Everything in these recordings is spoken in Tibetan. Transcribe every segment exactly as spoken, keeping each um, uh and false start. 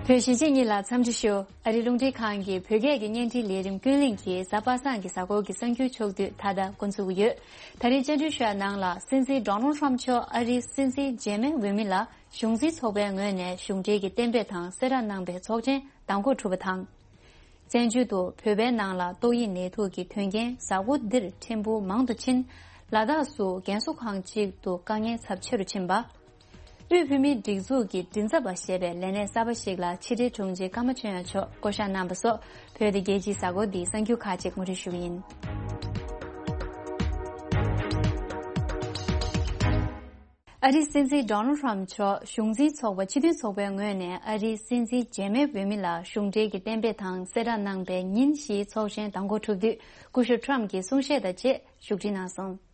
བོད་གཞིས་བྱེས་གཉིས་ལ་འཚམས་འདྲི་ཞུ། ཨ་རིའི་རླུང་འཕྲིན་ཁང་གི་བོད་སྐད་ཀྱི་བརྙན་འཕྲིན་ལས་རིམ་ཀུན་གླེང་གིས་གཟའ་པ་སངས་ཀྱི་གཟའ་འཁོར་གྱི་གསར་འགྱུར་ཕྱོགས་བསྡུས་མཐའ་དག་འགོ་འཛུགས་ཀྱི་ཡོད། ད་རིང་བཅར་འདྲི་ཞུ་ཡ་ནང་ལ། སྲིད་འཛིན་ཌོ་ནལ་ཊམ་མཆོག་ཨ་རིའི་སྲིད་འཛིན་རྗེས་མའི་འོས་མི་ལ་གཞུང་འཛིན་ཚོགས་པའི་ངོས་ནས་གཞུང་འབྲེལ་གྱི་གཏན་འབེབས་དང་གསལ་བསྒྲགས་གནང་པའི་ཚོགས་ཆེན་མདང་དགོང་གྲུབ་པ་དང་། བཙན་བྱོལ་དུ་བོད་པའི་ནང་ལ་ཏོག་དབྱིབས་ནད་དུག་གི་དོན་རྐྱེན་གཟའ་འཁོར་འདིར་ཕྲན་བུ་མང་དུ་ཕྱིན། ལ་དྭགས་སུ་རྒན་གསོ་ཁང་གཅིག་ཏུ་དཀའ་ངལ་ཚབས་ཆེ་རུ་ཕྱིན་པ། དབུས་བོད་མིའི་སྒྲིག་འཛུགས་ཀྱི་མགྲིན་ཚབ་པ་ཞེས་པའི་ལས་གནས་གསར་པ་ཞིག་ལ་ཕྱི་དྲིལ་དྲུང་ཆེ་ཀརྨ་ཆོས་དབྱངས་མཆོག་བསྐོ་གཞག་གནང་པ་སོགས། བོད་དང་རྒྱལ་སྤྱིའི་གཟའ་འཁོར་འདིའི་གསར་འགྱུར་ཁག་ཅིག་ངོ་སྤྲོད་ཞུ་གི་ཡིན། ཨ་རིའི་སྲིད་འཛིན་ཌོ་ནལ་ཊམ་མཆོག་གཞུང་འཛིན་ཚོགས་པ་སྤྱི་མཐུན་ཚོགས་པའི་ངོས་ནས་ཨ་རིའི་སྲིད་འཛིན་རྗེས་མའི་འོས་མི་ལ་གཞུང་འབྲེལ་གྱི་གཏན་འབེབས་དང་གསལ་བསྒྲགས་གནང་པའི་ཉིན་བཞིའི་ཚོགས་ཆེན་མདང་དགོང་གྲུབ་དུས། སྐུ་ཞབས་ཊམ་གྱིས་གསུང་བཤད་དང་བཅས་བཞུགས་ཁྲིད་གནང་སོང་།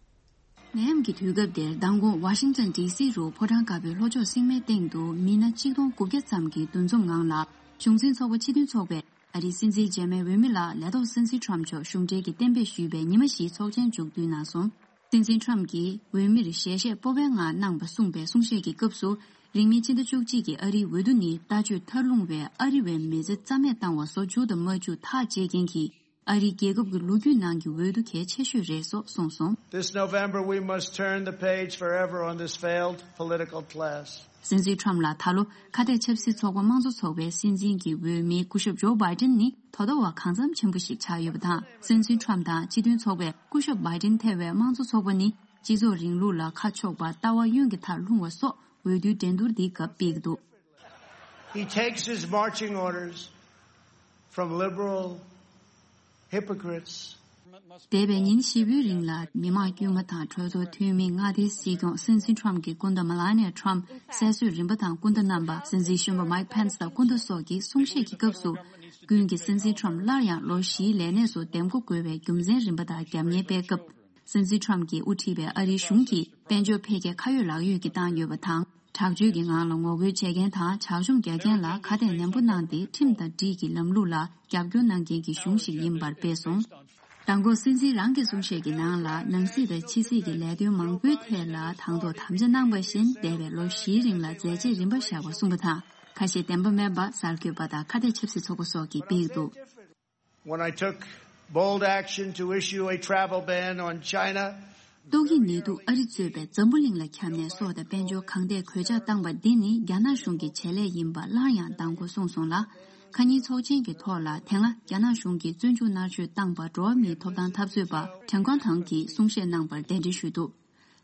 ནད་ཡམས་ཀྱི་དུས་སྐབས་འདིར་མདང་དགོང་ཝ་ཤིང་ཊོན་ཌི་སི་རུ་ཕོ་བྲང་དཀར་པོའི་ལྷོ་ཕྱོགས་སྲིང་མོའི་སྟེང་དུ་མི་སྣ་ཆིག་སྟོང་དགུ་བརྒྱ་ཙམ་གྱི་འདུ་འཛོམས་ངང་ལ། གཞུང་འཛིན་ཚོགས་པ་སྤྱི་མཐུན་ཚོགས་པས་ཨ་རིའི་སྲིད་འཛིན་རྗེས་མའི་འོས་མི་ལ་ལས་ཐོག་སྲིད་འཛིན་ཊམ་མཆོག་གཞུང་འབྲེལ་གྱི་གཏན་འབེབས་ཞུས་པའི་ཉི་མ་བཞིའི་ཚོགས་ཆེན་མཇུག་བསྡུས་གནང་སོང་། སྲིད་འཛིན་ཊམ་གྱིས་འོས་མིར་ཞལ་བཞེས་སྤོབས་པའི་ངང་གནང་བ་གསུངས་པའི་གསུང་བཤད་ཀྱི་སྐབས་སུ། རིང་མིན་ཕྱི་ཟླ་བཅུ་གཅིག་གི་ཨ་རིའི་འོས་བསྡུ་ནི་ལྟ་སྤྱོད་མཐར་ལྷུང་བའི་ཨ་རི་བའི་མི་ཚེ་རྩ་མེད་བཏང་བ་སོགས་མཇུག་དང་མ་མཇུག་ཐག་བཅད་མཁན་གྱི་ཨ་རིའི་རྒྱལ་ཁབ་ཀྱི་ལོ་རྒྱུས་ནང་གི་འོས་བསྡུ་གལ་ཆེ་ཤོས་རེད་སོགས་གསུངས་སོང་། This November, we must turn the page forever on this failed political class. སྲིད་འཛིན་ཊམ་ལ་ད་ལོ་ཁ་གཏད་ཆབ་སྲིད་ཚོགས་པ་དམངས་གཙོ་ཚོགས་པའི་སྲིད་འཛིན་གྱི་འོས་མི་སྐུ་ཞབས་ཇོ་བྷའི་ཏིན་ནི་དོ་ཟླ་བ་གང་འཚམ་ཆེན་པོ་ཞིག་ཆགས་ཡོད་པ་དང་། སྲིད་འཛིན་ཊམ་དང་སྤྱི་མཐུན་ཚོགས་པས་སྐུ་ཞབས་བྷའི་ཏིན་ཐེ་བའི་དམངས་གཙོ་ཚོགས་པ་ནི་སྤྱི་ཚོགས་རིང་ལུགས་ལ་ཁ་ཕྱོགས་པ་ལྟ་བ་གཡོན་གྱི་མཐར་ལྷུང་བ་སོགས་འོས་བསྡུའི་འགྲན་བསྡུར་འདིའི་སྐབས་སྤེལ་གྱི་འདུག། He takes his marching orders from liberal hypocrites. འདས་པའི་ཉིན་བཞི་པོའི་རིང་ལ་མི་དམངས་དཀྱུས་མ་དང་གྲོས་ཚོགས་འཐུས་མི་མངའ་སྡེའི་སྲིད་སྐྱོང་སྲིད་འཛིན་ཊམ་གྱི་སྐུ་ཟླ་མེ་ལ་ནི་ཡ་ཊམ། སྲིད་ཟུར་རིམ་པ་དང་སྐུ་ཟླ་རྣམ་པ། སྲིད་འཛིན་གཞོན་པ་མའིག་ཕེན་སི་དང་སྐུ་ཟླ་སོགས་ཀྱིས་གསུང་བཤད་ཀྱི་སྐབས་སུ། ཀུན་གྱིས་སྲིད་འཛིན་ཊམ་སླར་ཡང་ལོ་བཞིའི་ལས་གནས་སུ་འདེམས་བསྐོ་དགོས་པའི་རྒྱུ་མཚན་རིམ་པ་དང་རྒྱབ་གཉེར་སྤེལ་སྐབས། སྲིད་འཛིན་ཊམ་གྱིས་དབུ་ཁྲིད་པའི་ཨ་རིའི་གཞུང་གིས་དཔལ་འབྱོར་འཕེལ་རྒྱས་ཁ་ཡོད་ལག་ཡོད་ཀྱིས་བཏང་ཡོད་པ་དང་། དྲག་སྤྱོད་ཀྱི་ངང་ལ་ངོ་རྒོལ་བྱེད་མཁན་དང་ཇག་སྐྱོང་རྒྱག་མཁན་ལ་ཁ་གཏད་ནན་པོ་གནང་སྟེ། ཁྲིམས་དང་སྒྲིག་གི་ལམ་ལུགས་ལ་རྒྱབ་སྐྱོར་གནང་མཁན་གྱི་གཞུང་ཞིག་ཡིན་པར་སྤེལ་སོང་། མདང་དགོང་སྲིད་འཛིན་རང་གི་གསུང་བཤད་ཀྱི་ནང་ལ། ནང་སྲིད་དང་ཕྱི་སྲིད་ཀྱི་ལས་དོན་མང་པོའི་ཐད་ལ་དང་ཐོག་དམ་བཅའ་གནང་པ་བཞིན། འདས་པའི་ལོ་བཞིའི་རིང་ལ་མཛད་རྗེས་རིམ་པ་བཞག་པ་གསུངས་པ་དང་། ཁ་ཞེ་བདེན་པ་མེད་པ་གསར་འགོད་པ་དང་ཁ་གཏད་ཆབ་སྲིད་ཚོགས་པ་སོགས་ཀྱིས་སྤེལ་འདུག། When I took bold action to issue a travel ban on China, ཏོག་དབྱིབས་ནད་དུག་ཨ་རི་གཙོས་པའི་འཛམ་བུ་གླིང་ལ་ཁྱབ་ནས་སྲོག་དང་དཔལ་འབྱོར་གང་ཐད་གོད་ཆག་བཏང་པ་འདི་ནི་རྒྱ་ནག་གཞུང་གི་བྱེད་ལས་ཡིན་པ་སླར་ཡང་མདང་དགོང་གསུངས་སོང་ལ། ཁ་ཉིན་ཚོགས་ཆེན་གྱི་ཐོག་ལ་དེ་སྔ་རྒྱ་ནག་གཞུང་གིས་བཙོན་འཇུག་མནར་གཅོད་བཏང་པ་འགྲོ་བ་མིའི་ཐོབ་ཐང་འཐབ་རྩོད་པ་ཁྲེན་ཀོན་ཐང་གིས་གསུང་བཤད་གནང་པར་གདན་འདྲེན་ཞུས་འདུག།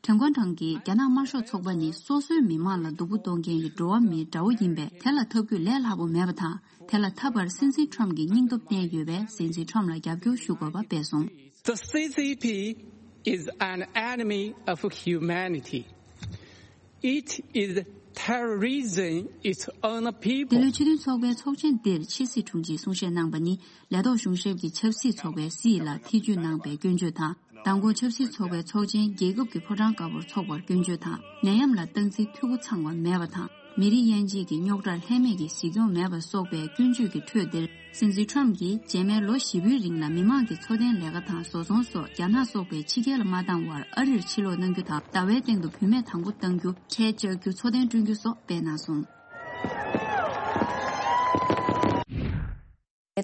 ཁྲེན་ཀོན་ཐང་གིས། རྒྱ་ནག་དམར་ཤོག་ཚོགས་པ་ནི་སོ་སོའི་མི་མང་ལ་སྡུག་པོ་གཏོང་མཁན་གྱི་འགྲོ་བ་མིའི་དགྲ་བོ་ཡིན་པས། དེ་ལ་འཐབ་རྒྱུ་ལས་སླ་པོ་མེད་པ་དང་། དེ་ལ་འཐབ་པར་སྲིད་འཛིན་ཊམ་གྱིས་སྙིང་སྟོབས་བསྟན་ཡོད་པས། སྲིད་འཛིན་ཊམ་ལ་རྒྱབ་སྐྱོར་ཞུ་དགོས་པ་སྤེལ་སོང་། The C C P is an enemy of humanity. It is terrorism its own people. འདི་ལོའི་སྤྱི་མཐུན་ཚོགས་པའི་ཚོགས་ཆེན་འདིར་ཕྱི་སྲིད་དྲུང་ཆེས་གསུང་བཤད་གནང་པ་ནི། ལས་ཐོག་གཞུང་ཞབས་ཀྱི་ཆབ་སྲིད་ཚོགས་པའི་སྲིད་ལ་ཐེ་བྱུས་གནང་པའི་སྐྱོན་བརྗོད་དང་། མདང་དགོང་ཆབ་སྲིད་ཚོགས་པའི་ཚོགས་ཆེན་རྒྱལ་ཁབ་ཀྱི་ཕོ་བྲང་དཀར་པོར་འཚོགས་པར་སྐྱོན་བརྗོད་དང་། ནད་ཡམས་ལ་སྟངས་འཛིན་འཐུས་སྒོ་ཚང་བ་མེད་པ་དང་། མི་རིགས་དབྱེ་འབྱེད་ཀྱི་རྙོག་དྲར་ལྷད་མེད་ཀྱི་གཟིགས་སྐྱོང་མེད་པ་སོགས་པའི་སྐྱོན་བརྗོད་ཀྱི་ཁྲོད་འདིར། སྲིད་འཛིན་ཊམ་གྱིས་རྗེས་མའི་ལོ་བཞི་པོའི་རིང་ལ་མི་མང་གི་འཚོ་རྟེན་ལས་ཀ་དང་བཟོ་ཚོང་སོགས་རྒྱ་ནག་སོགས་པའི་ཕྱི་རྒྱལ་ལ་མ་བཏང་བར་ཨ་རིར་ཕྱིར་ལོག་གནང་རྒྱུ་དང་། ཟླ་བའི་སྟེང་དུ་བུད་མེད་དང་པོ་གཏང་རྒྱུ། ཁྲལ་གཅོག་རྒྱུ། འཚོ་རྟེན་བསྐྲུན་རྒྱུ་སོགས་སྤེལ་གནང་སོང་།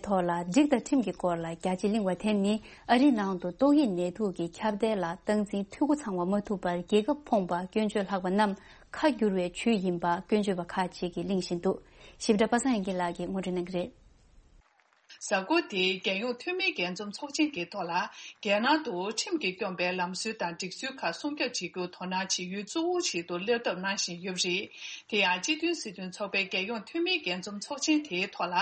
ཐོག་ལ་སྒྲིག་དང་ཁྲིམས་ཀྱི་སྐོར་ལ་རྒྱ་ཆེ་གླེང་བ་དེ་ནི་ཨ་རིའི་ནང་དུ་ཏོག་དབྱིབས་ནད་དུག་གི་ཁྱབ་གདལ་ལ་སྟངས་འཛིན་འཐུས་སྒོ་ཚང་བ་མ་ཐུབ་པར་རྒྱལ་ཁབ་ཕོངས་པ་སྐྱོན་བརྗོད་ལྷག་པ་རྣམས་ཁ་བསྒྱུར་བའི་ཇུས་ཡིན་པ་སྐྱོན་བརྗོད་པ་ཁག་ཅིག་གིས་གླེང་བཞིན་འདུག། ཞིབ་ཕྲ་པ་སངས་དབྱངས་སྐྱིད་ལགས་ཀྱིས་ངོ་སྤྲོད་གནང་གི་རེད། གཟའ་འཁོར་འདིའི་རྒྱལ་ཡོངས་འཐུས་མིའི་རྒྱས་འཛོམས་ཚོགས་ཆེན་གྱི་ཐོག་ལ། རྒྱལ་ནང་དུ་ཁྲིམས་ཀྱིས་སྐྱོང་བའི་ལམ་སྲོལ་དང་སྒྲིག་སྲོལ་ཁག་སྲུང་སྐྱོབ་བྱེད་རྒྱུར་དོ་སྣང་བྱེད་ཡུལ་གཙོ་བོ་ཞིག་ཏུ་སླེབས་ཐབས་གནང་བཞིན་ཡོད་པ་རེད། དེ་ཡང་སྤྱི་མཐུན་སྲིད་དོན་ཚོགས་པའི་རྒྱལ་ཡོངས་འཐུས་མིའི་རྒྱས་འཛོམས་ཚོགས་ཆེན་དེའི་ཐོག་ལ།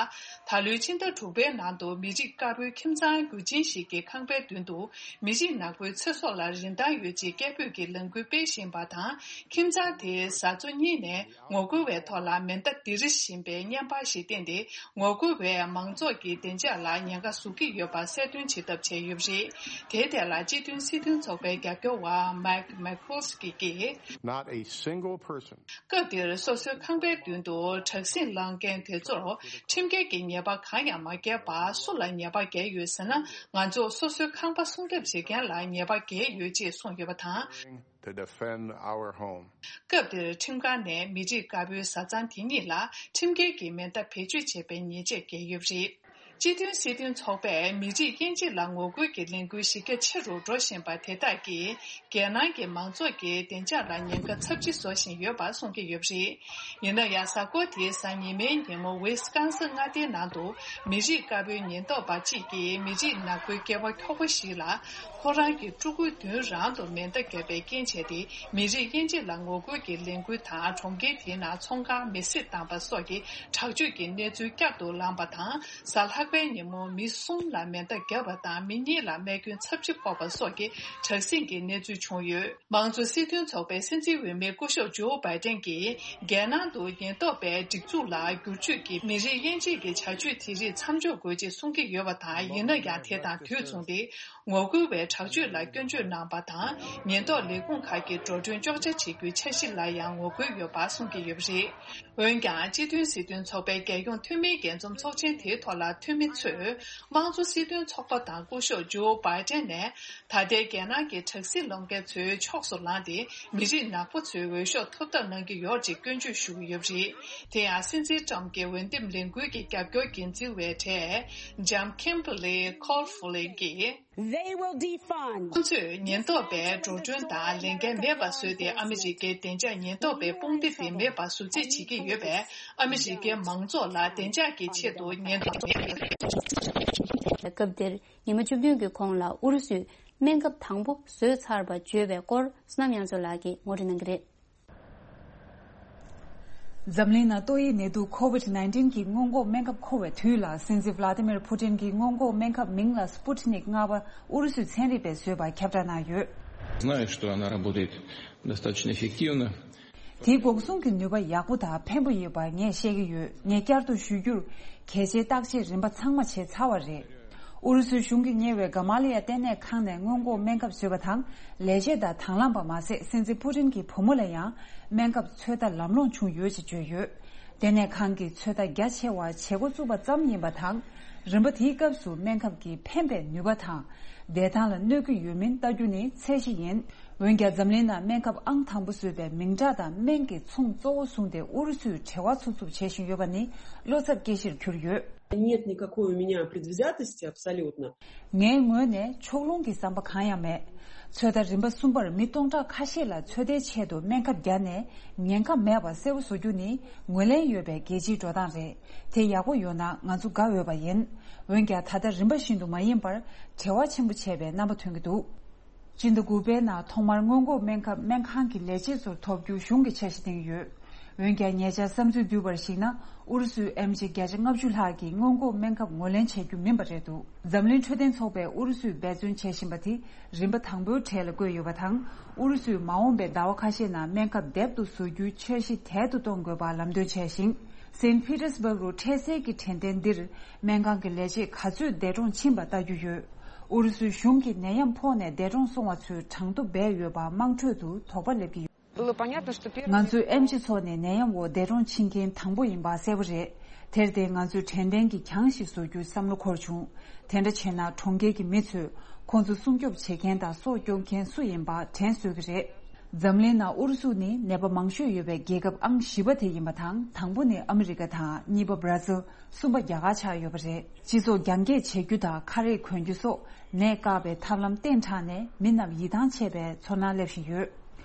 ད་ལོའི་ཕྱི་ཟླ་དྲུག་པའི་ནང་དུ་མི་རིགས་དཀར་པོའི་ཁྱིམ་ཚང་རྒྱུ་ཆེན་ཞིག་གitས་ཁང་པའི་མདུན་དུ་མི་རིགས་ནག་པོའི་ཚེ་སྲོག་ལ་རིན་ཐང་ཡོད་ཅེས་སྐད་འབོད་ཀྱི་ལས་འགུལ་སྤེལ་བཞིན་པ་དང་། ཁྱིམ་ཚང་དེའི་བཟའ་ཚོ་གཉིས་ནས། ངོ་རྒོལ་བའི་ཐོག་ལ་མེ་མདའ་ལྡིར་བཞིན་པའི་བརྙན་པར་ཞིག་བསྟན་ཏེ། ངོ་རྒོལ་བས་མང་ཚོགས་ཀྱི་བདེ་ བདེ་འཇགས་ལ་ཉེན་ཁ་བཟོ་གི་ཡོད་པ་གསལ་སྟོན་བྱེད་ཐབས་བྱས་ཡོད་པ་རེད། དེའི་ཐད་ལ་སྤྱི་མཐུན་སྲིད་དོན་ཚོགས་པའི་རྒྱབ་སྐྱོར་བ་Mike McCloskey གིས། Not a single person. སྐབས་དེར་སོ་སོའི་ཁང་པའི་མདུན་དུ་དྲག་ཟིང་བསླང་མཁན་དེ་ཚོར་ཁྲིམས་འགལ་གྱི་ཉེས་པ་གང་ཡང་མ་བཀལ་བར་སུ་ལ་ཉེས་པ་འགེལ་ཡོད་ཟེར་ན། ང་ཚོར་སོ་སོའི་ཁང་པ་སྲུང་སྐྱོབ་བྱེད་མཁན་ལ་ཉེས་པ་འགེལ་ཡོད་ཅེས་གསུངས་ཡོད་པ་དང་། To defend our home. སྐབས་དེར་ཁྲིམས་ཁང་ནས་མི་རིགས་དཀར་པོའི་བཟའ་ཚང་དེ་གཉིས་ལ་ཁྲིམས་འགལ་གྱི་མེ་མདའ་བེད་སྤྱོད་བྱས་པའི་ཉེས་ཆད་བཀལ་ཡོད་པ་རེད། སྤྱི་མཐུན་སྲིད་དོན་ཚོགས་པས་མི་རིགས་དབྱེ་འབྱེད་ལ་ངོ་རྒོལ་གྱི་ལས་འགུལ་གཞི་རྒྱ་ཆེ་རུ་འགྲོ་བཞིན་པ་དེ་དག་གིས་རྒྱལ་ནང་གི་མང་ཚོགས་ཀྱི་བདེ་འཇགས་ལ་ཉེན་ཁ་ཚབས་ཆེ་བཟོ་བཞིན་ཡོད་པ་གསུང་གི་ཡོད་པ་རེད། ཡིན་ན་ཡང་། གཟའ་འཁོར་དེའི་གཟའ་ཉི་མའི་ཉིན་མོ་ཝི་སི་ཀོན་སིན་མངའ་སྡེའི་ནང་དུ་མི་རིགས་དཀར་པོའི་ཉེན་རྟོག་པ་གཅིག་གིས་མི་རིགས་ནག་པོའི་སྐྱེས་པ་ཁྱོ་ག་ཞིག་ལ། ཁོ་རང་གི་ཕྲུ་གུའི་མདུན་རང་དུ་མེ་མདའ་བརྒྱབ་པའི་རྐྱེན་བྱས་ཏེ། མི་རིགས་དབྱེ་འབྱེད་ལ་ངོ་རྒོལ་གྱི་ལས་འགུལ་དང་། གྲོང་ཁྱེར་དེའི་ནང་ཚོང་ཁང་མེ་བསྲེགས་བཏང་པ་སོགས་ཀྱི་དྲག་སྤྱོད་ཀྱི་གནས་ཚུལ་བསྐྱར་དུ་ལངས་པ་དང་། གཟའ་ལྷག་པའི་ཉིན་མོ་མི་གསུམ་ལ་མེ་མདའ་བརྒྱབ་པ་དང་། མི་གཉིས་ལ་རྨས་སྐྱོན་ཚབས་ཆེ་ཕོག་པ་སོགས་ཀྱི་དྲག་ཟིང་གི་གནས་ཚུལ་བྱུང་ཡོད། མང་གཙོ་སྲིད་དོན་ཚོགས་པའི་སྲིད་འཛིན་འོས་མི་སྐུ་ཞབས་ཇོ་བྷའི་ཏན་གྱིས། རྒྱལ་ནང་དུ་ཉེན་རྟོག་པའི་སྒྲིག་འཛུགས་ལ་བསྒྱུར་བཅོས་ཀྱིས་མི་རིགས་དབྱེ་འབྱེད་ཀྱི་བྱ་སྤྱོད་དེ་རིགས་མཚམས་འཇོག་དགོས་ཅེས་གསུང་གི་ཡོད་པ་དང་། ཡིན་ན་ཡང་། དེ་དང་དུས་མཚུངས་ཏེ། ངོ་རྒོལ་བའི་དྲག་སྤྱོད་ལ་སྐྱོན་བརྗོད་གནང་པ་དང་། ཉེན་རྟོག་ལས་ཁུངས་ཁག་གིས་འགྲོ་གྲོན་གཅོག་ཆ་བྱེད་རྒྱུའི་འཆར་གཞི་ལ་ཡང་ངོ་རྒོལ་ཡོད་པ་གསུང་གི་ཡོད་པ་རེད། འོན་ཀྱང་། སྤྱི་མཐུན་སྲིད་དོན་ཚོགས་པའི་རྒྱལ་ཡོངས་འཐུས་མིའི་རྒྱས་འཛོམས་ཚོགས་ཆེན་དེའི་ཐོག་ལ་འཐུས་མི་ཚོས། དམངས་གཙོ་སྲིད་དོན་ཚོགས་པ་དང་སྐུ་ཞབས་ཇོ་བྷའི་ཏན་ནས། ད་ལྟའི་རྒྱལ་ནང་གི་དྲག་ཟིང་སློང་མཁན་ཚོའི་ཕྱོགས་སུ་ལངས་ཏེ། མི་རིགས་ནག་པོ་ཚོའི་འོས་ཤོག་ཐོབ་ཐབས་གནང་གི་ཡོད་ཅེས་སྐྱོན་བརྗོད་ཞུ་གི་ཡོད་པ་རེད། དེ་ཡང་། སྲིད་འཛིན་ཊམ་གྱི་འོས་འདེམས་ལས་འགུལ་གྱི་རྒྱབ་སྐྱོར་འགན་འཛིན་པའི་གྲས་ཇམ་ཁིམ་བྷར་ལི་ཁོལ་ཧྥུ་ལི་གིས། They will defund. ཁོང་ཚོས་ཉེན་རྟོག་པའི་འགྲོ་གྲོན་དང་ལས་འགན་མེད་པ་བཟོས་ཏེ། ཨ་མི་རི་ཀའི་བདེ་འཇགས་ཉེན་རྟོག་པའི་དཔུང་སྡེ་དེ་མེད་པ་བཟོ་རྩིས་བྱེད་ཀྱི་ཡོད་པས། ཨ་མི་རི་ཀའི་མང་ཚོགས་ལ་བདེ་འཇགས་ཀྱི་ཆེད་དུ་ཉེན་རྟོག་མེད། སྐབས་དེར་ཉི་མ་བཅུ་བདུན་གྱི་གོང་ལ་ཨུ་རུ་སུས་སྨན་ཁབ་དང་པོ་བཟོས་ཚར་བ་བརྗོད་པའི་སྐོར། བསོད་ནམས་དབྱངས་མཚོ་ལགས་ཀྱིས་ངོ་སྤྲོད་གནང་གི་རེད། འཛམ་གླིང་ནང་ཏོག་དབྱིབས་ནད་དུག་ཁོ་ཝིད་ནའིན་ཊིན་གྱི་སྔོན་འགོག་སྨན་ཁབ་མཁོ་བའི་དུས་ལ། སྲིད་འཛིན་ཝ་ལ་ཏི་མིར་ཕུ་ཏིན་གྱི་སྔོན་འགོག་སྨན་ཁབ་མིང་ལ་སྤུ་ཏི་ནིག་ལྔ་པ་ཨུ་རུ་སུའི་ཚན་རིག་པས་བཟོས་པ་ཁྱབ་བསྒྲགས་གནང་ཡོད། Знаю, что она работает достаточно эффективно. དེའི་འགོག་སྲུང་གི་ནུས་པ་ཡག་པོ་དང་ཕན་པོ་ཡོད་པ་ངས་བཤད་ཀྱི་ཡོད། ངས་བསྐྱར་དུ་ཞུ་རྒྱུར། གལ་ཆེའི་བརྟག་དཔྱད་རིམ་པ་ཚང་མ་བྱས་ཚར་བ་རེད། ཨུ་རུ་སུའི་གཞུང་གིས་གཉེར་བའི་ག་མ་ལ་ཡ་ལྟེ་གནས་ཁང་ནས་སྔོན་འགོག་སྨན་ཁབ་བཟོས་པ་དང་ལས་བྱེད་དང་དང་བླངས་པ་མ་ཟད། སྲིད་འཛིན་ཕུ་ཏིན་གྱི་བུ་མོ་ལ་ཡང་སྨན་ཁབ་ཚོད་ལྟ་ལམ་ལྷོང་བྱུང་ཡོད་ཅེས་བརྗོད་ཡོད། ལྟེ་གནས་ཁང་གིས་ཚོད་ལྟ་རྒྱ་ཆེ་བ་བྱེད་འགོ་བཙུགས་པ་ཙམ་ཡིན་པ་དང་། རིམ་པ་དེའི་སྐབས་སུ་སྨན་ཁབ་ཀྱི་ཕན་པའི་ནུས་པ་དང་བདེ་ཐང་ལ་གནོད་ཀྱི་ཡོད་མིན་ལྟ་རྒྱུ་ནི་ཚད་གཞི་ཡིན། འོན་ཀྱང་། འཛམ་གླིང་ནང་སྨན་ཁབ་ཨང་དང་པོ་བཟོས་པའི་མིང་གྲགས་དང་སྨན་གྱི་ཚོང་གཙོ་བོ་བཟུང་སྟེ་ཨུ་རུ་སུས་བྲེལ་བ་འཚུབ་འཚུབ་བྱེད་བཞིན་ཡོད་པ་ནི་བློ་འཚབ་སྐྱེ་གཞིར་གྱུར་ཡོད། Нет никакой у меня предвзятости абсолютно. ངའི་ངོས་ནས་ཕྱོགས་ལྷུང་གི་བསམ་པ་གང་ཡང་མེད། ཚོད་ལྟ་རིམ་པ་གསུམ་པར་མི་སྟོང་ཕྲག་ཁ་ཤས་ལ་ཚོད་ལྟའི་ཆེད་དུ་སྨན་ཁབ་བརྒྱབ་ནས་ཉེན་ཁ་མེད་པ་གསལ་པོ་བཟོ་རྒྱུ་ནི་ངོས་ལེན་ཡོད་པའི་རྒྱལ་སྤྱིའི་འགྲོ་སྟངས་རེད། དེ་ཡག་པོ་ཡོད་ན་ང་ཚོ་དགའ་འོས་པ་ཡིན། འོན་ཀྱང་། ད་ལྟ་རིམ་པ་བཞིན་དུ་མ་ཡིན་པར་བྲེལ་བ་ཆེན་པོ་བྱས་པའི་རྣམ་པ་ཐོན་གྱི་འདུག་སྤྱི་ཟླ་དགུ་པའི་ནང་ཐོག་མར་སྔོན་འགོག་སྨན་ཁབ་སྨན་ཁང་གི་ལས་བྱེད་ཚོར་ཐོབ་རྒྱུ་གཞུང་གིས་འཆར་གཞི་བཏིང་ཡོད། འོན་ཀྱང་། ཉེ་ཆར་བསམ་ཚུལ་བསྡུས་པར་གཞིགས་ན། ཨུ་རུ་སུས་ཨེམ་ཆི་བརྒྱ་ཆ་ལྔ་བཅུ་ལྷག་གི་སྔོན་འགོག་སྨན་ཁབ་ངོས་ལེན་བྱེད་རྒྱུ་མིན་པ་རེད་འདུག་འཛམ་གླིང་འཕྲོད་བསྟེན་ཚོགས་པས་ཨུ་རུ་སུས་འབད་བརྩོན་བྱེད་བཞིན་པ་དེ་རིམ་པ་དང་པོའི་གྲས་ལ་བཀོད་ཡོད་པ་དང་། ཨུ་རུ་སུས་མ་འོངས་པའི་ཟླ་བ་ཁ་ཤས་ནང་སྨན་ཁབ་དེབ་ཏུ་བཟོ་རྒྱུའི་འཆར་གཞི་དལ་དུ་གཏོང་དགོས་པ་ལམ་སྟོན་བྱས་ཤིང་། སེན་ཕི་ཏེར་སྦུག་རུ་འཕྲལ་སེལ་གྱི་དྲན་རྟེན་འདིར་སྨན་ཁང་གི་ལས་བྱེད་ག་ཚོད་འདས་གྲོངས་ཕྱིན་པ་ལྟ་རྒྱུ་ཡོད། ཨུ་རུ་སུའི་གཞུང་གིས་ནད་ཡམས་ཕོག་ནས་འདས་གྲོངས་སོང་བ་ཚོའི་གྲངས་ཐོ་སྦས་ཡོད་པ་དམངས་ཁྲོད་དུ་དོགས་པ་སླེབས་ཀྱི་ཡོད། Было понятно, что первый ང་ཚོས་ཨེམ་ཆི་ཚོགས་ནས་ནད་ཡམས་འོག་འདས་གྲོངས་ཕྱིན་མཁན་དང་པོ་ཡིན་པ་གསལ་པོ་རེད། དེར་བརྟེན་ང་ཚོས་དྲན་རྟེན་གྱི་གྱང་ཞིག་བཟོ་རྒྱུའི་བསམ་བློ་འཁོར་བྱུང་། དེ་འདྲ་བྱས་ན་གྲོང་ཁྱེར་གྱི་མི་ཚོས་ཁོང་ཚོ་སྲུང་སྐྱོབ་བྱེད་མཁན་དང་སྲོག་སྐྱོབ་མཁན་སུ་ཡིན་པ་དྲན་གསོས་ཀྱི་རེད། འཛམ་གླིང་ནང་ཨུ་རུ་སུ་ནི་ནད་པ་མང་ཤོས་ཡོད་པའི་རྒྱལ་ཁབ་ཨང་བཞི་པ་དེ་ཡིན་པ་དང་། དང་པོ་ནི་ཨ་མི་རི་ཀ་དང་། གཉིས་པ་བར་ཛིལ། གསུམ་པ་རྒྱ་གར་ཆགས་ཡོད་པ་རེད། སྤྱི་ཚོགས་རྒྱང་བཀྱེད་བྱེད་རྒྱུ་དང་ཁ་རས་གོན་རྒྱུ་སོགས་ནད་བཀག་པའི་ཐབས་ལམ་བསྟེན་དྲགས་ནས་མི་རྣམས་ཡིད་ཐང་ཆད་པའི་ཚོར་སྣང་སླེབས་བཞིན་ཡོད།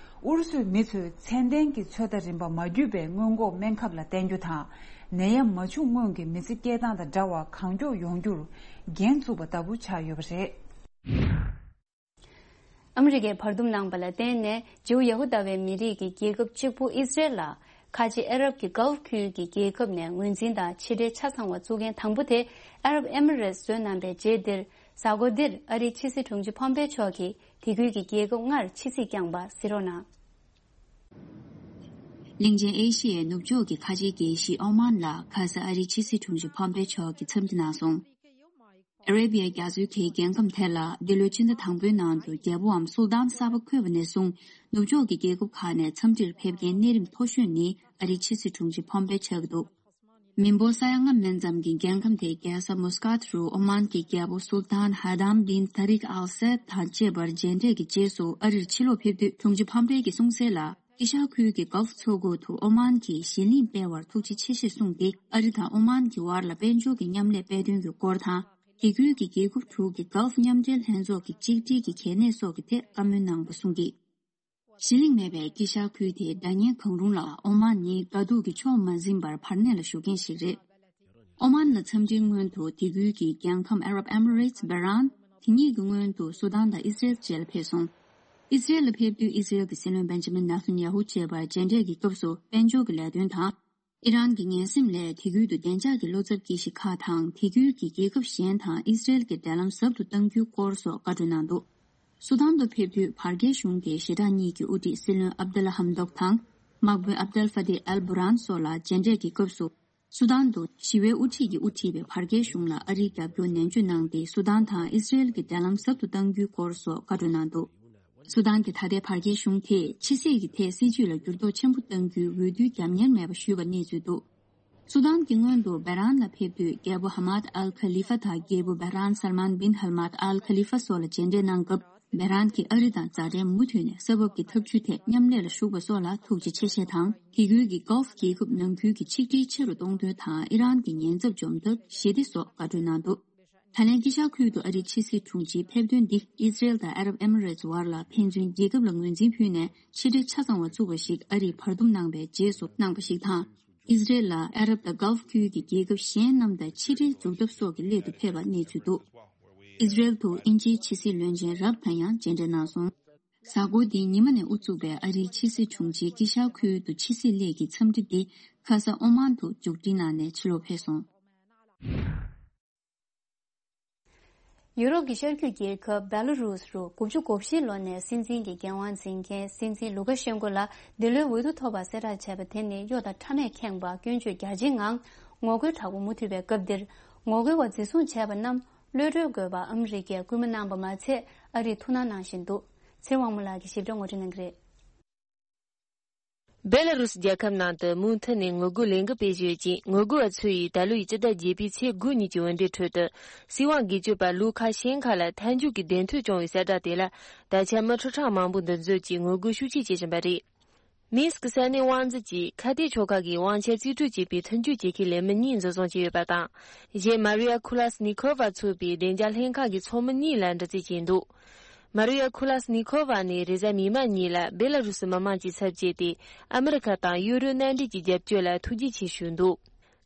ཨུ་རུ་སུའི་མི་ཚོས་ཚད་ལྡན་གྱི་ཚོད་ལྟ་རིམ་པ་མ་བརྒྱུད་པའི་སྔོན་འགོག་སྨན་ཁབ་ལ་བརྟེན་རྒྱུ་དང་། ནད་ཡམས་མ་བྱུང་སྔོན་གྱི་མི་ཚེ་སྐྱེལ་སྟངས་དང་འདྲ་བ་གང་མགྱོགས་ཡོང་རྒྱུར་འགན་བཙུགས་པ་ལྟ་བུ་ཆགས་ཡོད་པ་རེད། ཨ་མི་རི་ཀས་བར་འདུམ་གནང་པ་ལ་བརྟེན་ནས། ཇིའུ་ཡ་ཧུ་དཱ་བའི་མི་རིགས་ཀྱི་རྒྱལ་ཁབ་གཅིག་པུ་ཨི་སི་རེལ་ལ། ཁ་ཆེ་ཨ་རབ་ཀྱི་གྷལ་ཕ་ཁུལ་གྱི་རྒྱལ་ཁབ་ནས་ངོས་འཛིན་དང་ཕྱི་འབྲེལ་ཆ་ཚང་བ་བཙུགས་མཁན་དང་པོ་དེ། ཨ་རབ་ཨེ་མི་རེ་ཊི་བཟོས་གནང་པའི་རྗེས་འདིར། གཟའ་འཁོར་འདིར་ཨ་རིའི་ཕྱི་སྲིད་དྲུང་ཆེ་ཕོམ་པེ་མཆོག་གིས་དེ་ཁུལ་གྱི་རྒྱལ་ཁབ་ལྔར་ཕྱི་སྲིད་བསྐྱངས་པ་གཟིགས་རོགས་གནང་། གླིང་ཆེན་ཨེ་ཤི་ཡའི་ནུབ་ཕྱོགས་ཀྱི་ཁ་ཆེའི་རྒྱལ་གཞིས་ཨོ་མཱན་ལ། ཁ་ས་ཨ་རིའི་ཕྱི་སྲིད་དྲུང་ཆེ་ཕོམ་པེ་མཆོག་གིས་འཚམས་འདྲི་གནང་སོང་། ཨ་རེ་བི་ཡ་རྒྱ་མཚོའི་ཁའི་རྒྱལ་ཁམས་དེ་ལ་འདི་ལོའི་ཕྱི་ཟླ་དང་པོའི་ནང་དུ་རྒྱལ་པོའམ་སུལ་ཏཱན་གསར་པ་འཁོད་པ་ནས་བཟུང་ནུབ་ཕྱོགས་ཀྱི་རྒྱལ་ཁབ་ཁག་ནས་འཚམས་འདྲིར་ཕེབས་མཁན་གནས་རིམ་མཐོ་ཤོས་ནི་ཨ་རིའི་ཕྱི་སྲིད་དྲུང་ཆེ་ཕོམ་པེ་ཆགས་ཀྱི་འདུག་མི་འབོར་ས་ཡ་ལྔ་མན་ཙམ་གྱི་རྒྱལ་ཁམས་དེའི་རྒྱལ་ས་མུ་སྐཱད་རུ་ཨོ་མཱན་གྱི་རྒྱལ་པོ་སུལ་ཏཱན་ཧ་དམ་བིན་ཏཱ་རིག་ཨལ་སད་དང་བཅས་པར་མཇལ་འཕྲད་ཀྱི་རྗེས་སུ་ཨ་རིར་ཕྱིར་ལོག་ཕེབས་དུས་དྲུང་ཆེ་ཕོམ་པེ་གྱིས་གསུངས་གསལ་ལ། དཀྱིལ་ཤར་ཁུལ་གྱི་གྷལ་ཕུ་མཚོ་ཁུག་ཏུ་ཨོ་མཱན་གྱིས་གཞི་གླིང་སྤེལ་བར་ཐུགས་རྗེ་ཆེ་ཞེས་གསུངས་ཏེ། ཨ་རི་དང་ཨོ་མཱན་གྱི་དབར་ལ་དཔལ་འབྱོར་གྱི་མཉམ་ལས་སྤེལ་དོན་གྱི་སྐོར་དང་། དེ་ཁུལ་གྱི་རྒྱལ་ཁབ་དྲུག་གི་གྷལ་ཕུ་མཉམ་འབྲེལ་ལྷན་ཚོགས་ཀྱི་གཅིག་སྒྲིལ་གྱི་གལ་གནད་སོགས་ཀྱི་ཐད་བཀའ་མོལ་གནང་བ་གསུངས་ཀྱིས། གཞི་གླིང་མེད་པའི་དཀྱིལ་ཤར་ཁུལ་དེའི་བདག་གཉེར་གང་རུང་ལ་ཨོ་མཱན་ནི་དགའ་སྡུག་གིས་ཕྱོགས་མ་འཛིན་པར་བར་གནས་ལ་བཞུགས་མཁན་ཞིག་རེད། ཨོ་མཱན་ལ་འཚམས་འདྲིའི་སྔོན་དུ་དེ་ཁུལ་གྱི་རྒྱལ་ཁམས་ཨ་རབ་ཨེ་མི་རེ་ཊི་སྦེ་རན། དེ་གཉིས་ཀྱི་སྔོན་དུ་སུ་དཱན་དང་ཨི་སི་རེལ་བཅས་ལ་ཕེབས་སོང་། ཨི་སི་རེལ་ལ་ཕེབས་དུས་ཨི་སི་རེལ་གྱི་སྲིད་བློན་བེན་ཇ་མིན་ནེ་ཐན་ཡ་ཧུ་བཅས་པ་མཇལ་འཕྲད་ཀྱི་སྐབས་སུ་དཔལ་འབྱོར་གྱི་ལས་དོན་དང་། ཨི་རན་གྱི་ངན་སེམས་ལས་དེ་ཁུལ་དུ་བདེ་འཇགས་ཀྱི་བློ་འཚབ་སྐྱེ་གཞི་ཁག་དང་། དེ་ཁུལ་གྱི་རྒྱལ་ཁབ་གཞན་དང་ཨི་སི་རེལ་གྱི་འབྲེལ་ལམ་ཟབ་ཏུ་གཏང་རྒྱུའི་སྐོར་སོགས་བཀའ་འཁྲོལ་གནང་འདུག་སུ་དཱན་དུ་ཕེབས་དུས་བར་བརྒལ་གཞུང་གི་ཞི་དྲག་གཉིས་ཀྱི་དབུ་ཁྲིད་སྲིད་བློན་ཨབ་དུལ་ལ་ཧམ་དོག་དང་། དམག་དཔོན་ཨབ་དལ་ཧྥ་ཏེ་ཨལ་བུ་རན་སོགས་ལ་མཇལ་འཕྲད་ཀྱི་སྐབས་སུ། སུ་དཱན་དུ་ཞི་བའི་དབུ་ཁྲིད་ཀྱིས་དབུ་ཁྲིད་པའི་བར་བརྒལ་གཞུང་ལ་ཨ་རིའི་རྒྱབ་སྐྱོར་ནན་བརྗོད་གནང་སྟེ། སུ་དཱན་དང་ཨི་སི་རེལ་གྱི་འབྲེལ་ལམ་ཟབ་ཏུ་གཏང་རྒྱུའི་སྐོར་སོགས་བཀའ་འཁྲོལ་གནང་འདུག་སུ་དཱན་གྱི་ད་ལྟའི་བར་བརྒལ་གཞུང་དེས་ཕྱི་སྲིད་ཀྱི་ཐད་སྲིད་ཇུས་ལ་འགྱུར་ལྡོག་ཆེན་པོ་གཏང་རྒྱུའི་འོས་བསྡུ་རྒྱབ་གཉེར་མེད་པ་ཞུས་པ་གནས་ཚུལ་འདུག་སུ་དཱན་གྱི་སྔོན་དུ་སྦེ་རན་ལ་ཕེབས་དུས། རྒྱལ་པོ་ཧ་མཱད་ཨལ་ཁ་ལི་ཧྥ་དང་རྒྱལ་པོ་སྦེ་རན་སལ་མཱན་བིན་ཧལ་མཱད་ཨལ་ཁ་ལི་ཧྥ་སོགས་ལ་མཇལ་འཕྲད་གནང་སྐབས། སྦེ་རན་གྱིས་ཨ་རི་དང་མཛའ་འབྲེལ་མུ་མཐུད་ནས་ས་བབ་ཀྱི་ཐབས་ཇུས་ཐད་མཉམ་ལས་ལ་ཞུགས་པ་སོགས་ལ་ཐུགས་རྗེ་ཆེ་ཞེས་དང་། དེ་ཁུལ་གྱི་གྷལ་ཕུ་རྒྱལ་ཁབ་ནང་ཁུལ་གྱི་ཆིག་སྒྲིལ་ཆེ་རུ་གཏོང་དོན་དང་། ཨི་རན་གྱི་ཉེན་ཚབས་འཇོམས་ཐབས་ཞི་བདེ་སོགས་བཀའ་འཁྲོལ་གནང་འདུག་ད་ལན་དཀྱིལ་ཤར་ཁུལ་དུ་ཨ་རིའི་ཕྱི་སྲིད་དྲུང་ཆེའི་ཕེབས་ཐོན་འདི་ཨི་སི་རེལ་དང་ཨ་རབ་ཨེ་མི་རེ་ཊི་བར་ལ་ཕན་ཚུན་རྒྱལ་ཁབ་ལ་ངོས་འཛིན་ཕུལ་ནས་ཕྱི་འབྲེལ་ཆ་ཚང་བ་བཙུགས་པ་ཞིག་ཨ་རིས་བར་འདུམ་གནང་བའི་རྗེས་སུ་གནང་བ་ཞིག་དང་། ཨི་སི་རེལ་ལ་ཨ་རབ་དང་གྷལ་ཕུ་ཁུལ་གྱི་རྒྱལ་ཁབ་གཞན་རྣམས་དང་ཕྱི་འབྲེལ་འཛུགས་ཐབས་སོགས་ཀྱི་སླད་དུ་ཕེབས་པ་གནས་ཚུལ་འདུག་ཨི་སི་རེལ་དུ་དབྱིན་ཇིའི་ཕྱི་སྲིད་བློན་ཆེན་རབ་དང་ཡང་མཇལ་འཕྲད་གནང་སོང་། གཟའ་འཁོར་འདིའི་ཉི་མ་ནས་དབུ་བཙུགས་པའི་ཨ་རིའི་ཕྱི་སྲིད་དྲུང་ཆེའི་དཀྱིལ་ཤར་ཁུལ་དུ་ཕྱི་སྲིད་སླད་ཀྱི་འཚམས་འདྲི་འདི་ཁ་ས་ཨོ་མཱན་དུ་མཇུག་སྒྲིལ་གནང་ནས་ཕྱིར་ལོག་ཕེབས་སོང་། ཡུ་རོབ་ཀྱི་ཤར་རྒྱུད་རྒྱལ་ཁབ་བེ་ལ་རུས་རུ་དགུ་བཅུ་གོ་བཞི་ལོ་ནས་སྲིད་འཛིན་གྱི་འགན་དབང་འཛིན་མཁན་སྲིད་འཛིན་ལུ་ཀ་ཤན་ཀོ་ལ་འདི་ལོའི་འོས་བསྡུ་ཐོབ་པ་གསལ་བསྒྲགས་བྱས་པ་དེ་ནི་གཡོ་དང་ཕྲ་མས་ཁེངས་པ་སྐྱོན་བརྗོད་རྒྱ་ཆེའི་ངང་ངོ་རྒོལ་དྲག་པོ་མུ་མཐུད་པའི་སྐབས་འདིར། ངོ་རྒོལ་བ་འཛིན་བཟུང་བྱས་པ་རྣམས་གློད་གྲོལ་དགོས་པ་ཨ་མི་རི་ཀས་སྐུལ་མ་གནང་པ་མ་ཚད། ཨ་རིས་ཐུགས་སྣང་གནང་བཞིན་འདུག་ཚེ་དབང་མོ་ལགས་ཀྱིས་ཞིབ་ཕྲ་ངོ་སྤྲོད་གནང་གི་རེད། སྦེ་ལ་རུ་སི་རྒྱལ་ཁབ་ནང་དུ་མུ་མཐུད་ནས་ངོ་རྒོལ་ལས་འགུལ་སྤེལ་བཞིན་ཡོད་ཅིང་། ངོ་རྒོལ་བ་ཚོ་ཡིས་ད་ལོའི་སྤྱི་ཟླ་བརྒྱད་པའི་ཚེས་དགུ་ཉིན་གྱི་འོས་འགྲན་ཁྲོད་དུ། སྲིད་དབང་སྒེར་གཅོད་པ་ལུ་ཁ་ཤན་ཁ་ལ་མཐའ་མཇུག་གི་བདེན་འཚོལ་བྱུང་བའི་གསལ་བསྒྲགས་དེ་ལ། ད་ཆ་མི་ཁྲི་ཕྲག་མང་པོ་འདུ་འཛོམས་ཀྱིས་ངོ་རྒོལ་ཤུགས་ཆེ་བྱེད་བཞིན་པ་རེད། མིན་སི་ཀི་ས་གནས་དབང་འཛིན་གྱིས་ཁ་གཏད་ཆོལ་ཁ་གི་དབང་ཆ་རྩིས་སྤྲོད་བྱེད་པའི་མཐུན་འགྱུར་བྱེད་མཁན་ལས་མི་གཉིས་འཛིན་བཟུང་བྱས་ཡོད་པ་དང་། གཞན་མ་རི་ཡ་ཁུ་ལ་སི་ནི་ཁོ་ཝ་ཚོགས་པའི་བདེ་འཇགས་ལྷན་ཁང་གི་ཚོགས་མི་གཉིས་ལ་འདྲི་རྩད་བྱས་འདུག་མ་རི་ཡ་ཁུ་ལ་སི་ནི་ཁོ་ཝ་ནི་རེས་གཟའ་མིག་དམར་ཉིན་ལ་སྦེ་ལ་རུ་སི་མི་དམངས་ཀྱི་ཚབ་བྱས་ཏེ། ཨ་མི་རི་ཁ་དང་ཡུ་རོབ་མནའ་འབྲེལ་གྱི་རྒྱབ་སྐྱོར་ལ་ཐུགས་རྗེ་ཆེ་ཞུས་འདུག་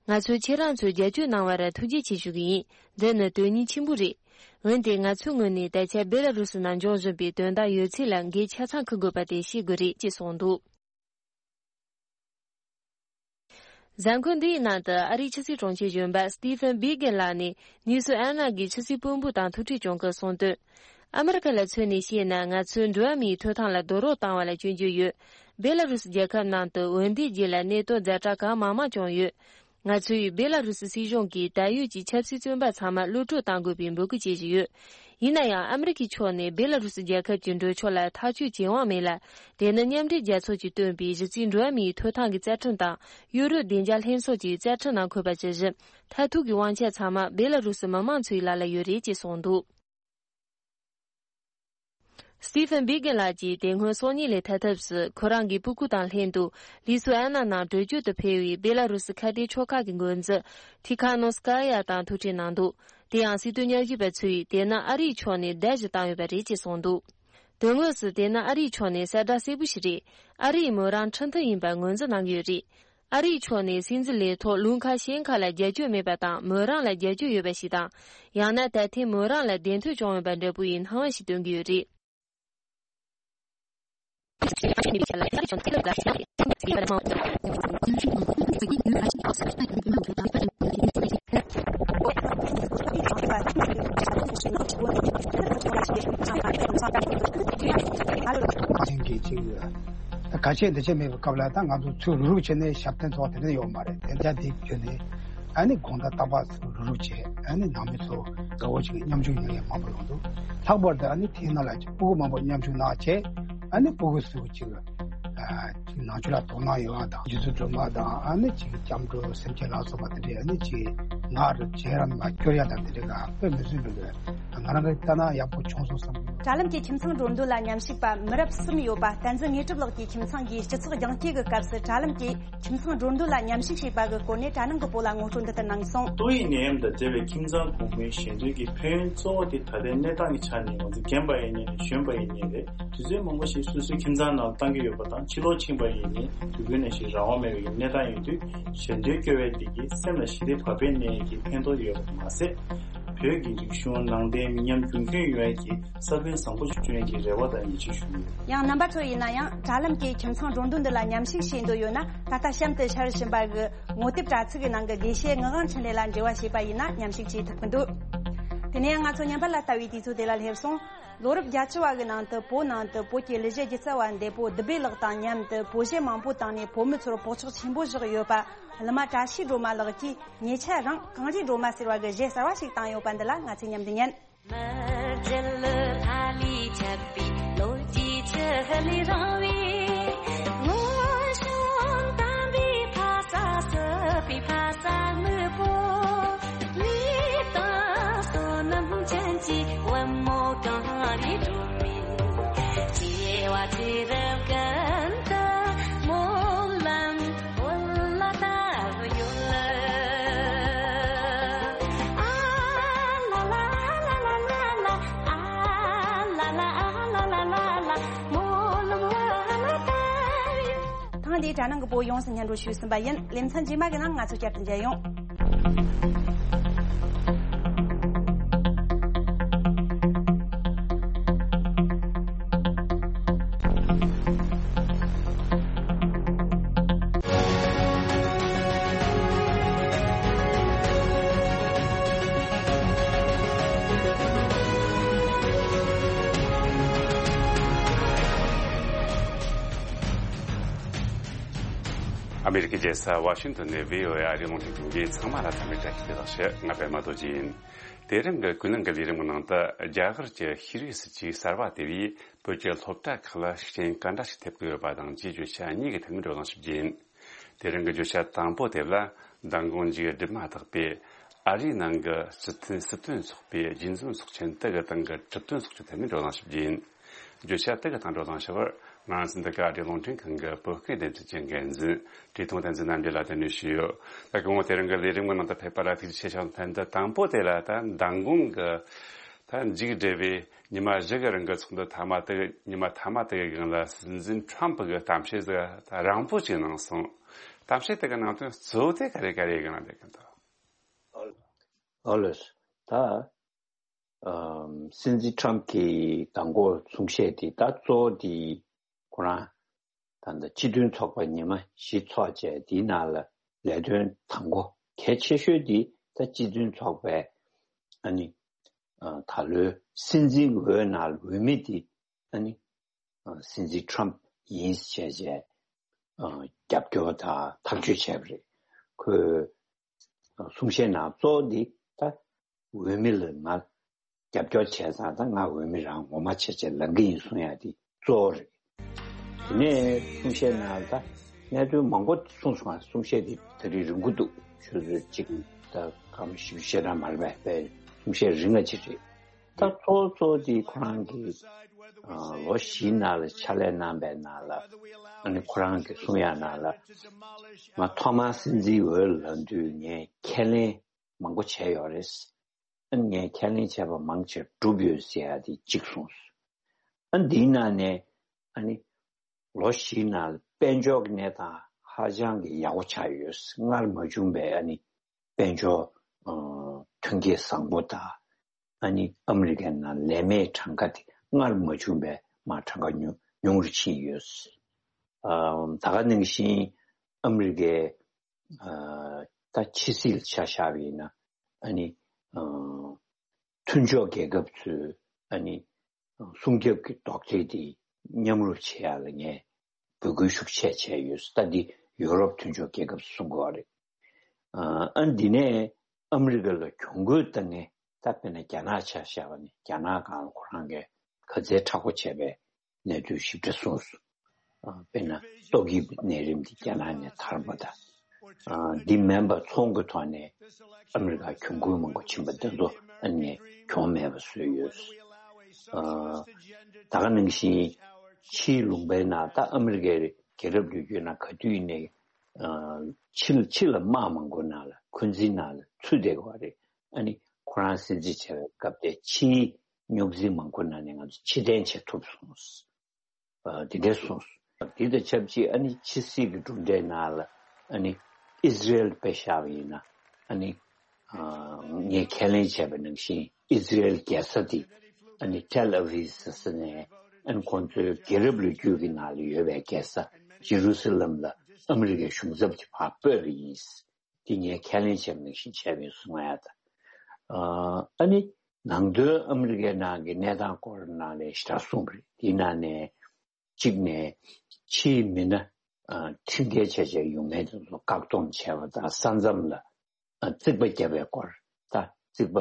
ང་ཚོས་ཁྱེད་རང་ཚོའི་རྒྱབ་སྐྱོར་གནང་བར་ཐུགས་རྗེ་ཆེ་ཞུ་གི་ཡིན། འདི་ནི་དོན་སྙིང་ཆེན་པོ་རེད། འོན་ཏེ་ང་ཚོའི་ངོས་ནས་ད་ཆ་སྦེ་ལ་རུ་སི་ནང་འབྱུང་བཞིན་པའི་དོན་དག་ཡོད་ཚད་ལ་འགན་ཆ་ཚང་འཁུར་དགོས་པ་དེ་ཤེས་དགོས་རེད་ཅེས་གསུངས་འདུག་གཟའ་འཁོར་འདིའི་ནང་དུ་ཨ་རིའི་ཕྱི་སྲིད་དྲུང་ཆེ་གཞོན་པ་སི་ཏི་ཕན་བྷི་གན་ལགས་ནས་ནུས་སུ་ཨན་ན་གི་ཕྱི་སྲིད་དཔོན་པོ་དང་ཐུག་འཕྲད་བྱུང་སྐབས་གསུངས་དོན། ཨ་མི་རི་ཀ་ལ་མཚོན་ནས་བཤད་ན། ང་ཚོས་འགྲོ་བ་མིའི་ཐོབ་ཐང་ལ་རྡོག་རོལ་བཏང་བ་ལ་སྐྱོན་བརྗོད་ཡོད། སྦེ་ལ་རུ་སི་རྒྱལ་ཁབ་ནང་དུ་འོས་འདེམས་རྗེས་ལ་གནས་སྟངས་ཛ་དྲག་གང་མང་མང་བྱུང་ཡོད། ང་ཚོས་སྦེ་ལ་རུ་སི་སྲིད་གཞུང་གིས་ད་ཡོད་ཀྱི་ཆབ་སྲིད་བཙོན་པ་ཚང་མ་གློད་བཀྲོལ་གཏང་དགོས་པའི་འབོད་སྐུལ་བྱེད་བཞིན་ཡོད། ཡིན་ན་ཡང་ཨ་མི་རི་ཀའི་ཕྱོགས་ནས་སྦེ་ལ་རུ་སི་རྒྱལ་ཁབ་ཀྱི་འགྲོ་ཕྱོགས་ལ་ཐག་གཅོད་བྱེད་དབང་མེད་ལ། དེ་ནི་མཉམ་འབྲེལ་རྒྱལ་ཚོགས་ཀྱིས་བཏོན་པའི་གཞི་རྩའི་འགྲོ་བ་མིའི་ཐོབ་ཐང་གི་རྩ་ཁྲིམས་དང་ཡུ་རོབ་བདེ་འཇགས་ལྷན་ཚོགས་ཀྱི་རྩ་ཁྲིམས་ནང་འཁོད་པ་ཇི་བཞིན། མཐར་ཐུག་གི་དབང་ཆ་ཚང་མ་སྦེ་ལ་རུ་སི་མི་དམངས་ཚོའི་ལག་ལ་ཡོད་རེད་ཅེས་གསུངས་འདུག་སི་ཏི་ཕན་བྷི་གན་ལགས་ཀྱིས་དེ་སྔོན་སང་ཉིན་ལས་ཐར་ཐབས་སུ་ཁོ་རང་གི་སྤུ་གུ་དང་ལྷན་དུ་ལི་སུ་ཨན་ན་ནང་བྲོས་བྱོལ་དུ་ཕེབས་པའི་སྦེ་ལ་རུ་སི་ཁ་གཏད་ཆོལ་ཁ་གི་འགོ་འཛིན་ཐི་ཁ་ནོ་སི་ཀ་ཡ་དང་ཐུག་འཕྲད་གནང་འདུག་དེ་ཡང་སྲིད་དོན་ཉམས་ཞིབ་པ་ཚོས་དེ་ནི་ཨ་རིའི་ཕྱོགས་ནས་བརྡ་ཞིག་བཏང་ཡོད་པ་རེད་ཅེས་གསུངས་འདུག་དོན་དངོས་སུ་དེ་ནི་ཨ་རིའི་ཕྱོགས་ནས་གསལ་བསྒྲགས་གསལ་པོ་ཞིག་རེད། ཨ་རིས་མོ་རང་ཁྲིམས་མཐུན་ཡིན་པར་ངོས་འཛིན་གནང་གི་ཡོད་རེད། ཨ་རིའི་ཕྱོགས་ནས་སྲིད་འཛིན་ལས་ཐོག་ལུང་ཁ་ཤན་ཁ་ལ་རྒྱབ་སྐྱོར་མེད་པ་དང་། མོ་རང་ལ་རྒྱབ་སྐྱོར་ཡོད་པ་ཞིག་དང་། ཡང་ན་ད་ཐེངས་མོ་རང་ལ་བདེན་དོན་བྱུང་ཡོད་པ་འདྲ་པོ་ཡི་སྣང་བ་ཞིག་སྟོན་གྱི་ཡོད་རེད། ཅན་གྱི་ཅིག་ཡོད། ད་ག་ཆད་འདི་ཆད་མེད་པའི་སྐབས་ལ་ད་ང་ཚོ་ཚུར་རུག་བྱས་ནས་ཞབས་བརྟན་ཚོགས་དེ་འདྲ་ཡོད་མ་རེད། དེ་འདྲ་དེ་བྱས་ནས་ ཨ་ནི་དགོང་དག་རྟག་པར་ཚུར་རུབ་རུབ་བྱས། ཨ་ནི་ནང་མི་ཚོ་དགའ་བོ་ཅིག་མཉམ་ཞུགས་ཡོང་ཡས་མང་པོ་ཡོང་འདུག། ལྷག་པར་དུ་ཨ་ནི་དེའི་ནང་ལ་ཅིག་སྤུ་གུ་མང་པོ་མཉམ་ཞུགས་གནང་བྱས། ཨ་ནི་སྤུ་གུ་ཚོ་ཅིག་ཨ་ཅིག་ནང་ཆོས་ལ་དོ་སྣང་ཡོང་བ་དང་། རྗེ་བཙུན་སྒྲོལ་མ་དང་། ཨ་ནི་ཅིག་སྐྱབས་འགྲོ་སེམས་ཅན་ལ་སོགས་པ་དེ་འདྲས། ཨ་ནི་ཅིག་ངར་བྱས་རང་མ་སྐྱོར་ཡ་དང་དེ་འདྲས་ག་དཔེ་མི་སྲིད་པའི་གི་ང་རང་གི་ལྟ་ན་ཡག་པོ་བྱུང་སོང་བསམ་གི་ཡོད། དྲ་ལམ་གྱི་ཁྱིམ་ཚང་འགྲོ་འདུག་ལ་མཉམ་ཞུགས་པ་མི་རབས་གསུམ་ཡོད་པ་བསྟན་འཛིན་དངོས་གྲུབ་ལགས་ཀྱི་ཁྱིམ་ཚང་གིས་སྤྱི་ཚོགས་རྒྱང་བཀྱེད་ཀྱི་སྐབས་སུ་དྲ་ལམ་གྱི་ཁྱིམ་ཚང་འགྲོ་འདུག་ལ་མཉམ་ཞུགས་བྱས་པ་གི་སྐོར་ནས་དྲ་ནང་གི་བོད་ལ་ངོ་སྤྲོད་འདི་ལྟར་གནང་སོང་། ཏོག་དབྱིབས་ནད་ཡམས་དང་འབྲེལ་བའི་ཁྱིམ་ཚང་གོང་མའི་ཞལ་འདོན་གྱི་ཕན་ཡོན་གཙོ་བོ་དེ་ད་ལྟའི་གནས་སྟངས་ཀྱི་ཆ་ནས་ང་ཚོ་རྒན་པ་ཡིན་ནའི་རེད། གཞོན་པ་ཡིན་ནའི་རེད། དུས་ཚོད་མང་པོ་ཞིག་སོ་སོའི་ཁྱིམ་ཚང་ནང་བཏང་གི་ཡོད་པ་དང་། ཕྱི་ལོགས་ཕྱིན་པ་ཡིན་ནའི་དུས་རྒྱུན་ནང་བཞིན་རང་དབང་མེད་པའི་གནས་སྟངས་ཡིན་དུས། ཞལ་འདོན་སྐྱོར་བའི་དེ་གིས་སེམས་ལ་ཞི་བདེ་བག་ཕེབས་གནས་ཀྱི་ཕན་ཐོགས་ཡོད་པ་མ་ཟད། བོད་ཀྱི་རིག་གཞུང་ནང་བསྟན་མི་ཉམས་རྒྱུན་འཁྱོངས་ཡོང་ཡས་ཀྱི་ས་བོན་བཟང་པོ་བྱུང་ཡས་ཀྱི་རེ་བ་དང་ཡིད་ཆེས་ཞུ་གི་ཡོད། ཡང་རྣམ་པ་ཚོ་ཡིན་ན་ཡང་དྲ་ལམ་གྱི་ཁྱིམ་ཚང་འགྲོ་འདུག་འདི་ལ་མཉམ་ཞུགས་བྱེད་འདོད་ཡོད་ན། ད་ལྟ་གཤམ་དུ་ཤར་བཞིན་པ་གི་ངོ་དེབ་དྲ་ཚིགས་ཀྱི་ནང་གི་དགེ་བཤེས་ངག་དབང་འཕྲིན་ལས་ལ་འབྲེལ་བ་བྱས་པ་ཡིན་ན་མཉམ་ཞུགས་བྱེད་ཐུབ་ཀྱི་འདུག། དེ་ནས་ཡང་ང་ཚོ་ཉམས་པ་ལ་ལྟ་བའི་དུས་ཚོད་དེ་ལ་སླེབས་སོང་། ལོ་རབས་བརྒྱད་ཅུ་བ་གི་ནང་དུ་བོད་ནང་དུ་བོད་ཀྱི་གླུ་གཞས་སྒྱུ་རྩལ་བ་འདས་པོ་བདུད་བྷེ་ལགས་དང་མཉམ་དུ་བོད་གཞས་མང་པོ་བཏང་ནས་བོད་མི་ཚོར་བག་ཆགས་ཆེན་པོ་བཞག་ཡོད་པ། གླུ་མ་བཀྲ་ཤིས་སྒྲོལ་མ་ལགས་ཀྱིས་ཉེ་ཆར་རང་གངས་རིའི་སྒྲོལ་མ་ཟེར་བ་གི་གཞས་གསར་བ་ཞིག་བཏང་ཡོད་པ་འདི་ལ་ང་ཚོས་མཉམ་དུ་ཉན། མི་རྒྱལ་ལྷ་ལས་ཁྱབ་པའི་ལོ་རྒྱུས་ཆུ་ལས་རིང་བའི། སྔོན་བྱོན་དམ་པའི་ཕ་ས་སྲིད་པའི་ཕ་ས་སྨུག་པོ། ལུས་དང་བསོད་ནམས་ཅན་གྱི་བུ་མོ་གངས་རིའི་སྒྲོན་མེ། སྐྱེ་བ་ཚེ་རབས་ཀུན་ཏུ་སྨོན་ལམ་བོད་ལ་བཏབ་ཡོད། ཨ་ལ་ལ་ཨ་ལ་ལ་ལ་ལ། ཨ་ལ་ལ་ཨ་ལ་ལ་ལ་ལ། སྨོན་ལམ་བོད་ལ་བཏབ་ཡོད། ཐེངས་འདིའི་དྲ་ནང་གི་བོད་ཡོངས་སུ་སྙན་སྒྲོན་ཞུས་ཟིན་པ་ཡིན། ལེ་ཚན་རྗེས་མ་གི་ནང་ང་ཚོ་བསྐྱར་དུ་མཇལ་ཡོང་། ཨ་མེ་རི་ཀའི་རྒྱལ་ས་ཝ་ཤིང་ཏོན་ནས་བྷི་ཨོ་ཨེ་ཨ་རིའི་རླུང་འཕྲིན་ཁང་གིས་ཚང་མ་ལ་འཚམས་འདྲི་བཀྲ་ཤིས་བདེ་ལེགས་ཞུ། ང་པད་མ་རྡོ་རྗེ་ཡིན། དེ་རིང་གི་ཀུན་གླེང་གི་ལས་རིམ་གྱི་ནང་དུ། རྒྱ་གར་གྱི་ཤེས་རིག་སྲིད་ཇུས་གསར་བ་དེ་བས་བོད་ཀྱི་སློབ་གྲྭ་ཁག་ལ་ཤུགས་རྐྱེན་ག་འདྲ་ཞིག་ཐེབས་ཀྱི་ཡོད་པ་དང་བཅས་བརྗོད་བྱ་གཉིས་ཀྱི་ཐད་ནས་བགྲོ་གླེང་ཞིག་བྱེད་ཀྱི་ཡིན། དེ་རིང་གི་བརྗོད་བྱ་དང་པོ་དེ་ལ། མདང་དགོང་མཇུག་སྒྲིལ་མ་ཐག་པའི་ཨ་རིའི་ནང་གི་སྲིད་དོན་སྲིད་དོན་ཚོགས་པའི་རྒྱུན་འཛིན་ཚོགས་ཆེན་དེ་གི་སྟེང་གི་གྲུབ་དོན་སོགས་ཀྱི་ཐད་ནས་བགྲོ་གླེང་ཞིག་བྱེད་ཀྱི་ཡིན། བརྗོད་བྱ་དེ་གི་སྟེང་བགྲོ་གླེང་བྱ་བར། ང་རང་ཚོ་འདི་ག་ཨ་རིའི་རླུང་འཕྲིན་ཁང་གི་བོད་སྐད་སྡེ་ཚན་གྱི་འགན་འཛིན་བཀྲས་མཐོང་བསྟན་འཛིན་རྣམ་རྒྱལ་ལགས་གདན་འདྲེན་ཞུས་ཡོད། ད་སྐུ་ངོ་དེ་རིང་གི་ལས་རིམ་གྱི་ནང་དུ་ཕེབས་པ་ལ་ཐུགས་རྗེ་ཆེ་ཞུ། ཐེངས་འདི་དང་པོ་དེ་ལ། ད་མདང་དགོང་གི་ད་མཇུག་སྒྲིལ་བའི་ཉི་མ་བཞི་གི་རིང་གི་ཚོགས་འདུ་མཐའ་མ་དེ། ཉི་མ་མཐའ་མ་དེ་གི་སྒང་ལ་སྲིད་འཛིན་ཁྲམ་ཕུ་གིས་གཏམ་བཤད་ཟིག་ད་རིང་པོ་ཅིག་གནང་སོང་། གཏམ་བཤད་དེ་གི་ནང་དོན་གཙོ་བོ་དེ་ག་རེ་ག་རེ་ཡིན་གི་ན་བསྡད་གི་འདུག། ཨོ་ལེ། ད་ཨམ་སྲིད་འཛིན་ཁྲམ་གྱིས་མདང་དགོང་གསུང་བཤད་དེ་ད་གཙོ་བོ་དེ་ཁོ་རང་ད་ལྟ་སྤྱི་མཐུན་ཚོགས་པ་ཉི་མ་བཞི་ཚོགས་བྱས། དེའི་ནང་ལ་ལས་དོན་དང་པོ་གལ་ཆེ་ཤོས་དེ་ད་སྤྱི་མཐུན་ཚོགས་པའི་ཨ་ནི་ཨ་ད་ལོའི་སྲིད་འཛིན་འོས་ནང་འོས་མི་དེ་ཨ་ནི་ཨ་སྲིད་འཛིན་ཁྲམ་ཡིན་ཟེར་བྱས་ཨ་རྒྱབ་སྐྱོར་དང་ཐག་གཅོད་བྱས་པ་རེད། ཁོས་གསུང་བཤད་ནང་གཙོ་བོ་འདི་ད་འོས་མི་ལ་ང་རྒྱབ་སྐྱོར་བྱས་ཙང་ད་ང་འོས་མི་རང་ངོ་མ་བྱས་བྱས་ལངས་ཀྱི་ཡིན་གསུང་ཡ་འདི་གཙོ་བོ་རེད། དེ་ནས་གསུང་བཤད་ནང་ད་གནད་དོན་མང་པོ་གསུངས་སོང་། གསུང་བཤད་འདི་ད་རེས་རིང་པོ་འདུག། ཆུ་ཚོད་གཅིག་ད་སྐར་མ་བཞི་བཅུ་ཞེ་གྲངས་མ་རེད་པས། གསུང་བཤད་རིང་ང་ཅིག་རེད། ད་གཙོ་བོ་གཙོ་བོ་དེ་ཁོ་རང་གིས་ཨ་ལོ་བཞིའི་ནང་ལ་ཕྱག་ལས་གནང་པའི་ནང་ལ་ཨ་ནི་ཁོ་རང་གིས་གསུང་ཡ་ནང་ལ། ང་ཐོག་མར་སྲིད་འཛིན་འོས་ལངས་དུས་ངས་ཁས་ལེན་མང་པོ་བྱས་ཡོད་རེད། ཨ་ནི་ངས་ཁས་ལེན་བྱས་པ་མང་ཆེ་བསྒྲུབས་ཡོད་ཟེར་ཡ་དེ་གཅིག་གསུངས་སོང་། ཨ་ནི་འདིའི་ནང་ནས་ཨ་ནི་ལོ་བཞིའི་ནང་ལ་དཔལ་འབྱོར་གྱི་གནས་སྟངས་ཧ་ཅང་གི་ཡག་པོ་ཆགས་ཡོད། སྔར་མ་བྱུང་བའི་ཨ་ནི་དཔལ་འབྱོར་ཨ་ཐོན་སྐྱེད་བཟང་པོ་དང་། ཨ་ནི་ཨ་མི་རི་ཀའི་ནང་ལས་མེད་གྲངས་ཀ་དེ་སྔར་མ་བྱུང་བའི་མར་གྲངས་ཀ་ཉུང་ཉུང་རུ་ཕྱིན་ཡོད། ཨ་ད་ག་ནང་བཞིན་ཨ་མི་རི་ཀའི་ཨ་ད་ཕྱི་སྲིད་ལ་ཆ་བཞག་པ་ཡིན་ན། ཨ་ནི་ཨ་མཐུན་ཕྱོགས་རྒྱལ་ཁབ་ཚོས་ཨ་ནི་སྲུང་སྐྱོབ་ཀྱི་དོགས་འདྲི་དེ་མཉམ་རུབ་བྱེད་ཡ་ལ་ངས་འབོད་སྐུལ་ཤུགས་ཆེ་བྱས་ཡོད། ད་འདི་ཡུ་རོབ་མཐུན་ཕྱོགས་རྒྱལ་ཁབ་ཚོས་གསུང་གི་ཡོད་རེད། ཨ་འདི་ནས་ཨ་མི་རི་ཀ་ལ་གྱོང་གུད་བཏང་ངེས། ད་དཔེར་ན་རྒྱ་ནག་ཆ་བཞག་པ་ནི་རྒྱ་ནག་སྒང་ལ་ཁོ་རང་གིས་ག་ཚད་མཁྲེགས་པོ་བྱས་པའི་གནས་ཚུལ་ཞིབ་ཕྲ་གསུངས་སོང་། ཨ་དཔེར་ན་ཏོག་དབྱིབས་ནད་རིམས་འདི་རྒྱ་ནག་ནས་དར་བ་དང་། ཨ་འདི་མིན་པ་ཚོང་གི་ཐོག་ནས་ཨ་མི་རི་ཀ་གྱོང་གུད་མང་པོ་ཕྱིན་པ་འདི་ཚོ་ཨ་ནི་གྱོང་མེད་པ་བཟོས་ཡོད། ཨ་ད་ག་ནང་བཞིན་ཕྱིའི་ལུང་པའི་ནང་ད་ཨ་མི་རི་ཀའི་རྒྱལ་རབས་ལོ་རྒྱུས་ནང་ག་དུས་ཡིན་ནའི་ཨ་ཕྱི་ཕྱི་ལ་དམག་མང་པོ་ནང་ལ་འཁོན་འཛིན་ནང་ལ་ཚུད་བསྡད་ཀྱི་ཡོད་རེད། ཨ་ནི་ཁོ་རང་སྲིད་འཛིན་བྱས་པའི་སྐབས་དེ་ཕྱིའི་རྙོག་འཛིང་མང་པོ་ནང་ནས་ང་ཚོ་ཕྱིར་འཐེན་བྱེད་ཐུབ་སོང་། ཨ་འདི་འདྲས་གསུངས་སོང་། འདི་དང་ཆབས་ཅིག་ཨ་ནི་ཕྱི་སྲིད་ཀྱི་གྲུབ་འབྲས་ནང་ལ་ཨ་ནི་ཨི་ཟི་རེལ་དཔེ་བཞག་པ་ཡིན་ན་ཨ་ནི་ཨ་ངས་ཁས་ལེན་བྱས་པ་ནང་བཞིན་ཨི་ཟི་རེལ་རྒྱལ་ས་དེ་ཨ་ནི་ཏེལ་ཨ་བྷིབ་ཟེར་ས་ནས་ཨ་ནི་ཁོང་ཚོའི་རྒྱལ་རབས་ལོ་རྒྱུས་ཀྱི་ནང་ལ་ཡོད་པའི་རྒྱལ་ས་ཇེ་རུ་སི་ལམ་ལ་ཨ་མི་རི་ཀའི་གཞུང་ཚབ་ཀྱིས་ཕར་སྤོས་པ་ཡིན། དེ་ངས་ཁས་ལེན་བྱས་པ་ནང་བཞིན་བྱས་པ་ཡིན་གསུང་ཡ་ད། ཨ་ནི་ནང་དོན་ཨ་མི་རི་ཀའི་ནང་གི་གནས་སྟངས་སྐོར་ནང་ལ་ཞེ་དྲག་གསུངས་པ་རེད། དེའི་ནང་ནས་གཅིག་ནས་ཕྱིའི་མི་སྣ་ཨ་ཁྲིམས་འགལ་བྱས་བྱས་ཡོང་མཁན་དེ་ཚོ་བཀག་སྡོམ་བྱས་པ་དང་ས་མཚམས་ལ་ཨ་རྩིག་པ་བརྒྱབ་པའི་སྐོར། ད་རྩིག་པ་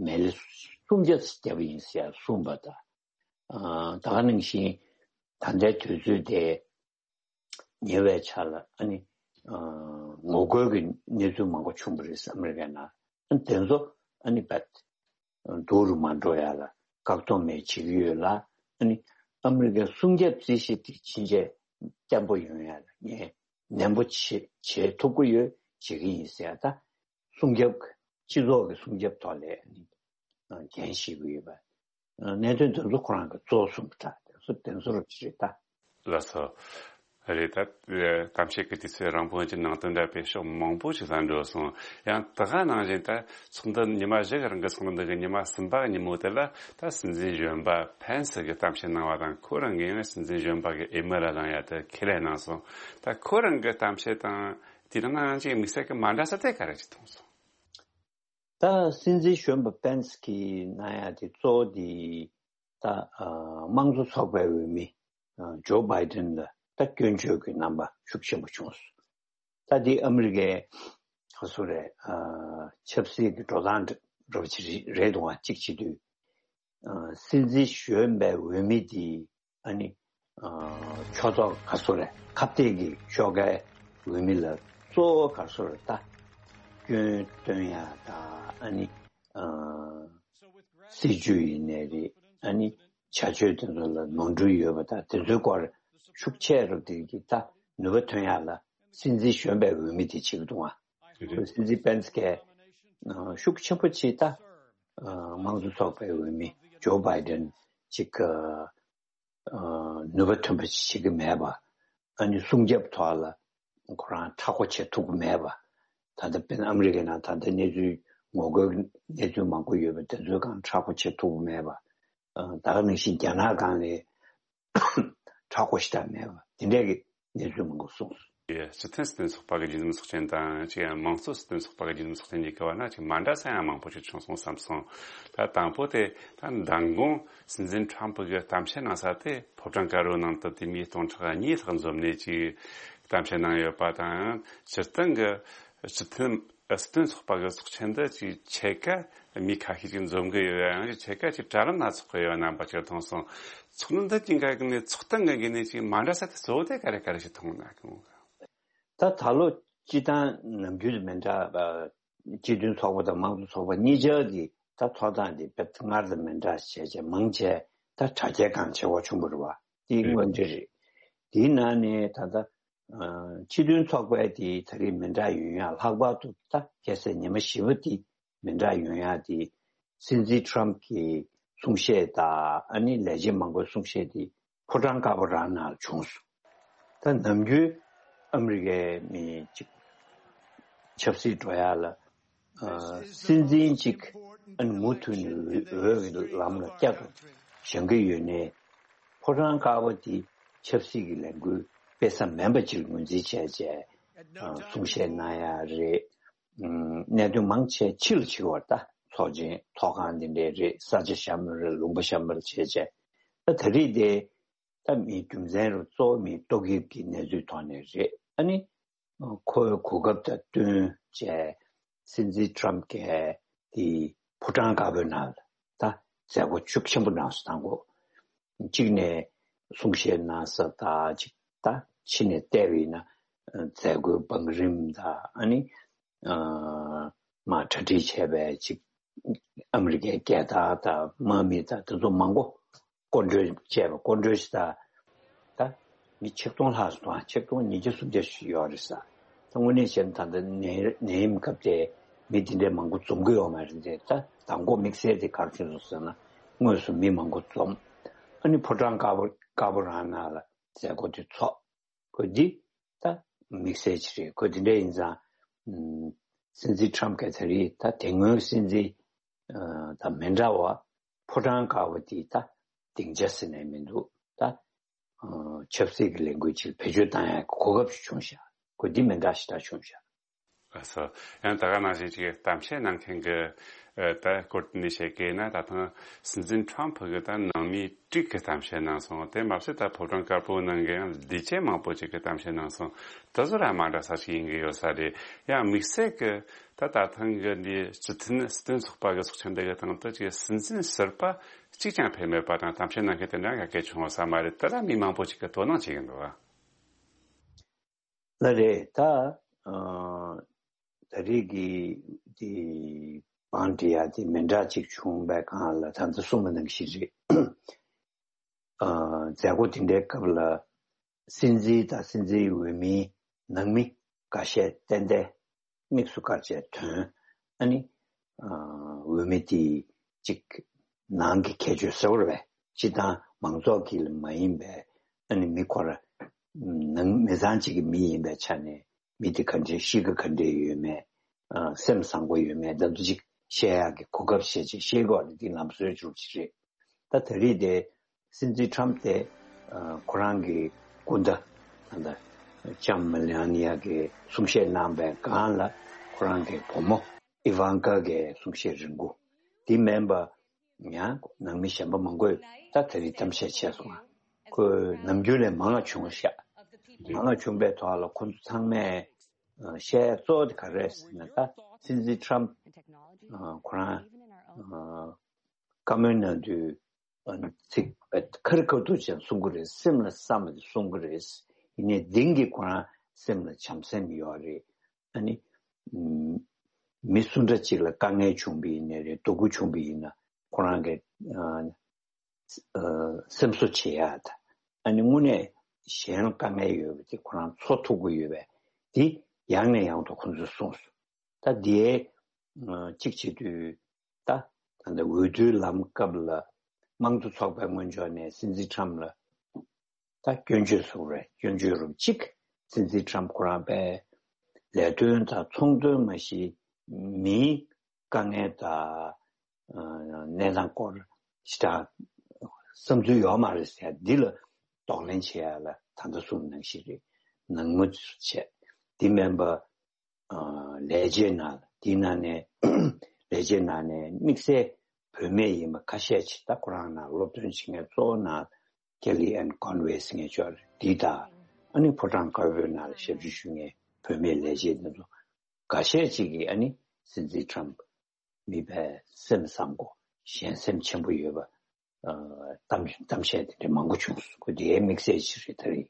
མལ་ལེ་སུམ་བརྒྱ་ཙམ་བརྒྱབ་པ་ཡིན་ཟེར་ཡ་གསུངས་པ་དང་། ཨ་ད་ག་ནང་བཞིན་ད་ལྟའི་དུས་ཚོད་དེ་ཉེ་བའི་ཆར་ལ་ཨ་ནི་ཨ་ངོ་རྒོལ་གྱི་གནས་ཚུལ་མང་པོ་བྱུང་བ་རེད་ཨ་མི་རི་ཀའི་ནང་། ཨ་ནི་དེ་ཚོ་ཨ་ནི་བད་སྡུག་རུ་མ་འགྲོ་ཡ་ལ་བཀག་སྡོམ་མེད་བྱེད་ཀྱི་ཡོད་ལ། ཨ་ནི་ཨ་མི་རི་ཀའི་སྲུང་སྐྱོབ་རྩིས་གཞི་དེ་ཕྱིན་ཆད་བརྟན་པོ་ཡོང་ཡ་ལ་ངས་ནན་པོ་བྱེད་བྱེད་ཐུབ་ཀྱི་ཡོད། བྱེད་ཀྱི་ཡིན་ཟེར་ཡ་ད། སྲུང་སྐྱོབ་སྤྱི་ཚོགས་ཀྱི་སྲུང་སྐྱོབ་ཐོག་ལ་ཨ་ནི་འགན་བཞེས་ཀྱི་ཡོད་པ། གནད་དོན་དེ་ཚོ་ཁོ་རང་གི་གཙོ་བོ་གསུངས་པ་འདྲ། དེ་ཚོ་དེ་ཚོ་རུ་ཅི་རེད་ད། ལགས་སོ། རེད་ད། གཏམ་བཤད་ཀྱི་དུས་ཚོད་རིང་པོ་ཅིག་ནང་དོན་འདྲ་བའི་ཕྱོགས་མང་པོ་ཞིག་ལ་འགྲོ་སོང་། ཡང་ད་ག་ནང་བཞིན་ད་ཚོགས་འདུ་ཉི་མ་བཞི་གི་རིང་གི་ཚོགས་འདུ་གི་ཉི་མ་གསུམ་པ་གི་ཉིན་མོ་དེ་ལ་ད་སྲིད་འཛིན་གཞོན་པ་ཕེན་སི་གིས་གཏམ་བཤད་གནང་བ་དང་ཁོ་རང་གིས་ཡང་སྲིད་འཛིན་གཞོན་པ་གི་འོས་མི་ལ་ལངས་ཡ་དེ་ཁས་ལེན་གནང་སོང་། ད་ཁོ་རང་གི་གཏམ་བཤད་དང་དེ་དང་ནང་བཞིན་དམིགས་བསལ་གྱི་མ་འདྲ་ས་དེ་ག་རེ་ཞིག་མཐོང་སོང་། ད་སྲིད་འཛིན་གཞོན་པ་པེན་སི་གིས་གནང་ཡ་དེ་གཙོ་བོ་དེ་ད་ཨ་དམངས་གཙོ་ཚོགས་པའི་འོས་མི་ཨ་ཇོ་བྷའི་ཏན་ལ་ད་སྐྱོན་བརྗོད་ཀྱི་རྣམ་པ་ཤུགས་ཆེན་པོ་བྱུང་སོང་། ད་དེ་ཨ་མི་རི་ཀའི་ག་སོ་རེད། ཨ་ཆབ་སྲིད་ཀྱི་འགྲོ་སྟངས་འདྲ་པོ་ཅིག་རེད་འདུག་བ། གཅིག་བྱེད་དུས་ཨ་སྲིད་འཛིན་གཞོན་པའི་འོས་མི་དེ་ཨ་ནི་ཨ་ཕྱོགས་གཏོགས་ག་སོ་རེད། ཁ་གཏད་ཀྱི་ཕྱོགས་ཀའི་འོས་མི་ལ་གཙོ་བོ་ག་སོ་རེད། ད་སྐྱོན་སྟོན་ཡ་ད་ཨ་ནི་ཨ་སྲིད་ཇུས་ཡིན་ནའི་རེད། ཨ་ནི་བྱ་སྤྱོད་དེ་ཚོ་ལ་ནོར་འཁྲུལ་ཡོད་པ་ད་དེ་ཚོའི་སྐོར་ཤུགས་ཆེ་རུ་དེ་གི་ད་ནུས་པ་ཐོན་ཡ་ལ་སྲིད་འཛིན་གཞོན་པའི་འོས་མི་དེ་བྱེད་ཀྱི་འདུག་ཨ། ཁོས་སྲིད་འཛིན་པེན་སི་གིས་ཤུགས་ཆེན་པོ་བྱས་ད་དམངས་གཙོ་ཚོགས་པའི་འོས་མི་ཇོ་བྷའི་ཏན་ཅིག་ནུས་པ་ཐོན་པ་ཞིག་བྱེད་ཀྱི་མེད་པ། ཨ་ནི་སྲུང་སྐྱོབ་ཐོག་ལ་ཁོ་རང་མཁྲེགས་པོ་བྱེད་ཐུབ་ཀྱི་མེད་པ། ད་ལྟ་དཔེར་ན་ཨ་མི་རི་ཀའི་ནང་ད་ལྟ་གནས་ཚུལ་ངོ་རྒོལ་གནས་ཚུལ་མང་པོ་ཡོད་པ་དེ་ཚོའི་སྒང་མཁྲེགས་པོ་བྱེད་ཐུབ་ཀྱི་མེད་པ། ད་ག་ནང་བཞིན་རྒྱ་ནག་སྒང་ལ་མཁྲེགས་པོ་ཞེ་དྲག་མེད་པ་དེ་འདྲས་ཀྱི་གནས་ཚུལ་མང་པོ་གསུངས་སོང་། སྤྱི་མཐུན་སྲིད་དོན་ཚོགས་པ་གི་རྒྱུན་འཛིན་ཚོགས་ཆེན་དང་ཅིག་ཡང་དམངས་གཙོ་སྲིད་དོན་ཚོགས་པ་གི་རྒྱུན་འཛིན་ཚོགས་ཆེན་གཉིས་ཀྱི་བར་ན་ཅིག་མ་འདྲ་ས་ཡང་མང་པོ་ཅིག་བྱུང་སོང་བསམ་སོང་། ད་དང་པོ་དེ་ད་མདང་དགོང་སྲིད་འཛིན་ཁྲམ་ཕུ་གི་གཏམ་བཤད་གནང་ས་དེ་ཕོ་བྲང་དཀར་པོའི་ནང་དུ་དེ་མིན་སྟོང་ཕྲག་གཉིས་ལྷག་འཛོམས་ནས་ཅིག་གཏམ་བཤད་གནང་ཡོད་པ་དང་། སྤྱིར་བཏང་གི་སྤྱི་མཐུན་སྲིད་དོན་ཚོགས་པ་གི་ཚོགས་ཆེན་འདི་ཅིག་ཕྱེད་ཀ་མི་ཁ་ཤས་ཅིག་འཛོམས་གི་ཡོད། ཡང་ཕྱེད་ཀ་ཅིག་དྲ་ལམ་ན་ཚོགས་གི་ཡོད་རྣམ་པ་ཅིག་མཐོང་སོང་། ཚོགས་འདུ་འདི་ཅིག་འགའ་གི་ནས་ཚོགས་སྟངས་འགའ་གི་ནས་ཅིག་མ་འདྲ་ས་དེ་གཙོ་བོ་དེ་ག་རེ་ག་རེ་ཞིག་མཐོང་ན་གི་མོ། ད་ད་ལོ་སྤྱི་བཏང་ནམ་རྒྱུན་དང་མི་འདྲ་བ། སྤྱི་མཐུན་ཚོགས་པ་དང་དམངས་གཙོ་ཚོགས་པ་གཉིས་ཆར་གྱི་ད་ཐོབ་ཐང་དེ་དཔེ་སྔར་དང་མི་འདྲ་བྱས་བྱས་མང་ཆེ་ད་དྲ་རྒྱའི་སྒང་བྱེད་དགོས་བྱུང་བ་རེད་བ། དེ་དངོས་འབྲེལ་རེད། དེའི་ནང་ནས་ད་ལྟ་ཨ་སྤྱི་མཐུན་ཚོགས་པའི་དེ་ད་རེས་མི་འདྲ་ཡོང་ཡ་ལྷག་པར་དུ་ད་ཁ་སང་ཉི་མ་བཞི་པ་དེ་མི་འདྲ་ཡོང་ཡ་དེ་སྲིད་འཛིན་ཁྲམ་གྱི་གསུང་བཤད་དང་ཨ་ནི་ལས་བྱེད་མང་པོའི་གསུང་བཤད་དེ་ཕོ་བྲང་དཀར་པོ་རང་ནང་ལ་བྱུང་སོང་། ད་ནམ་རྒྱུན་ཨ་མི་རི་ཀའི་མི་གཅིག་ཆབ་སྲིད་འགྲོ་ཡ་ལ་ཨ་སྲིད་འཛིན་གཅིག་ཨ་ནི་མུ་མཐུད་ནས་འོས་ཀྱི་ལམ་ལ་བསྐྱར་དུ་བཞེངས་ཀྱི་ཡོད་ནའི་ཕོ་བྲང་དཀར་པོ་དེ་ཆབ་སྲིད་ཀྱི་ལས་འགུལ་སྤེལ་ས་མིན་པ་ཅིག་ངོས་འཛིན་བྱས་བྱས་ཨ་གསུང་བཤད་གནང་ཡ་རེད། ཨུམ། གནད་དོན་མང་ཆེ་ཕྱི་ལ་ཕྱི་བར་ད་ཚོགས་ཆེན་ཐོག་ཁང་འདི་འདྲའི་རེད། ས་ཆ་བཤམས་པ་རེད། ལུང་པ་བཤམས་པ་རེད་བྱས་བྱས། ད་ད་རེས་དེ་ད་མི་རྒྱུ་མཚན་རུ་གཙོ་བོ་མི་ཏོག་དབྱིབས་ཀྱི་གནས་ཚུལ་ཐོག་ནས་རེད། ཨ་ནི་ ཁོའི་གོ་སྐབས་དང་བསྟུན་བྱས་སྲིད་འཛིན་ཊམ་གྱིས་དེ་ཕོ་བྲང་དཀར་པོའི་ནང་ལ་ད་མཛད་སྒོ་ཤུགས་ཆེན་པོ་གནང་སོང་། དང་པོ་གཅིག་ནས་གསུང་བཤད་གནང་ས་དང་གཅིག་ད་ཕྱི་ནས་བལྟས་པ་ཡིན་ན་མཛད་སྒོའི་བང་རིམ་དང་ཨ་ནི་མ་གྲ་སྒྲིག་བྱས་པའི་གཅིག་ཨ་མི་རི་ཀའི་རྒྱལ་དར་དང་དམག་མི་དང་དེ་ཚོ་མང་པོ་སྐོར་འགྲོས་བྱས་པ་སྐོར་འགྲོས་ཤིག་དང་། ད་མི་ཆིག་སྟོང་ལྷག་སོང་། ཆིག་སྟོང་ཉིས་བརྒྱ་སུམ་བརྒྱ་ཞིག་ཡོད་རེད་ས། ད་དངོས་གནས་བྱས་ན་ད་ལྟ་ནད་ནད་ཡམས་སྐབས་དེ་མི་དེ་འདྲའི་མང་པོ་འཛོམས་ཀྱི་ཡོད་མ་རེད་དེ། ད་མདང་དགོང་དམིགས་བསལ་དེ་ག་རེ་བྱུང་སོང་ཟེར་ན་དངོས་སུ་མི་མང་པོ་འཛོམས། ཨ་ནི་ཕོ་བྲང་དཀར་པོ་དཀར་པོ་རང་ནང་ལ་མཛད་སྒོ་དེ་ཚོགས། ཁོ་འདི་ད་དམིགས་བསལ་ཅིག་རེད། ཁོ་འདི་འདྲ་ཡིན་ཙང་ཨམ་སྲིད་འཛིན་ཊམ་གྱིས་ད་རེས་ད་དེ་སྔོན་སྲིད་འཛིན་ཨ་ད་མི་འདྲ་བ་ཕོ་བྲང་དཀར་པོ་དེ་ད་སྡིངས་ཆ་ཟེར་ནས་མི་འདུག་ད་ཨ་ཆབ་སྲིད་ཀྱི་ལས་འགུལ་ཅིག་བེད་སྤྱོད་བཏང་ཡག་གི་གོ་སྐབས་ཤིག་བྱུང་ཤག་ཁོ་འདི་མི་འདྲ་ཞིག་ད་བྱུང་ཤག་ཨ་སོ། ཡང་ད་ག་ནང་བཞིན་ཅིག་གཏམ་བཤད་གནང་མཁན་གྱི་ཨ་ད་སྐོར་དེ་ནས་བཤད་ཀྱི་ན། ད་ཐེངས་སྲིད་འཛིན་ཊམ་གྱིས་ད་ནང་མི་དྲུག་གི་གཏམ་བཤད་གནང་སོང་། དེ་མ་ཟད་ད་ཕོ་བྲང་དཀར་པོའི་ནང་གི་ཡང་ལས་བྱེད་མང་པོ་ཅིག་གི་གཏམ་བཤད་གནང་སོང་། དེ་ཚོ་ར་མ་འདྲ་ས་ཞིག་ཡིན་གྱི་ཡོད་ས་རེད། ཡང་དམིགས་བསལ་གྱི་ད་ད་ཐེངས་ཀྱི་འདི་སྤྱི་མཐུན་སྲིད་དོན་ཚོགས་པ་གི་ཚོགས་ཆེན་འདི་གི་སྟེང་དུ་ཅིག་སྲིད་འཛིན་ཟུར་པ་གཅིག་ཀྱང་ཕེབས་མེད་པ་དང་གཏམ་བཤད་གནང་མཁན་དེ་འདྲ་ཡང་གལ་བྱུང་ཡོད་ས་མ་རེད། དེ་ལ་མི་མང་པོ་ཅིག་གིས་དོ་སྣང་བྱེད་ཀྱི་འདུག་ཨ། ལགས་རེད། ད་ཨ་ད་རེས་ཀྱི་དེ་བང་སྒྲིག་ཡ་དེ་མི་འདྲ་ཅིག་བྱུང་བའི་སྒང་ལ་ད་ལྟ་གསུངས་པ་ནང་བཞིན་རེད། ཨ་མཛད་སྒོ་དེ་འདྲའི་སྐབས་ལ་སྲིད་འཛིན་དང་སྲིད་འཛིན་འོས་མིའི་ནང་མི་འགའ་ཤས་ཏན་ཏན་དམིགས་སུ་བཀར་བྱས་ཐོན། ཨ་ནི་ཨ་འོས་མི་དེ་གཅིག་ནང་གི་ཁྱད་ཆོས་ཟེར་བ་རེད་པས། སྤྱི་བཏང་མང་ཚོགས་ཀྱི་མ་ཡིན་པའི་ཨ་ནི་མི་ཁོ་ར་ནང་མི་ཚང་གཅིག་གི་མི་ཡིན་པའི་ཆ་ནས་མི་དེ་ག་འདྲའི་གཤིས་ཀ་ག་འདྲའི་ཡོད་མེད། ཨ་སེམས་བཟང་པོ་ཡོད་མེད་ད་དུ་ཅིག་བཤད་ཡག་གི་གོ་སྐབས་བྱས་ཅིག་བཤད་དགོས་རེད། འདི་ལམ་སྲོལ་འཇུག་ཅིག་རེད། ད་ད་རེས་དེ་སྲིད་འཛིན་ཊམ་དེ་ཨ་ཁོ་རང་གི་སྐུ་ཟླ་ད་ལྟ་ལྕམ་མེ་ལ་ནི་ཡ་གིས་གསུང་བཤད་གནང་པའི་སྒང་ལ་ཁོ་རང་གི་བུ་མོ་ཨི་ཝང་ཀ་གིས་གསུང་བཤད་རིང་པོ། དེ་མིན་པ་ཡང་ནང་མི་གཞན་པ་མང་པོས་ད་ད་རེས་གཏམ་བཤད་བྱས་སོང་ང་། ཁོས་ནམ་རྒྱུན་ལས་མང་བ་བྱུང་ཤག་མང་བ་བྱུང་པའི་ཐོག་ལ་ཁོ་ཚོ་ཚང་མས་ཨ་བཤད་ཡ་གཙོ་བོ་དེ་ག་རེ་རེད་ཟེར་ན། ད་སྲིད་འཛིན་ཊམ་ཨ་ཁོ་རང་ཨ་བཀའ་མོལ་གནང་དུས་ཨ་ཚིག་ཁ་རི་ཁ་ཐུག་ཅིག་གསུང་གི་རེད། སེམས་ལ་བསམ་པ་དེ་གསུང་གི་རེད། ཡིན་ནའི་གཏིང་གི་ཁོ་རང་སེམས་ལ་བྱམས་སེམས་ཡོད་རེད། ཨ་ནི་ཨམ་མི་སུ་འདྲ་ཅིག་ལ་དཀའ་ངལ་བྱུང་བ་ཡིན་ནའི་རེད། སྡུག་པོ་བྱུང་བ་ཡིན་ན་ཁོ་རང་གི་ཨ་ཨ་སེམས་གསོ་བྱེད་ཡ་ད། ཨ་ནི་དངོས་གནས་གཞན་ལ་དཀའ་ངལ་ཡོད་པ་དེ་ཁོ་རང་འཚོ་ཐུབ་ཀྱི་ཡོད་པས། དེ་ཡང་ནས་ཡང་དུ་ཁོ་ཚོས་གསུངས་སོང་། ད་དེའི་ཨ་གཅིག་བྱེད་དུས་ད་ད་ལྟ་འོས་བསྡུའི་ལམ་སྐབས་ལ་དམངས་གཙོ་ཚོགས་པའི་ངོས་ཕྱོགས་ནས་སྲིད་འཛིན་ཊམ་ལ་ད་སྐྱོན་བརྗོད་བཟོ་རེད། སྐྱོན་བརྗོད་རུ་གཅིག་སྲིད་འཛིན་ཊམ་ཁོ་རང་པས་ལས་དོན་དང་ཚོང་དོན་མ་གཞི་མིའི་དཀའ་ངལ་དང་ཨ་གནས་སྟངས་སྐོར་ཞེ་དྲག་བསམ་ཚུལ་ཡོད་མ་རེད་ཟེར། འདི་ལ་གདོང་ལེན་བྱེད་ཡ་ལ་ད་ལྟ་གསུངས་ནང་བཞིན་རེད། ནང་མི་ཚོས་བྱས། འདི་མིན་པ་ཨ་ལས་བྱེད་ནང་འདི་ནང་ནས་ལས་བྱེད་ནང་ནས་དམིགས་བསལ་བུད་མེད་ཡིན་པ་ཁ་ཤས་ཅིག་ད་ཁོ་རང་ནང་སློབ་སྟོན་བྱེད་མཁན་གཙོ་བོ་ནང་ཀེ་ལི་ཨན་ཀོན་ཝེ་ཟེར་མཁན་ཅིག་ཡོད་རེད། འདི་དང་ཨ་ནི་ཕོ་བྲང་དཀར་པོའི་ནང་ལ་ཞབས་ཞུ་ཞུ་མཁན་བུད་མེད་ལས་བྱེད་འདི་ཚོ་འགའ་ཤས་ཅིག་གིས་ཨ་ནི་སྲིད་འཛིན་ཊམ་མི་ཕལ་སེམས་བཟང་པོ་གཞན་སེམས་ཆེན་པོ་ཡོད་པ་ཨ་གཏམ་གཏམ་བཤད་དེ་འདྲ་མང་པོ་བྱུང་སོང་། ཁོ་དེའི་དམིགས་བསལ་ཅིག་རེད་ད་རེད།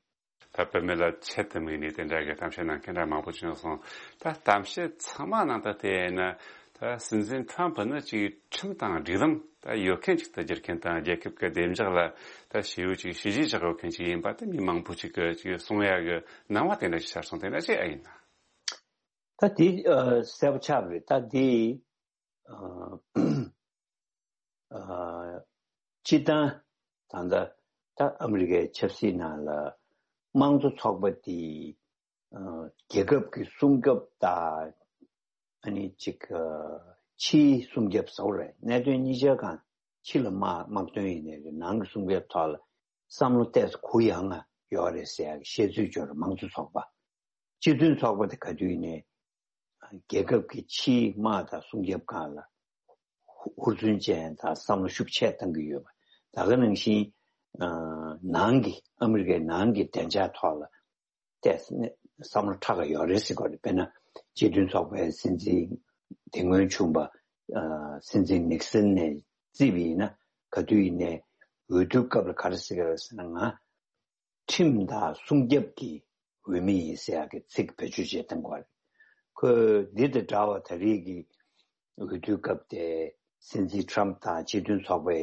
ད་བུད་མེད་ལ་ཆེད་དུ་དམིགས་ནས་དེ་འདྲ་གི་གཏམ་བཤད་གནང་མཁན་འདྲ་མང་པོ་བྱུང་སོང་། ད་གཏམ་བཤད་ཚང་མ་ནང་ད་དེ་ཡིན་ན་ད་སྲིད་འཛིན་ཊམ་ཕུ་ནི་ཅིག་ཁྲིམས་དང་སྒྲིག་ལམ་ད་ཡོད་མཁན་ཅིག་ཏུ་བསྒྱུར་མཁན་དང་རྒྱལ་ཁབ་ཀྱི་བདེ་འཇགས་ལ་ད་ཞེ་པོ་ཅིག་བྱས་རྗེས་བཞག་ཡོད་མཁན་ཅིག་ཡིན་པ་ད་མི་མང་པོ་ཅིག་གིས་ཅིག་གསུང་ཡ་གི་སྣང་བ་དེ་འདྲ་ཞིག་ཤར་སོང་། དེ་འདྲ་ཅིག་ཨ་ཡིན་ན། ད་དེ་ཨ་གསལ་པོ་ཆགས་པ་རེད། ད་དེ་ཨ་ཨ་སྤྱིར་བཏང་ད་ལྟ་ད་ཨ་མི་རི་ཀའི་ཆབ་སྲིད་ནང་ལ་དམངས་གཙོ་ཚོགས་པ་དེ་ཨ་རྒྱལ་ཁབ་ཀྱི་སྲུང་སྐྱོབ་དང་ཨ་ནི་ཅིག་ཨ་ཕྱིའི་སྲུང་སྐྱོབ་ཟེར་བ་རེད། གནད་དོན་གཉིས་ཆ་གང་ཕྱི་ལ་དམག་དམག་དོན་ཡིན་ནའི་རེད། ནང་གི་སྲུང་སྐྱོབ་ཐོག་ལ་བསམ་བློ་ཏོག་ཙམ་གུ་ཡངས་ང་ཡོད་རེད་ཟེར་ཡག་གི་བཤད་ཚུལ་ཅིག་ཡོད་རེད། དམངས་གཙོ་ཚོགས་པ་སྤྱི་མཐུན་ཚོགས་པ་དེ་ག་དུས་ཡིན་ནའི་རྒྱལ་ཁབ་ཀྱི་ཕྱིའི་དམག་དང་སྲུང་སྐྱོབ་སྒང་ལ་ཧུར་བརྩོན་ཅན་དང་བསམ་བློ་ཤུགས་ཆེ་བཏང་གི་ཡོད་པ། ད་ག་ནང་བཞིན་ཨ་ནང་གི་ཨ་མི་རི་ཀའི་ནང་གི་བདེ་འཇགས་ཐོག་ལ་ཏོག་ཙམ་ བསམ་བློ་ཁྲག་ག་ཡོད་རེད་ཟེར་གོ་རེད། དཔེར་ན་སྤྱི་མཐུན་ཚོགས་པའི་སྲིད་འཛིན་དེ་སྔོན་བྱུང་པ་སྲིད་འཛིན་ནིག་སན་ནས་བརྩིས་པ་ཡིན་ན། ག་དུས་ཡིན་ནའི་འོས་བསྡུའི་སྐབས་ལ་ག་རེ་ཟེར་གི་རེད་ཟེར་ན། ང་ཁྲིམས་དང་སྲུང་སྐྱོབ་ཀྱི་འོས་མི་ཡིན་ཟེར་ཡག་གི་ཚིག་བེད་སྤྱོད་བྱེད་སྟངས་གོ་རེད། ཁོས་འདི་དང་འདྲ་བ་ད་རེས་ཀྱི་འོས་བསྡུའི་སྐབས་དེ་སྲིད་འཛིན་ཊམ་དང་སྤྱི་མཐུན་ཚོགས་པའི་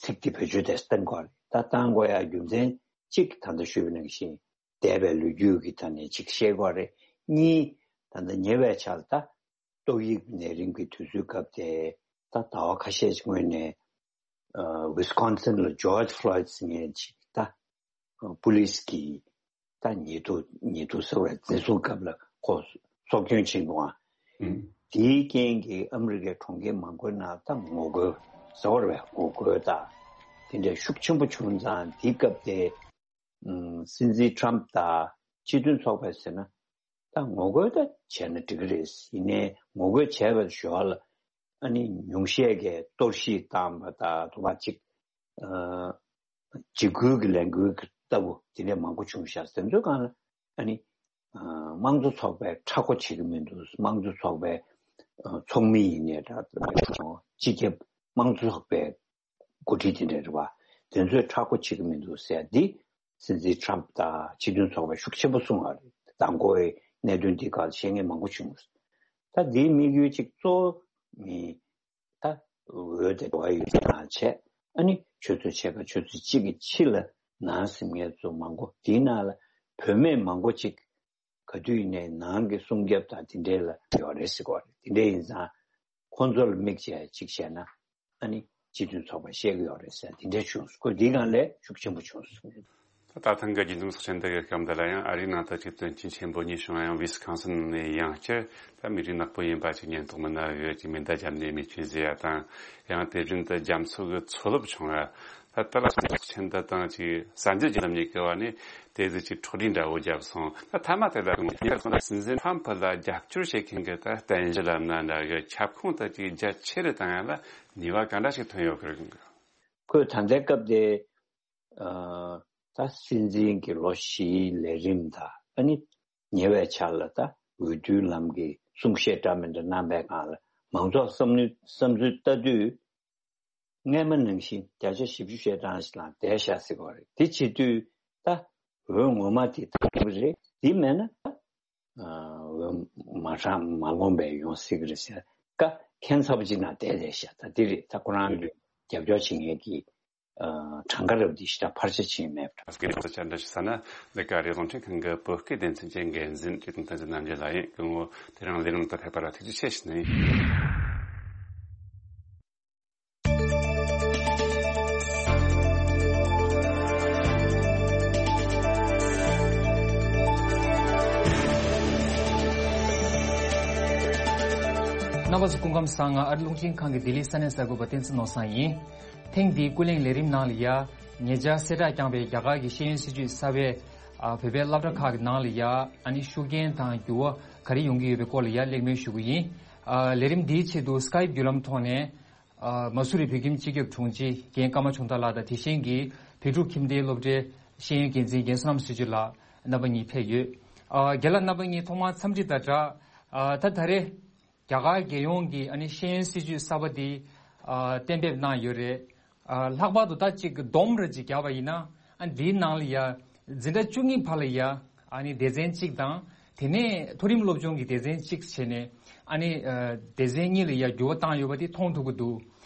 ཚིག་དེ་བེད་སྤྱོད་དེ་བཏང་དགོས་རེད། ད་བཏང་དགོས་ཡ་རྒྱུ་མཚན་གཅིག་ད་ལྟ་ཞུས་པ་ནང་བཞིན་འདས་པའི་ལོ་རྒྱུས་ཀྱི་ཐོག་ནས་གཅིག་བཤད་དགོས་རེད། གཉིས། ད་ལྟ་ཉེ་བའི་ཆར་ད་ཏོག་དབྱིབས་ནད་རིམས་ཀྱི་དུས་ཚོད་སྐབས་དེ་ད་ཟླ་བ་ཁ་ཤས་ཀྱི་སྔོན་ནས་ཝི་སི་ཀོན་སིན་ལ་ཇོར་ཇི་ཕློའི་ཌི་ཟེར་མཁན་ཅིག་ད་པུ་ལིས་ཀྱིས་ད་ཉེས་རྡུང་ཉེས་རྡུང་ཟེར་བའི་འཛིན་བཟུང་སྐབས་ལ་ཁོ་སྲོག་སྐྱོན་ཕྱིན་འདུག་ཨང་། ཨང་། དེའི་རྐྱེན་གྱིས་ཨ་མི་རི་ཀའི་གྲོང་ཁྱེར་མང་པོའི་ནང་ད་ངོ་རྒོལ་ཟེར་བ་རེད་པས། ངོ་རྒོལ་ད་དེ་འདྲ་ཤུགས་ཆེན་པོ་བྱུང་ཙང་། དེའི་སྐབས་དེ་ཨང་སྲིད་འཛིན་ཊམ་དང་སྤྱི་མཐུན་ཚོགས་པས་ཟེར་ན། ད་ངོ་རྒོལ་ད་བྱས་ན་འགྲིག་གི་རེད། ཡིན་ནའི་ངོ་རྒོལ་བྱས་པའི་ཞོར་ལ་ཨ་ནི་ཉུང་ཤས་ཀྱིས་གཏོར་བཤིག་བཏང་པ་དང་དུ་བ་ཅིག་ཨ་འཇིགས་སྐུལ་གྱི་ལས་འགུལ་ལྟ་བུ་དེ་འདྲ་མང་པོ་བྱུང་ཤག་དེ་ཚོའི་སྒང་ལ་ཨ་ནི་ཨ་དམངས་གཙོ་ཚོགས་པས་མཁྲེགས་པོ་བྱེད་ཀྱི་མི་འདུག་དམངས་གཙོ་ཚོགས་པའི་ཨ་ཚོགས་མི་ཡིན་ནའི་འདྲ། སྤྱི་ཁྱབ་དམངས་གཙོ་ཚོགས་པའི་འགོ་ཁྲིད་དེ་འདྲ་རེད་པ། དེ་ཚོས་མཁྲེགས་པོ་བྱེད་ཀྱི་མི་འདུག་ཟེར་འདི་སྲིད་འཛིན་ཊམ་དང་སྤྱི་མཐུན་ཚོགས་པས་ཤུགས་ཆེན་པོ་གསུངས་པ་རེད། མདང་དགོང་གི་གནད་དོན་འདི་སྒང་བཤད་མཁན་མང་པོ་བྱུང་། ད་འདིའི་དམིགས་ཡུལ་གཅིག་གཙོ་བོ་མི་ད་འོས་དེ་འགྲོ་བ་ཡོད་ཙང་བྱས། ཨ་ནི་ཆུ་ཚོད་ཕྱེད་ཀ་ཆུ་ཚོད་གཅིག་གི་ཕྱི་ལ་ནང་སེམས་ངལ་གཙོ་མང་པོ་དེའི་ནང་ལ་བུད་མེད་མང་པོ་ཅིག་ག་དུས་ཡིན་ནའི་ནང་གི་སྲུང་སྐྱོབ་དང་དེ་འདྲའི་ལ་ཡོད་རེད་ཟེར་གོ་རེད། དེ་འདྲ་ཡིན་ཙང་ཁོང་ཚོ་ལ་དམིགས་བྱས་ཅིག་བྱས་ན་ཨ་ནི་སྤྱི་མཐུན་ཚོགས་པ་བཤད་ཀྱི་ཡོད་རེད་ཟེར་དེ་འདྲ་བྱུང་སོང་། ཁོས་འདིའི་སྒང་ལས་ཤུགས་ཆེན་པོ་བྱུང་སོང་། ད་ད་ཐེངས་ཀྱི་རྒྱུན་འཛོམས་ཚོགས་ཆེན་འདི་གི་སྐབས་འདི་ལ་ཡང་ཨ་རིའི་ནང་དུ་ཅིག་དོན་རྐྱེན་ཆེན་པོ་གཉིས་བྱུང་ཡང་། ཝི་སི་ཀོན་སིན་ནས་ཡང་བསྐྱར་ད་མི་རིགས་ནག་པོ་ཡིན་པ་ཅིག་ཉེན་རྟོག་མི་སྣ་གིས་ཅིག་མེ་མདའ་བརྒྱབ་ནས་རྨས་སྐྱོན་བཟོས་ཡ་དང་། ཡང་དེ་བཞིན་དུ་རྒྱ་མཚོ་གི་མཚོ་རླབས་བྱུང་ཡ། ད་ལྟ་ལ་སོང་ཚོགས་ཆེན་འདི་དང་ཅིག་གསར་འགྱུར་བརྒྱུད་ལམ་གཉིས་ཀྱི་བར་ནས་དེ་ཟིག་ཅིག་འཕྲོ་བརླག་འདྲ་བོ་བརྒྱབ་སོང་། ད་མཐའ་མ་དེ་ལ་ངོ་ཤེས་སོང་ན་སྲིད་འཛིན་ཊམ་ཕུ་ལ་རྒྱབ་སྐྱོར་བྱེད་མཁན་གྱི་ད་བསྟན་འཛིན་ལབ་ན་འདྲ་གི་ཁྱབ་ཁོངས་དེ་ཅིག་རྒྱ་ཆེ་རུ་བཏང་ཡ་ལ་ནུས་པ་ག་འདྲ་ཞིག་ཐོན་ཡོད་ཀྱི་རེད། ཁོས་ད་ལྟའི་སྐབས་དེ་ཨ་ད་སྲིད་འཛིན་གྱི་ལོ་བཞིའི་ལས་རིམ་དང་ཨ་ནི་ཉེ་བའི་ཆར་ལ་ད་འོས་བསྡུའི་ལམ་གྱི་གསུང་བཤད་འདྲ་མི་འདྲ་གནང་པའི་སྒང་ལ་མང་ཚོགས་བསམ་བློའི་བསམ་ཚུལ་ལྟ་དུས། སྔས་མ་ནང་བཞིན་བརྒྱ་ཆ་བཞི་བཅུ་ཞེ་གྲངས་ཤིག་ལ་བསྡད་ཤག་ཟེར་གྱི་ཡོད་རེད། དེ་བྱེད་དུས་ད་འོས་ངོ་མ་དེ་ཐོབ་ཀྱི་རེད། དེ་མེད་ན་ད་ཨ་འོས་མ་གྲངས་མ་ལོངས་པའི་ཡོང་སྲིད་ཀྱི་རེད་ཟེར་ཀ་ཁྱད་མཚར་པོ་ཅིག་ནང་བསྡད་བསྡད་ཤག་ད་དེ་རེད། ད་ཁོ་རང་གི་རྒྱབ་སྐྱོར་བྱེད་མཁན་གྱི་ཨ་གྲངས་ཀ་རབ་དེ་ཞེ་དྲག་འཕར་ཆ་ཕྱིན་མེད་པ་འདྲ། སྐད་ཆ་འདྲ་ཞིག་ཟ་ན་ལས་ཀ་རེ་རྫོང་ཁྲེང་ཁང་གི་བོད་སྐད་སྡེ་ཚན་གྱི་འགན་འཛིན་བཀྲས་མཐོང་བསྟན་འཛིན་རྣམ་རྒྱལ་ལགས་ཡིན། སྐུ་ངོ་དེ་རིང་ལས་རིམ་དུ་ཕེབས་པ་ལ་ཐུགས་རྗེ་ཆེ་ཞུ་ནི་ཡིན། རྣམ་པ་ཚོ་སྐུ་ཁམས་བཟང་། ང་ཨ་རི་རླུང་འཕྲིན་ཁང་གི་ལྡི་ལི་ས་གནས་གསར་འགོད་པ་བསྟན་འཛིན་ནོར་བཟང་ཡིན། ཐེངས་འདིའི་ཀུན་གླེང་ལས་རིམ་ནང་ལ་ཡ། ཉེ་ཆར་གསལ་བསྒྲགས་བསྐྱངས་པའི་རྒྱ་གར་གྱི་ཤེས་ཡོན་སྲིད་བྱུས་གསར་པའི་ཨ་བོད་པའི་སློབ་གྲྭ་ཁག་གི་ནང་ལ་ཡ། ཨ་ནི་ཤུགས་རྐྱེན་དང་འགྱུར་བ་ག་རེ་ཡོང་གི་ཡོད་པའི་སྐོར་ལ་ཡ་གླེང་མོལ་ཞུ་གི་ཡིན། ཨ་ལས་རིམ་འདིའི་ཆེད་དུ་སི་ཀའིབ་བརྒྱུད་ལམ་ཐོག་ནས། ཨ་མ་སུ་རི་བོད་ཁྱིམ་སྤྱི་ཁྱབ་དྲུང་ཆེ་རྒན་ཀརྨ་ཆུང་བདག་ལགས་དང་། དེ་བཞིན་གྱི་བོད་ཕྲུག་ཁྱིམ་སྡེའི་སློབ་གྲྭའི་ཤེས་ཡོན་འགན་འཛིན་རྒན་བསོད་ནམས་ཚེ་མཆོག་ལགས་རྣམ་པ་གཉིས་ཕེབས་ཡོད། ཨ་རྒན་ལགས་རྣམ་པ་གཉིས་ཐོག་མར་འཚམས་འདྲི་དང་སྦྲགས། ཨ་ད་ད་རེས་རྒྱ་གར་རྒྱལ་ཡོངས་ཀྱི་ཨ་ནི་ཤེས་ཡོན་སྲིད་བྱུས་གསར་པ་འདི་ཨ་གཏན་འབེབས་གནང་ཡོད་རེད། ཨ་ལྷག་པར་དུ་ད་ཅིག་སྡོམ་རེ་ཅིག་བརྒྱབ་པ་ཡིན་ན། ཨ་འདིའི་ནང་ལ་ཡ་འཛིན་གྲྭ་བཅུ་གཉིས་བར་ལ་ཡ་ཨ་ནི་སྡེ་ཚན་གཅིག་དང་། དེ་ནས་མཐོ་རིམ་སློབ་སྦྱོང་གི་སྡེ་ཚན་གཅིག་བྱས་ནས། ཨ་ནི་ཨ་སྡེ་ཚན་གཉིས་ལ་ཡ་འགྱུར་བ་བཏང་ཡོད་པ་དེ་མཐོང་ཐུབ་ཀྱི་འདུག་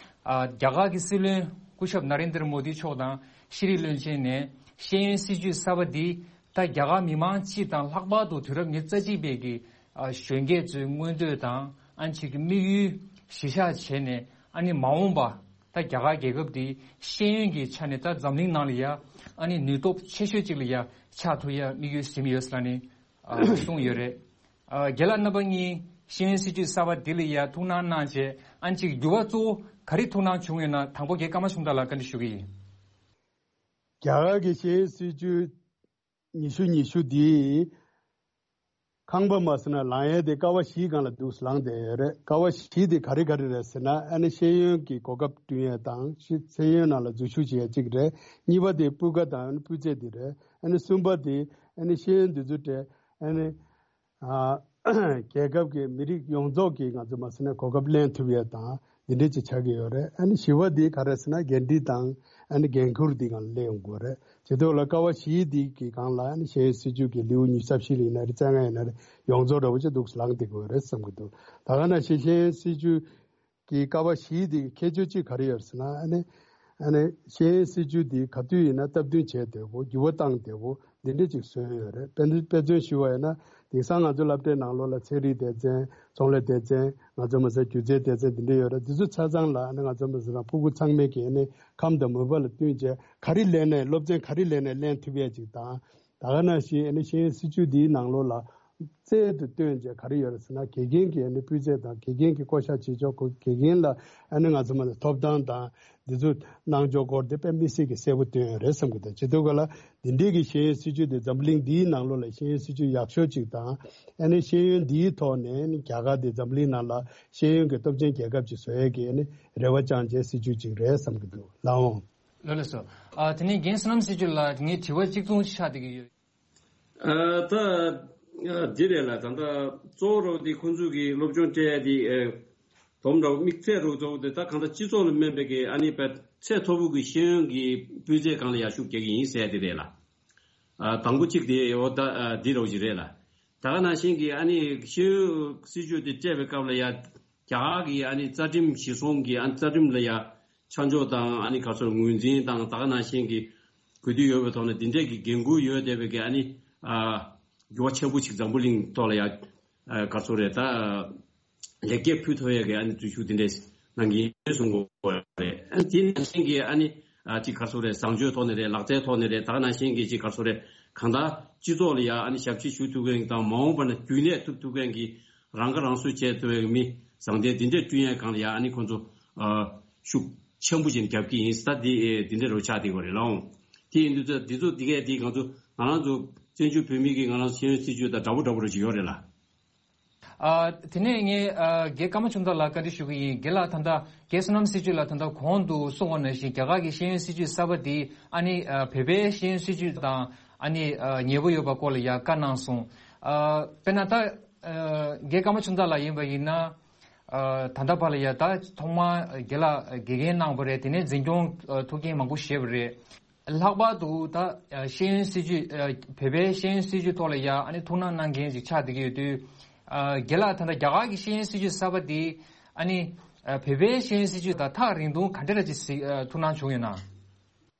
ཨ་རྒྱ་གར་གྱི་སྲིད་བློན་སྐུ་ཞབས་ན་རེན་དྲ་མོ་དི་མཆོག་དང་ཤེས་རིག་བློན་ཆེན་ནས་ཤེས་ཡོན་སྲིད་བྱུས་གསར་པ་འདི་ད་རྒྱ་གར་མི་མང་སྤྱི་དང་ལྷག་པར་དུ་དུས་རབས་ཉི་ཤུ་རྩ་གཅིག་པའི་གི་ཨ་གཞོན་སྐྱེས་ཚོའི་མངོན་འདོད་དང་། ཨ་ནི་ཅིག་གི་དམིགས་ཡུལ་གཞི་བཞག་བྱས་ནས། ཨ་ནི་མ་འོངས་པ་ད་རྒྱ་གར་རྒྱལ་ཁབ་འདི་ཤེས་ཡོན་གྱི་ཆ་ནས་ད་འཛམ་གླིང་ནང་ལ་ཡ་ཨ་ནི་ནུས་སྟོབས་ཆེ་ཤོས་ཅིག་ལ་ཡ་ཆགས་ཐུབ་ཡ་དམིགས་ཡུལ་ཟིན་ཡོད་ཟེར་ནས་ཨ་གསུངས་ཡོད་རེད། ཨ་རྒན་ལགས་རྣམ་པ་གཉིས་ཤེས་ཡོན་སྲིད་བྱུས་གསར་པ་འདི་ལ་ཡ་ཐུགས་སྣང་གནང་བྱས། ཨ་ནི་ཅིག་འགྱུར་བ་གཙོ་བོ་ག་རེ་ཐུགས་སྣང་བྱུང་ཡོད་ན། དང་པོ་རྒན་ཀརྨ་ཆུང་བདག་ལགས་བཀའ་འདྲི་ཞུ་གི་ཡིན། རྒྱ་གར་གྱི་ཤེས་ཡོན་སྲིད་བྱུས་ཉི་ཤུ་ཉི་ཤུ་འདི་ཁང་པ་མ་ཟེར་ན་ལངས་ཡས་དེ་ཀ་བ་བཞིའི་སྒང་ལ་འདུག་ལངས་བསྡད་ཡོད་རེད། ཀ་བ་བཞི་དེ་ག་རེ་ག་རེ་རེད་ཟེར་ན། ཨ་ནི་ཤེས་ཡོན་གྱི་གོ་སྐབས་བསྐྲུན་ཡས་དང་། ཤེས་ཤེས་ཡོན་ནང་ལ་འཛུལ་ཞུགས་བྱེད་ཡས་གཅིག་རེད། གཉིས་པ་དེ་སྤུས་ཀ་དང་ཨ་ནི་སྤུས་ཚད་དེ་རེད། ཨ་ནི་གསུམ་པ་དེ་ཨ་ནི་ཤེས་ཡོན་འདི་ཚོ་གྲས། ཨ་ནི་ཨ་རྒྱལ་ཁབ་ཀྱི་མི་རིགས་ཡོངས་རྫོགས་ཀྱི་ང་ཚོ་མ་ཟེར་ན་གོ་སྐབས་ལེན་ཐུབ་ཡས་དང་འདི་འདྲས་ཅིག་ཆགས་ཀྱི་ཡོད་རེད། ཨ་ནི་བཞི་པ་འདི་ག་རེ་ཟེར་ན་འགན་འཁྲི་དང་ཨ་ནི་འགན་འཁུར་འདི་སྒང་ལ་སླེབས་ཡོང་དགོས་རེད། བྱེད་དུས་ལ་ཀ་བ་བཞི་འདི་གི་སྒང་ལ་ཨ་ནི་ཤེས་ཡོན་སྲིད་བྱུས་ཀྱི་ལེའུ་ཉི་ཤུ་རྩ་བཞི་ལ་ཡིན་ན་རེད། རྩ་ལྔ་ཡིན་ན་རེད། ཡོངས་རྫོགས་འདྲ་བོ་ཅིག་འདུག་ལངས་བསྡད་དགོས་རེད་བསམ་གྱི་འདུག་ད་ག་ནང་བཞིན་ཤེས་ཡོན་སྲིད་བྱུས་ཀྱི་ཀ་བ་བཞི་དེ་གི་ཁྱད་ཆོས་གཅིག་ག་རེ་ཡོད་ཟེར་ན། ཨ་ནི་ཨ་ནི་ཤེས་ཡོན་སྲིད་བྱུས་དེ་ག་དུས་ཡིན་ན་སྟབས་བསྟུན་བྱས་བསྡད་དགོས། འགྱུར་བ་བཏང་བསྡད་དགོས། འདི་འདྲ་ཅིག་བཟོས་ཡོད་རེད། དཔེ་དཔེ་མཚོན་ཞུ་བ་ཡིན་ན་དེང་སང་ང་ཚོ་སློབ་གྲྭའི་ནང་ལོགས་ལ་ཚན་རིག་སྡེ་ཚན། ཚོང་ལས་སྡེ་ཚན། ང་ཚོ་མ་ཟད་སྒྱུ་རྩལ་སྡེ་ཚན་འདི་འདྲ་ཡོད་རེད། འདི་ཚོ་ཆ་ཚང་ལ་ཨ་ནི་ང་ཚོ་མ་ཟད་ན་ཕྲུ་གུ་ཚང་མས་ཀྱི་ཨ་ནི་ཁམས་དང་མོས་པ་ལ་བསྟུན་བྱས་ག་རེ་ལེན་ནའི་སློབ་ཚན་ག་རེ་ལེན་ནའི་ལེན་ཐུབ་ཡས་ཅིག་དང་། ད་ག་ནང་བཞིན་ཨ་ནི་ཤེས་ཡོན་སྲིད་བྱུས་འདིའི་ནང་ལོགས་ལ་རྩལ་དུ་བཏོན་བྱས་ག་རེ་ཡོད་རེད་ཟེར་ན། དགེ་རྒན་གྱི་ཨ་ནི་སྤུས་ཚད་དང་དགེ་རྒན་གྱི་བསྐོ་བཞག་བྱེད་ཕྱོགས། དགེ་རྒན་ལ་ཨ་ནི་ང་ཚོ་མ་ཐོབ་ཐང་དང་འདི་ཚོ་གནང་ཕྱོགས་སྐོར་དེ་དཔེ་མི་སྲིད་ཀྱི་གསལ་པོ་བཏོན་ཡོད་རེད་བསམ་གྱི་འདུག་བྱེད་དུས་ག་ལ་འདི་འདྲའི་གི་ཤེས་ཡོན་སྲིད་བྱུས་དེ་འཛམ་བུ་གླིང་འདིའི་ནང་ལོགས་ལ་ཤེས་ཡོན་སྲིད་བྱུས་ཡག་ཤོས་ཅིག་དང་། ཨ་ནི་ཤེས་ཡོན་འདིའི་ཐོག་ནས་ཨ་ནི་རྒྱ་གར་དེ་འཛམ་བུ་གླིང་ནང་ལ་ཤེས་ཡོན་གྱི་སྟོབས་ཆེན་རྒྱལ་ཁབ་ཅིག་བཟོ་ཡས་ཀྱི་ཨ་ནི་རེ་བ་བཅངས་བྱས་སྲིད་བྱུས་ཅིག་རེད་བསམ་གྱི་འདུག་ལགས་འོང་། ལགས་ལགས་སོ། ཨ་དེ་ནས་རྒན་བསོད་ནམས་སྲིད་བྱུས་ལགས་ངའི་དྲི་བ་གཅིག་མཚུངས་ཆགས་བསྡད་ཀྱི་ཡོད། ཨ་ད་ཨ་འདི་རེད་ལ། ད་ལྟ་གཙོ་བོ་རོགས་འདི་ཁོང་ཚོ་གི་སློབ་སྦྱོང་སྤྲད་ཡ་འདི་ཨ་དོམ་རོགས་དམིགས་ཚད་རོགས་གཙོ་བོ་དེ་ད་གང་ལྟར་སྤྱི་ཚོགས་ལ་སྨན་པའི་གི་ཨ་ནི་པའི་ཚད་མཐོ་པོ་གི་ཤེས་ཡོན་གྱི་སྤུས་ཚད་སྒང་ལ་ཡར་ཤུགས་རྒྱག་གི་ཡིན་ཟེར་ཡ་དེ་རེད་ལ། ཨ་དང་པོ་གཅིག་དེ་འོ་ད་ཨ་འདི་རོགས་ཅིག་རེད་ལ། ད་ག་ནང་བཞིན་གྱི་ཨ་ནི་ཤེས་ཡོན་སྲིད་བྱུས་དེ་སྤྲད་པའི་སྐབས་ལ་ཡ་རྒྱ་གར་གྱི་ཨ་ནི་རྩ་ཁྲིམས་གཞིར་བཟུང་གི་ཨ་ནི་རྩ་ཁྲིམས་ལ་ཡ་ཆ་འཇོག་དང་ཨ་ནི་ག་ཚོད་ངོས་འཛིན་དང་། ད་ག་ནང་བཞིན་གྱི་གོ་དུས་ཡོད་པའི་ཐོག་ནས་འདི་འདྲས་ཀྱི་འགན་འཁུར་ཡོད་བསྡད་པའི་གི་ཨ་ནི་ཨ་འགྱུར་བ་ཆེན་པོ་ཞིག་འཛམ་བུ་གླིང་ཐོག་ལ་ཡ་ཨ་ག་ཚོད་རེད་ད། ལེགས་སྐྱེས་ཕུལ་ཐུབ་ཡས་ཀྱི་ཨ་ནི་འཛུལ་ཞུགས་དེ་འདྲས་གནང་གི་ཡིན་གསུང་གི་ཡོད་རེད། ཨ་ནི་དེ་ནང་བཞིན་གྱི་ཨ་ནི་ཨ་ཅིག་ག་ཚོད་རེད། བཟང་སྤྱོད་ཐོག་ནས་རེད། ལག་རྩལ་ཐོག་ནས་རེད། ད་ག་ནང་བཞིན་གྱི་ཅིག་ག་ཚོད་རེད། གང་ལྟར་སྤྱི་ཚོགས་ལ་ཡ་ཨ་ནི་ཞབས་ཕྱི་ཞུ་ཐུབ་མཁན་དང་། མ་འོངས་པ་ན་རྒྱུན་གནས་ཐུབ་ཐུབ་མཁན་གྱི་རང་ཁ་རང་གསོ་བྱེད་ཐུབ་པའི་མི་བཟང་ལྡན་དེ་འདྲས་བསྐྲུན་ཡས་སྒང་ལ་ཡ་ཨ་ནི་ཁོང་ཚོ་ཨ་ཤུགས་ཆེན་པོ་ཅིག་རྒྱབ་ཀྱི་ཡིན། ད་འདི་ཨེ་འདི་འདྲས་རོ་ཆགས་བསྡད་ཡོད་རེད་ལགས་འོང་། དེ་ཡིན་དུས་ད་འདི་ཚོ་འདི་གས་འདི་ང་ཚོ་ང་རང་ཚོ་བཙན་བྱོལ་བོད་མི་གི་ང་རང་ཚོ་ཤེས་ཡོན་སྲིད་བྱུས་དང་འདྲ་པོ་འདྲ་པོ་རེ་ཞིག་ཡོད་རེད་ལ། ཨ་དེ་ནས་ངས་ཨ་རྒན་ཀརྨ་ཆོས་མདའ་ལགས་བཀའ་འདྲི་ཞུ་གི་ཡིན། རྒན་ལགས་ད་ལྟ་རྒན་བསོད་ནམས་སྲིད་བྱུས་ལགས་ད་ལྟ་གོང་དུ་གསུངས་པ་ནང་བཞིན་རྒྱ་གར་གྱི་ཤེས་ཡོན་སྲིད་བྱུས་གསར་པ་འདི་ཨ་ནི་ཨ་བོད་པའི་ཤེས་ཡོན་སྲིད་བྱུས་དང་ཨ་ནི་ཨ་ཉེ་པོ་ཡོད་པ་སྐོར་ལ་ཡང་བཀའ་གནང་སོང་། ཨ་དཔེར་ན་ད་ཨ་རྒན་ཀརྨ་ཆོས་མདའ་ལགས་ཡིན་པ་ཡིན་ན་ཨ་ད་ལྟ་བར་ལ་ཡ་ད་ཐོག་མར་རྒན་ལགས་དགེ་རྒན་གནང་བ་རེད། དེ་ནས་འཛིན་སྐྱོང་ཨ་ཐུགས་འགན་མང་པོ་བཞེས་པ་རེད། ལྷག་པར་དུ་ད་ཤེས་ཡོན་སྲིད་བྱུས་བོད་པའི་ཤེས་ཡོན་སྲིད་བྱུས་ཐོག་ལ་ཡ་ཨ་ནི་ཐུགས་སྣང་གནང་མཁན་ཅིག་ཆགས་བསྡད་ཀྱི་ཡོད་དུས། རྒན་ལགས་ད་ལྟ་རྒྱ་གར་གྱི་ཤེས་ཡོན་སྲིད་བྱུས་གསར་པ་འདི་ཨ་ནི་བོད་པའི་ཤེས་ཡོན་སྲིད་བྱུས་དང་ཐག་རིང་ཐུང་ག་འདྲ་ཅིག་གཟིགས་ཐུགས་སྣང་བྱུང་ཡོད་ན།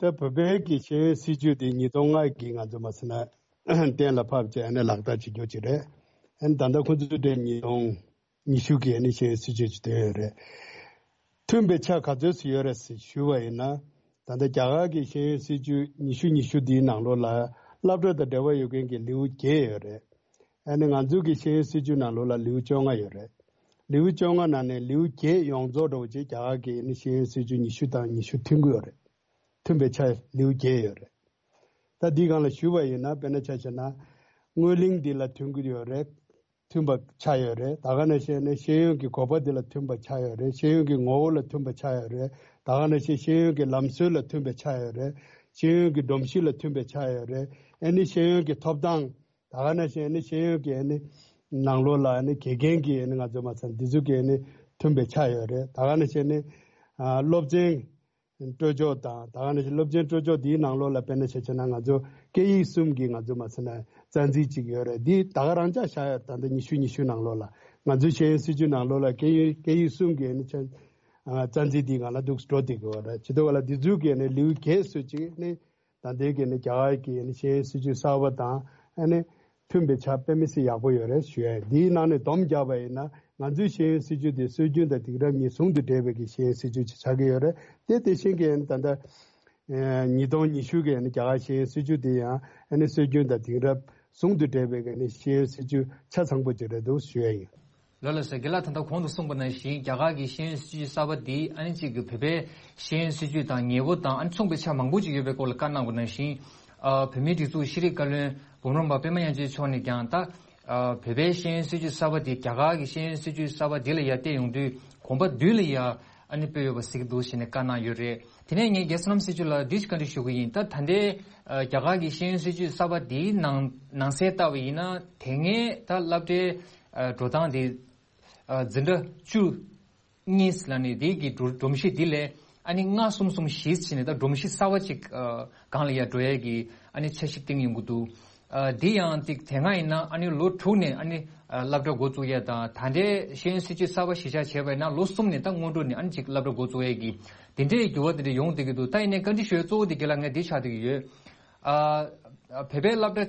ད་བོད་པའི་གི་ཤེས་ཡོན་སྲིད་བྱུས་དེ་ཉིས་སྟོང་ལྔ་གི་ང་ཚོ་མ་ཟེར་ན་གཏན་ལ་ཕབ་བྱས་ཨ་ནི་ལག་བསྟར་བྱེད་རྒྱུ་ཅིག་རེད། ཨ་ནི་ད་ལྟ་ཁོ་ཚོའི་གྲས་ཉིས་སྟོང་ཉི་ཤུ་གི་ཨ་ནི་ཤེས་ཡོན་སྲིད་བྱུས་ཅིག་བཏོན་ཡོད་རེད། མཐུན་པའི་ཆ་ག་ཚོད་ཅིག་ཡོད་རེད་ཟེར་ཞུས་པ་ཡིན་ན། ད་ལྟ་རྒྱ་གར་གྱི་ཤེས་ཡོན་སྲིད་བྱུས་ཉི་ཤུ་ཉི་ཤུ་འདིའི་ནང་ལོགས་ལ་སློབ་གྲྭ་དང་འབྲེལ་བ་ཡོད་མཁན་གྱི་ལེའུ་བརྒྱད་ཡོད་རེད། ཨ་ནི་ང་ཚོ་གི་ཤེས་ཡོན་སྲིད་བྱུས་ནང་ལོགས་ལ་ལེའུ་བཅོ་ལྔ་ཡོད་རེད། ལེའུ་བཅོ་ལྔ་ནང་ནས་ལེའུ་བརྒྱད་ཡོངས་རྫོགས་འདྲ་བོ་ཅིག་རྒྱ་གར་གྱི་ཨ་ནི་ཤེས་ཡོན་སྲིད་བྱུས་ཉི་ཤུ་དང་ཉི་ཤུ་མཐུན་གྱི་ཡོད་རེད། མཐུན་པའི་ཆ་ལེའུ་བརྒྱད་ཡོད་རེད། ད་འདིའི་སྒང་ལ་ཞུས་པ་ཡིན་ན་དཔེར་ན་ཆ་བཞག་ན་དངོས་གླིང་འདི་ལ་མཐུན་གྱི་ཡོད་རེད། མཐུན་པ་ཆགས་ཡོད་རེད། ད་ག་ནང་བཞིན་ནི་ཤེས་ཡོན་གྱི་དགོས་པ་འདི་ལ་མཐུན་པ་ཆགས་ཡོད་རེད། ཤེས་ཡོན་གྱི་ངོ་བོ་ལ་མཐུན་པ་ཆགས་ཡོད་རེད། ད་ག་ནང་བཞིན་ཤེས་ཡོན་གྱི་ལམ་སྲོལ་ལ་མཐུན་པ་ཆགས་ཡོད་རེད། ཤེས་ཡོན་གྱི་སྒྲོམ་གཞི་ལ་མཐུན་པ་ཆགས་ཡོད་རེད། ཨ་ནི་ཤེས་ཡོན་གྱི་ཐོབ་ཐང་། ད་ག་ནང་བཞིན་ནི་ཤེས་ཡོན་གྱི་ཨ་ནི་ནང་ལོགས་ལ་ཨ་ནི་དགེ་རྒན་གྱི་ཨ་ནི་ང་ཚོ་མ་ཚང་འདི་ཚོ་གི་ཨ་ནི་མཐུན་པ་ཆགས་ཡོད་རེད། ད་ག་ནང་བཞིན་ནི་ཨ་སློབ་ཚན་སྤྲོད་ཕྱོགས་དང་། ད་ག་ནང་བཞིན་སློབ་ཚན་སྤྲོད་ཕྱོགས་འདིའི་ནང་ལོགས་ལ་དཔེར་ན་ཆ་བཞག་ན་ང་ཚོ་སྐད་ཡིག་གསུམ་གྱི་ང་ཚོ་མ་ཟེར་ན་རྩ་འཛིན་ཅིག་ཡོད་རེད། འདི་ད་ག་རང་འཇགས་བཞག་ཡོད་རེད། ད་ལྟ་ཉི་ཤུ་ཉི་ཤུ་ནང་ལོགས་ལ་ང་ཚོའི་ཤེས་ཡོན་སྲིད་བྱུས་ནང་ལོགས་ལ་སྐད་ཡིག་སྐད་ཡིག་གསུམ་གྱི་ནི་ཆ་ཨ་རྩ་འཛིན་འདི་ང་ལ་འདུག་འགྲོ་བསྡད་ཀྱི་ཡོད་རེད། བྱེད་དུས་བ་ལ་འདི་ཚོའི་གི་ནི་ལེའུ་བརྒྱད་སུ་ཅིག་ནི། ད་ལྟའི་གི་ནི་རྒྱ་གར་གྱི་ནི་ཤེས་ཡོན་སྲིད་བྱུས་གསར་པ་དང་ཨ་ནི་མཐུན་པའི་ཆ་དཔེ་མི་སྲིད་ཡག་པོ་ཡོད་རེད་ཞུ་ཡ་ཡིན། འདིའི་ནང་ནས་སྡོམ་རྒྱག་པ་ཡིན་ན་ང་ཚོའི་ཤེས་ཡོན་སྲིད་བྱུས་དེ་སྲོལ་རྒྱུན་དང་དེང་རབས་གཉིས་ཟུང་དུ་འབྲེལ་བའི་གི་ཤེས་ཡོན་སྲིད་བྱུས་ཅིག་ཆགས་ཀྱི་ཡོད་རེད། དེ་དེ་བཞིན་གྱི་ཨ་ནི་ད་ལྟ་ཨ་ཉིས་སྟོང་ཉི་ཤུ་གི་ཨ་ནི་རྒྱ་གར་ཤེས་ཡོན་སྲིད་བྱུས་དེ་ཡང་ཨ་ནི་སྲོལ་རྒྱུན་དང་དེང་རབས་ཟུང་དུ་འབྲེལ་བའི་གི་ནི་ཤེས་ཡོན་སྲིད་བྱུས་ཆ་ཚང་པོ་ཅིག་རེད་འདུག་ཞུ་ཡ་ཡིན། ལགས་ལགས་སོ། རྒན་ལགས་ད་ལྟ་གོང་དུ་གསུངས་པ་ནང་བཞིན་རྒྱ་གར་གྱི་ཤེས་ཡོན་སྲིད་བྱུས་གསར་པ་འདི་ཨ་ནི་གཅིག་གི་བོད་པའི་ཤེས་ཡོན་སྲིད་བྱུས་དང་ཉེ་པོ་དང་ཨ་ནི་མཚུངས་པའི་ཆ་མང་པོ་ཅིག་ཡོད་པའི་སྐོར་ལ་བཀའ་གནང་བ་ནང་བཞིན། ཨ་བོད་མིའི་སྒྲིག་འཛུགས་ཤེས་རིག་བཀའ་བློན་འབུམ་རམས་པ་པད་མ་དབྱངས་ཅན་མཆོག་ནས་ཀྱང་ད་ཨ་བོད་པའི་ཤེས་ཡོན་སྲིད་བྱུས་གསར་པ་འདི་རྒྱ་གར་གྱི་ཤེས་ཡོན་སྲིད་བྱུས་གསར་པ་འདི་ལ་ཡར་བལྟས་ཡོང་དུས་གོམ་པ་མདུན་ལ་ཡར་ ཨ་ནི་སྤེལ་ཡོད་པ་གཟིགས་འདུག་ཟེར་ནས་བཀའ་གནང་ཡོད་རེད། དེ་ནས་ངས་རྒྱལ་སྲས་བླ་མ་སྲས་བཅུ་ལ་འདི་ཞིག་བཀའ་འདྲི་ཞུ་གི་ཡིན། ད་ད་ལྟའི་ཨ་རྒྱ་གར་གྱི་ཤེས་ཡོན་སྲིད་བྱུས་གསར་པ་འདིའི་ནང་ནང་གསལ་ལྟ་བ་ཡིན་ན། དེ་སྔའི་ད་སློབ་གྲྭའི་ཨ་འགྲོ་སྟངས་འདི་ཨ་འཛིན་གྲྭ་བཅུ་གཉིས་ལ་ནི་དེ་གི་སྒྲོམ་གཞི་འདི་ལས་ཨ་ནི་ལྔ་གསུམ་གསུམ་བཞི་ཟེར་ནས་ད་སྒྲོམ་གཞི་གསར་པ་ཅིག་ཨ་སྒང་ལ་ཡ་འགྲོ་ཡས་ཀྱི་ཨ་ནི་འཆར་གཞི་བཏིང་ཡོང་གི་འདུག་ཨ་འདི་ཡང་ཅིག་དེ་སྔ་ཡིན་ན་ཨ་ནི་ལོ་དྲུག་ནས་ཨ་ནི་ཨ་སློབ་གྲྭ་འགོ་བཙུགས་ཡས་དང་། ད་ལྟའི་ཤེས་ཡོན་སྲིད་བྱུས་གསར་པ་གཞི་བཞག་བྱས་པ་ཡིན་ན་ལོ་གསུམ་ནས་ད་སྔོན་འགྲོ་ནས་ཨ་ནི་ཅིག་སློབ་གྲྭ་འགོ་བཙུགས་ཡས་ཀྱི་དེ་འདྲའི་འགྱུར་བ་དེ་འདྲ་ཡོང་བསྡད་ཀྱི་འདུག་ད་ཡིན་ནའི་བཀའ་འདྲི་ཞུ་ཡས་གཙོ་བོ་དེ་རྒན་ལགས་ངས་འདི་ཆགས་བསྡད་ཀྱི་ཡོད། ཨ་བོད་པའི་སློབ་གྲྭ་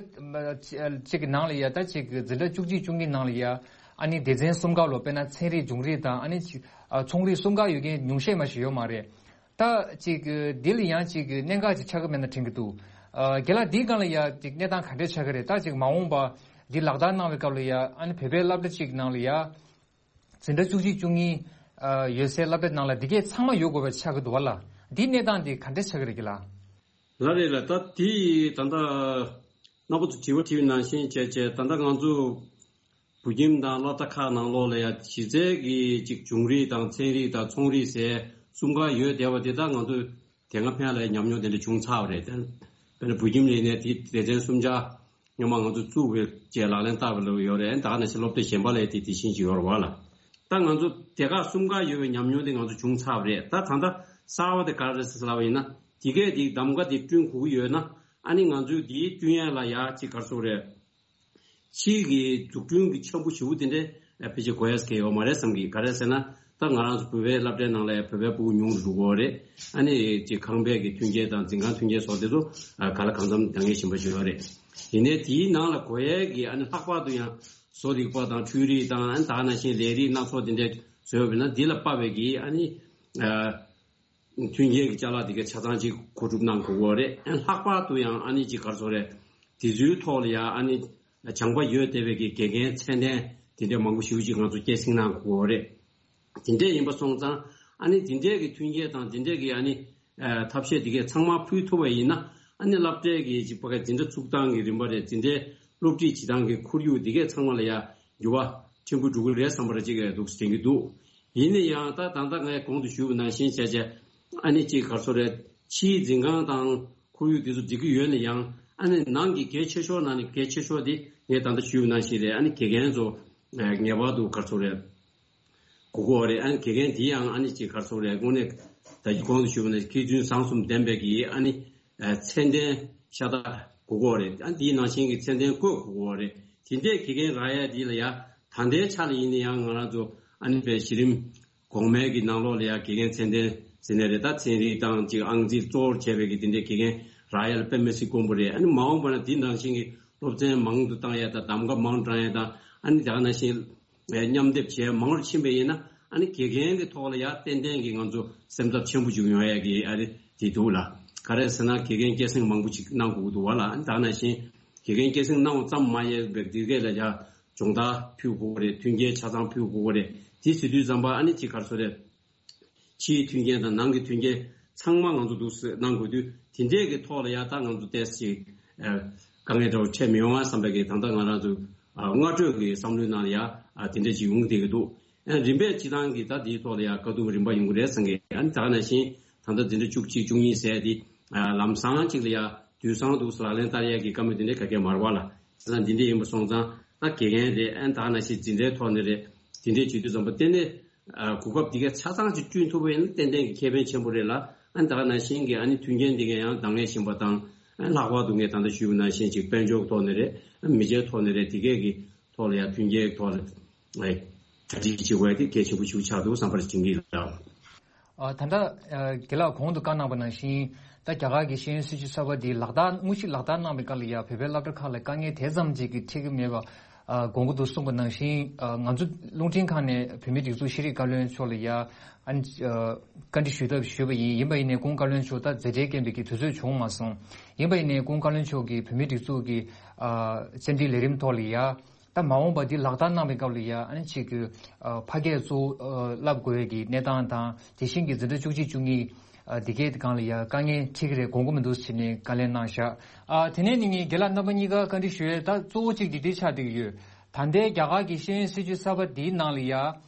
ཅིག་གི་ནང་ལ་ཡ་ད་ཅིག་འཛིན་གྲྭ་བཅུ་གཅིག་བཅུ་གཉིས་ནང་ལ་ཡ་ཨ་ནི་སྡེ་ཚན་གསུམ་ཀ་ལོ། དཔེར་ན་ཚན་རིག་འབྱུང་རིག་དང་ཨ་ནི་ཅིག་ཨ་ཚོང་རིག་གསུམ་ཀ་ཡོད་མཁན་ཉུང་ཤས་མ་ཞིག་ཡོད་མ་རེད། ད་ཅིག་འདི་ལ་ཡང་ཅིག་གནད་འགག་ཅིག་ཆགས་ཀྱི་མེད་ན་དྲན་གྱི་འདུག་ཨ་རྒན་ལགས་འདིའི་སྒང་ལ་ཡ་ཅིག་གནས་སྟངས་ག་འདྲས་ཆགས་ཀྱི་རེད། ད་ཅིག་མ་འོངས་པ་འདི་ལག་བསྟར་གནང་བའི་སྐབས་ལ་ཡ་ཨ་ནི་བོད་པའི་སློབ་གྲྭ་ཅིག་ནང་ལ་ཡ་འཛིན་གྲྭ་བཅུ་གཅིག་བཅུ་གཉིས་ཨ་ཡོད་སའི་སློབ་གྲྭ་ནང་ལ་འདི་གས་ཚང་མ་ཡོད་དགོས་པ་ཆགས་ཀྱི་འདུག་བ་ལ། འདིའི་གནས་སྟངས་འདི་ག་འདྲས་ཆགས་ཀྱི་རེད་རྒན་ལགས། ལགས་རེད་ལགས། ད་དེ་ད་ལྟ་རྣམ་པ་ཚོ་དྲི་བ་དྲིས་པ་ནང་བཞིན་བྱས་བྱས་ད་ལྟ་ང་ཚོ་བོད་ཁྱིམ་དང་སློབ་གྲྭ་ཁག་ནང་ལོགས་ལ་ཡ་གཞི་རྩའི་གི་ཅིག་འབྱུང་རིག་དང་ཚན་རིག་དང་ཚོང་རིག་ཟེར་གསུམ་ཀ་ཡོད་བསྡད་པ་དེ་ད་ང་ཚོས་དེ་སྔ་ཕན་ལ་ཉམས་མྱོང་དེ་འདྲ་བྱུང་ཚར་བ་རེད། དཔེར་ན་བོད་ཁྱིམ་ལས་ནས་དེ་སྡེ་ཚན་གསུམ་ཆ་སྔོན་མ་ང་ཚོ་བཙུགས་པའི་རྗེས་ལག་ལེན་བསྟར་བ་ལ་ཡོད་རེད། ད་ག་ནང་བཞིན་སློབ་གྲྭ་གཞན་པ་ལ་དེ་དེ་བཞིན་ཅིག་ཡོད་རེད་བ་ལ། ད་ང་ཚོ་སྡེ་ཁག་གསུམ་ཀ་ཡོད་པའི་ཉམས་མྱོང་དེ་ང་ཚོ་བྱུང་ཚར་བ་རེད། ད་ད་ལྟ་གསར་བ་དེ་ག་རེ་རེད་ཟེར་ལབ་པ་ཡིན་ན། དེ་གས་དེ་གདམ་ག་དེ་བསྐྲུན་དགོས་ཀྱི་ཡོད་ན་ཨ་ནི་ང་ཚོས་དེའི་བསྐྲུན་ཡས་ལ་ཡ་ཅིག་ག་རེ་ཟེར་དགོས་རེད། ཕྱིའི་གི་འཛུགས་སྐྲུན་གྱི་འཆར་འབུ་ཞེ་པོ་དེ་འདྲའི་ཕལ་ཆེར་དགོས་ཡས་གལ་ཡོད་མ་རེད་བསམ་གི། ག་རེ་ཟེར་ན་ད་ང་རང་ཚོ་བོད་པའི་སློབ་གྲྭའི་ནང་ལ་བོད་པའི་ཕྲུ་གུ་ཉུང་རུ་འགྲོ་གི་ཡོད་རེད། ཨ་ནི་ཅིག་ཁང་པའི་གི་མཐུན་རྐྱེན་དང་འཛིན་ཁང་མཐུན་རྐྱེན་སོགས་དེ་ཚོ་ཨ་ག་ལ་གང་འཚམ་འདང་ངེས་བཞིན་པ་ཞིག་ཡོད་རེད། ཡིན་ནའི་དེའི་ནང་ལ་དགོས་ཡས་ཀྱི་ཨ་ནི་ལྷག་པར་དུ་ཡང་བཟོ་རིག་པ་དང་འཕྲུལ་རིག་དང་ཨ་ནི་ད་ག་ནང་བཞིན་ལས་རིགས་སྣ་ཚོགས་དེ་འདྲའི་བཟོས་པ་ཡིན་ན་འདི་ལ་དཔག་པའི་གི་ཨ་ནི་ཨ། མཐུན་རྐྱེན་གྱི་ཅ་ལག་དེ་གའི་ཆ་ཚང་ཅིག་མཁོ་སྒྲུབ་གནང་དགོས་ཀྱི་ཡོད་རེད། ལྷག་པར་དུ་ཡང་ཨ་ནི་ཅིག་ག་རེ་ཟེར་དགོས་རེད། དེ་ཚོའི་ཐོག་ལ་ཡང་ཨ་ནི་སྦྱངས་པ་ཡོད་བསྡད་པའི་གི་དགེ་རྒན་ཚད་ལྡན་དེ་འདྲའི་མང་པོ་ཞེ་པོ་ཅིག་ང་ཚོ་སྐྱེད་སྲིང་གནང་དགོས་ཀྱི་ཡོད་རེད། དེ་འདྲས་ཡིན་པ་སོང་ཙང་ཨ་ནི་དེ་འདྲས་ཀྱི་མཐུན་རྐྱེན་དང་དེ་འདྲས་ཀྱི་ཨ་ནི་ཨ་ཐབས་ཤེས་དེ་གའི་ཚང་མ་ཕུལ་ཐུབ་པ་ཡིན་ན་ཨ་ནི་སློབ་གྲྭའི་གི་ཅིག་ཕ་གི་འཛིན་གྲྭ་ཚུགས་སྟངས་ཀྱི་རིམ་པ་རེད། དེ་འདྲའི་སློབ་ཁྲིད་བྱེད་སྟངས་ཀྱི་ཁོར་ཡུག་དེ་གའི་ཚང་མ་ལ་ཡང་འགྱུར་བ་ཕྲན་བུ་འགྲོ་གི་རེད་བསམ་པ་རེ་ཅིག་འདུག་དྲན་གྱི་འདུག་ཡིན་ན་ཡང་ད་ད་ལྟ་ངས་གོང་དུ་ཞུས་པ་ནང་བཞིན་བྱས་བྱས་ཨ་ནི་ཅིག་ག་རེ་ཟེར་དགོས་རེད། ཕྱིའི་འཛིན་ཁང་དང་ཁོར་ཡུག་དེ་ཚོ་འགྲིག་གི་ཡོད་ན་ཡང་ཨ་ནི་ནང་གི་གལ་ཆེ་ཤོས་ནང་ནས་གལ་ཆེ་ཤོས་དེ་ངས་ད་ལྟ་ཞུས་པ་ནང་བཞིན་རེད། ཨ་ནི་དགེ་རྒན་ཚོ་ངེས་པར་དུ་ག་རེ་ཟེར་དགོས་རེད། དགོས་ཀྱི་ཡོད་རེད། ཨ་ནི་དགེ་རྒན་དེ་ཡང་ཨ་ནི་ཅིག་ག་རེ་ཟེར་དགོས་རེད། དངོས་གནས་ད་གོང་དུ་ཞུས་པ་ནང་བཞིན་མཁས་བཙུན་བཟང་གསུམ་ལྡན་པའི་གི་ཨ་ནི་ཚད་ལྡན་ཤ་སྟག་དགོས་ཀྱི་ཡོད་རེད། ཨ་ནི་དེའི་ནང་བཞིན་གྱི་ཚད་ལྡན་བཀོད་དགོས་ཀྱི་ཡོད་རེད། དེ་འདྲའི་དགེ་རྒན་རག་ཡ་དེ་ལ་ཡ་ད་ལྟའི་ཆ་ལ་ཡིན་ན་ཡང་ང་རང་ཚོ་ཨ་ནི་པའི་གཞི་རིམ་གོང་མའི་གི་ནང་ལོགས་ལ་ཡ་དགེ་རྒན་ཚད་ལྡན་ཟེར་ནའི་རེད། ད་ཚན་རིག་དང་ཅིག་ཨང་རྩིས་གཙོ་བོར་བྱས་པའི་གི་དེ་འདྲའི་དགེ་རྒན་རག་ཡ་ལ་དཔེ་མི་སྲིད་དཀོན་པོ་རེད། ཨ་ནི་མ་འོངས་པ་ན་དེ་ནང་བཞིན་གྱི་སློབ་ཚན་མང་དུ་བཏང་ཡ་དང་གདམ་ག་མང་དུ་བཏང་ཡ་དང་ཨ་ནི་ད་ག་ནང་བཞིན་མཉམ་སྡེབ་བྱས་མང་རུ་ཕྱིན་པ་ཡིན་ན་ཨ་ནི་དགེ་རྒན་གྱི་ཐོག་ལ་ཡ་ཏན་ཏན་གྱི་ང་ཚོ་སེམས་འཚབ་ཆེན་པོ་ཅིག་ཡོང་ཡ་གི་ཨ་རེ་དེ་འདུག་ལ། ག་རེ་ཟེར་ན་དགེ་རྒན་སྐྱེད་སྲིང་མང་པོ་ཅིག་གནང་དགོས་ཀྱི་འདུག་བ་ལ། ཨ་ནི་ད་ག་ནང་བཞིན་དགེ་རྒན་སྐྱེད་སྲིང་གནང་བ་ཙམ་མ་ཡིན་པའི་དེ་གས་ལ་ཡ་སྦྱོང་བརྡར་ཕུལ་དགོས་རེད། མཐུན་རྐྱེན་ཆ་ཚང་ཕུལ་དགོས་རེད། དེ་ཟེར་དུས་ཙམ་པ་ཨ་ནི་ཅིག་ག་རེ་ཟེར་རེད། ཕྱིའི་མཐུན་རྐྱེན་དང་ནང་གི་མཐུན་རྐྱེན་ཚང་མ་ང་ཚོ་འདུག་སེ་གནང་དགོས་དུས་དེ་འདྲས་ཀྱི་ཐོག་ལ་ཡ་ད་ང་ཚོ་ཏོག་ཙམ་ཅིག་དཀའ་ངལ་འདྲ་བོ་འཕྲད་མི་ཡོང་ང་བསམ་པའི་གི་ད་ལྟ་ང་རང་ཚོ་སྔ་གྲོས་ཀྱི་བསམ་བློའི་ནང་ལ་ཡ་དེ་འདྲས་ཅིག་ཡོང་བསྡད་ཀྱི་འདུག་རིམ་པས་སྤྱི་བཏང་གི་ད་དེའི་ཐོག་ལ་ཡ་དཀའ་སྡུག་རིམ་པ་ཡོང་གི་རེད་བསམ་གི། ཨ་ནི་ད་ག་ནང་བཞིན་ད་ལྟ་འཛིན་གྲྭ་བཅུ་གཅིག་བཅུ་གཉིས་ཟེར་དེ་ལམ་སང་ཅིག་ལ་ཡ་དུས་སང་འདུག་སེ་ལག་ལེན་བསྟར་ཡ་གི་བཀའ་མོལ་དེ་འདྲས་ག་གེ་མ་རེད་བ་ལ། བྱས་ཙང་འདི་འདྲས་ཡིན་པ་སོང་ཙང་ད་དགེ་རྒན་རེད། ཨ་ནི་ད་ག་ནང་བཞིན་འཛིན་གྲྭའི་ཐོག་ནས་རེད། དེ་འདྲས་བྱེད་དུས་ཙམ་པ་ཏན་ཏན་ཨ་གོ་སྐབས་འདི་གའི་ཆ་ཚང་ཅིག་བསྐྲུན་ཐུབ་པ་ཡིན་ན་ཏན་ཏན་གྱི་ཁེ་ཕན་ཆེན་པོ་རེད་ལ། ཨ་ནི་ད་ག་ནང་བཞིན་གྱི་ཨ་ནི་མཐུན་རྐྱེན་འདི་གའི་ཡང་འདང་ངེས་བཞིན་པ་དང་། ཨ་ནི་ལྷག་པར་དུ་ངས་ད་ལྟ་ཞུས་པ་ནང་བཞིན་ཅིག་དཔལ་འབྱོར་ཐོག་ནས་རེད། ཨ་ནི་མི་ཆའི་ཐོག་ནས་རེད། འདི་གའི་གི་ཐོག་ལ་ཡང་མཐུན་རྐྱེན་ཐོག་ལ་ཨེ་གྲ་སྒྲིག་བྱེད་དགོས་ཡ་དེ་གལ་ཆེན་པོ་ཞིག་ཆགས་འདུག་བསམ་པར་བྱིན་གྱི་ཡོད། ཨ་ད་ལྟ་ཨ་རྒན་ལགས་གོང་དུ་བཀའ་གནང་པ་ནང་བཞིན་ད་རྒྱ་གར་གྱི་ཤེས་ཡོན་སྲིད་བྱུས་གསར་པ་འདི་ལག་བསྟར་དངོས་གཞི་ལག་བསྟར་གནང་བའི་སྐབས་ལ་ཡ་བོད་པའི་སློབ་གྲྭ་ཁག་ལ་དཀའ་ངལ་དེ་ཙམ་ཅིག་གི་འཕྲད་ཀྱི་མེད་པ། ཨ་དགོངས་ཀྱི་འདུག་གསུངས་པ་ནང་བཞིན། ཨ་ང་ཚོ་རླུང་འཕྲིན་ཁང་ནས་བོད་མིའི་སྒྲིག་འཛུགས་ཤེས་རིག་བཀའ་བློན་མཆོག་ལ་ཡ་ཨ་ནི་ཨ་བཀའ་འདྲི་ཞུ་ཐབས་ཞུས་པ་ཡིན། ཡིན་པ་ཡིན་ནའི་སྐུ་ངོ་བཀའ་བློན་མཆོག་ད་མཛད་བྲེལ་རྐྱེན་པས་ཀྱི་དུས་ཚོད་བྱུང་མ་སོང་། ཡིན་པ་ཡིན་ནའི་སྐུ་ངོ་བཀའ་བློན་མཆོག་གིས་བོད་མིའི་སྒྲིག་འཛུགས་ཀྱི་ཨ་བཅར་འདྲི་ལས་རིམ་ཐོག་ལ་ཡ་ད་མ་འོངས་པ་འདི་ལག་བསྟར་གནང་བའི་སྐབས་ལ་ཡ་ཨ་ནི་ཅིག་གི་ཨ་ཕ་སྐད་གཙོ་བོ་ཨ་བསླབ་དགོས་ཡས་ཀྱི་གནས་སྟངས་དང་། དེ་བཞིན་གྱི་འཛིན་གྲྭ་བཅུ་གཅིག་བཅུ་གཉིས་ཨ་འདི་གའི་སྒང་ལ་ཡ་དཀའ་ངལ་འཕྲད་ཀྱི་རེད་དགོངས་ཀྱི་མི་འདུག་ཟེར་ནས་བཀའ་ལན་གནང་བཞག་ཨ་དེ་ནས་ནི་ངས་རྒན་ལགས་རྣམ་པ་གཉིས་ཀ་བཀའ་འདྲི་ཞུ་ཡས་ད་གཙོ་བོ་གཅིག་འདི་འདྲ་ཆགས་བསྡད་ཀྱི་ཡོད། ད་ལྟའི་རྒྱ་གར་གྱི་ཤེས་ཡོན་སྲིད་བྱུས་གསར་པ་འདིའི་ནང་ལ་ཡ་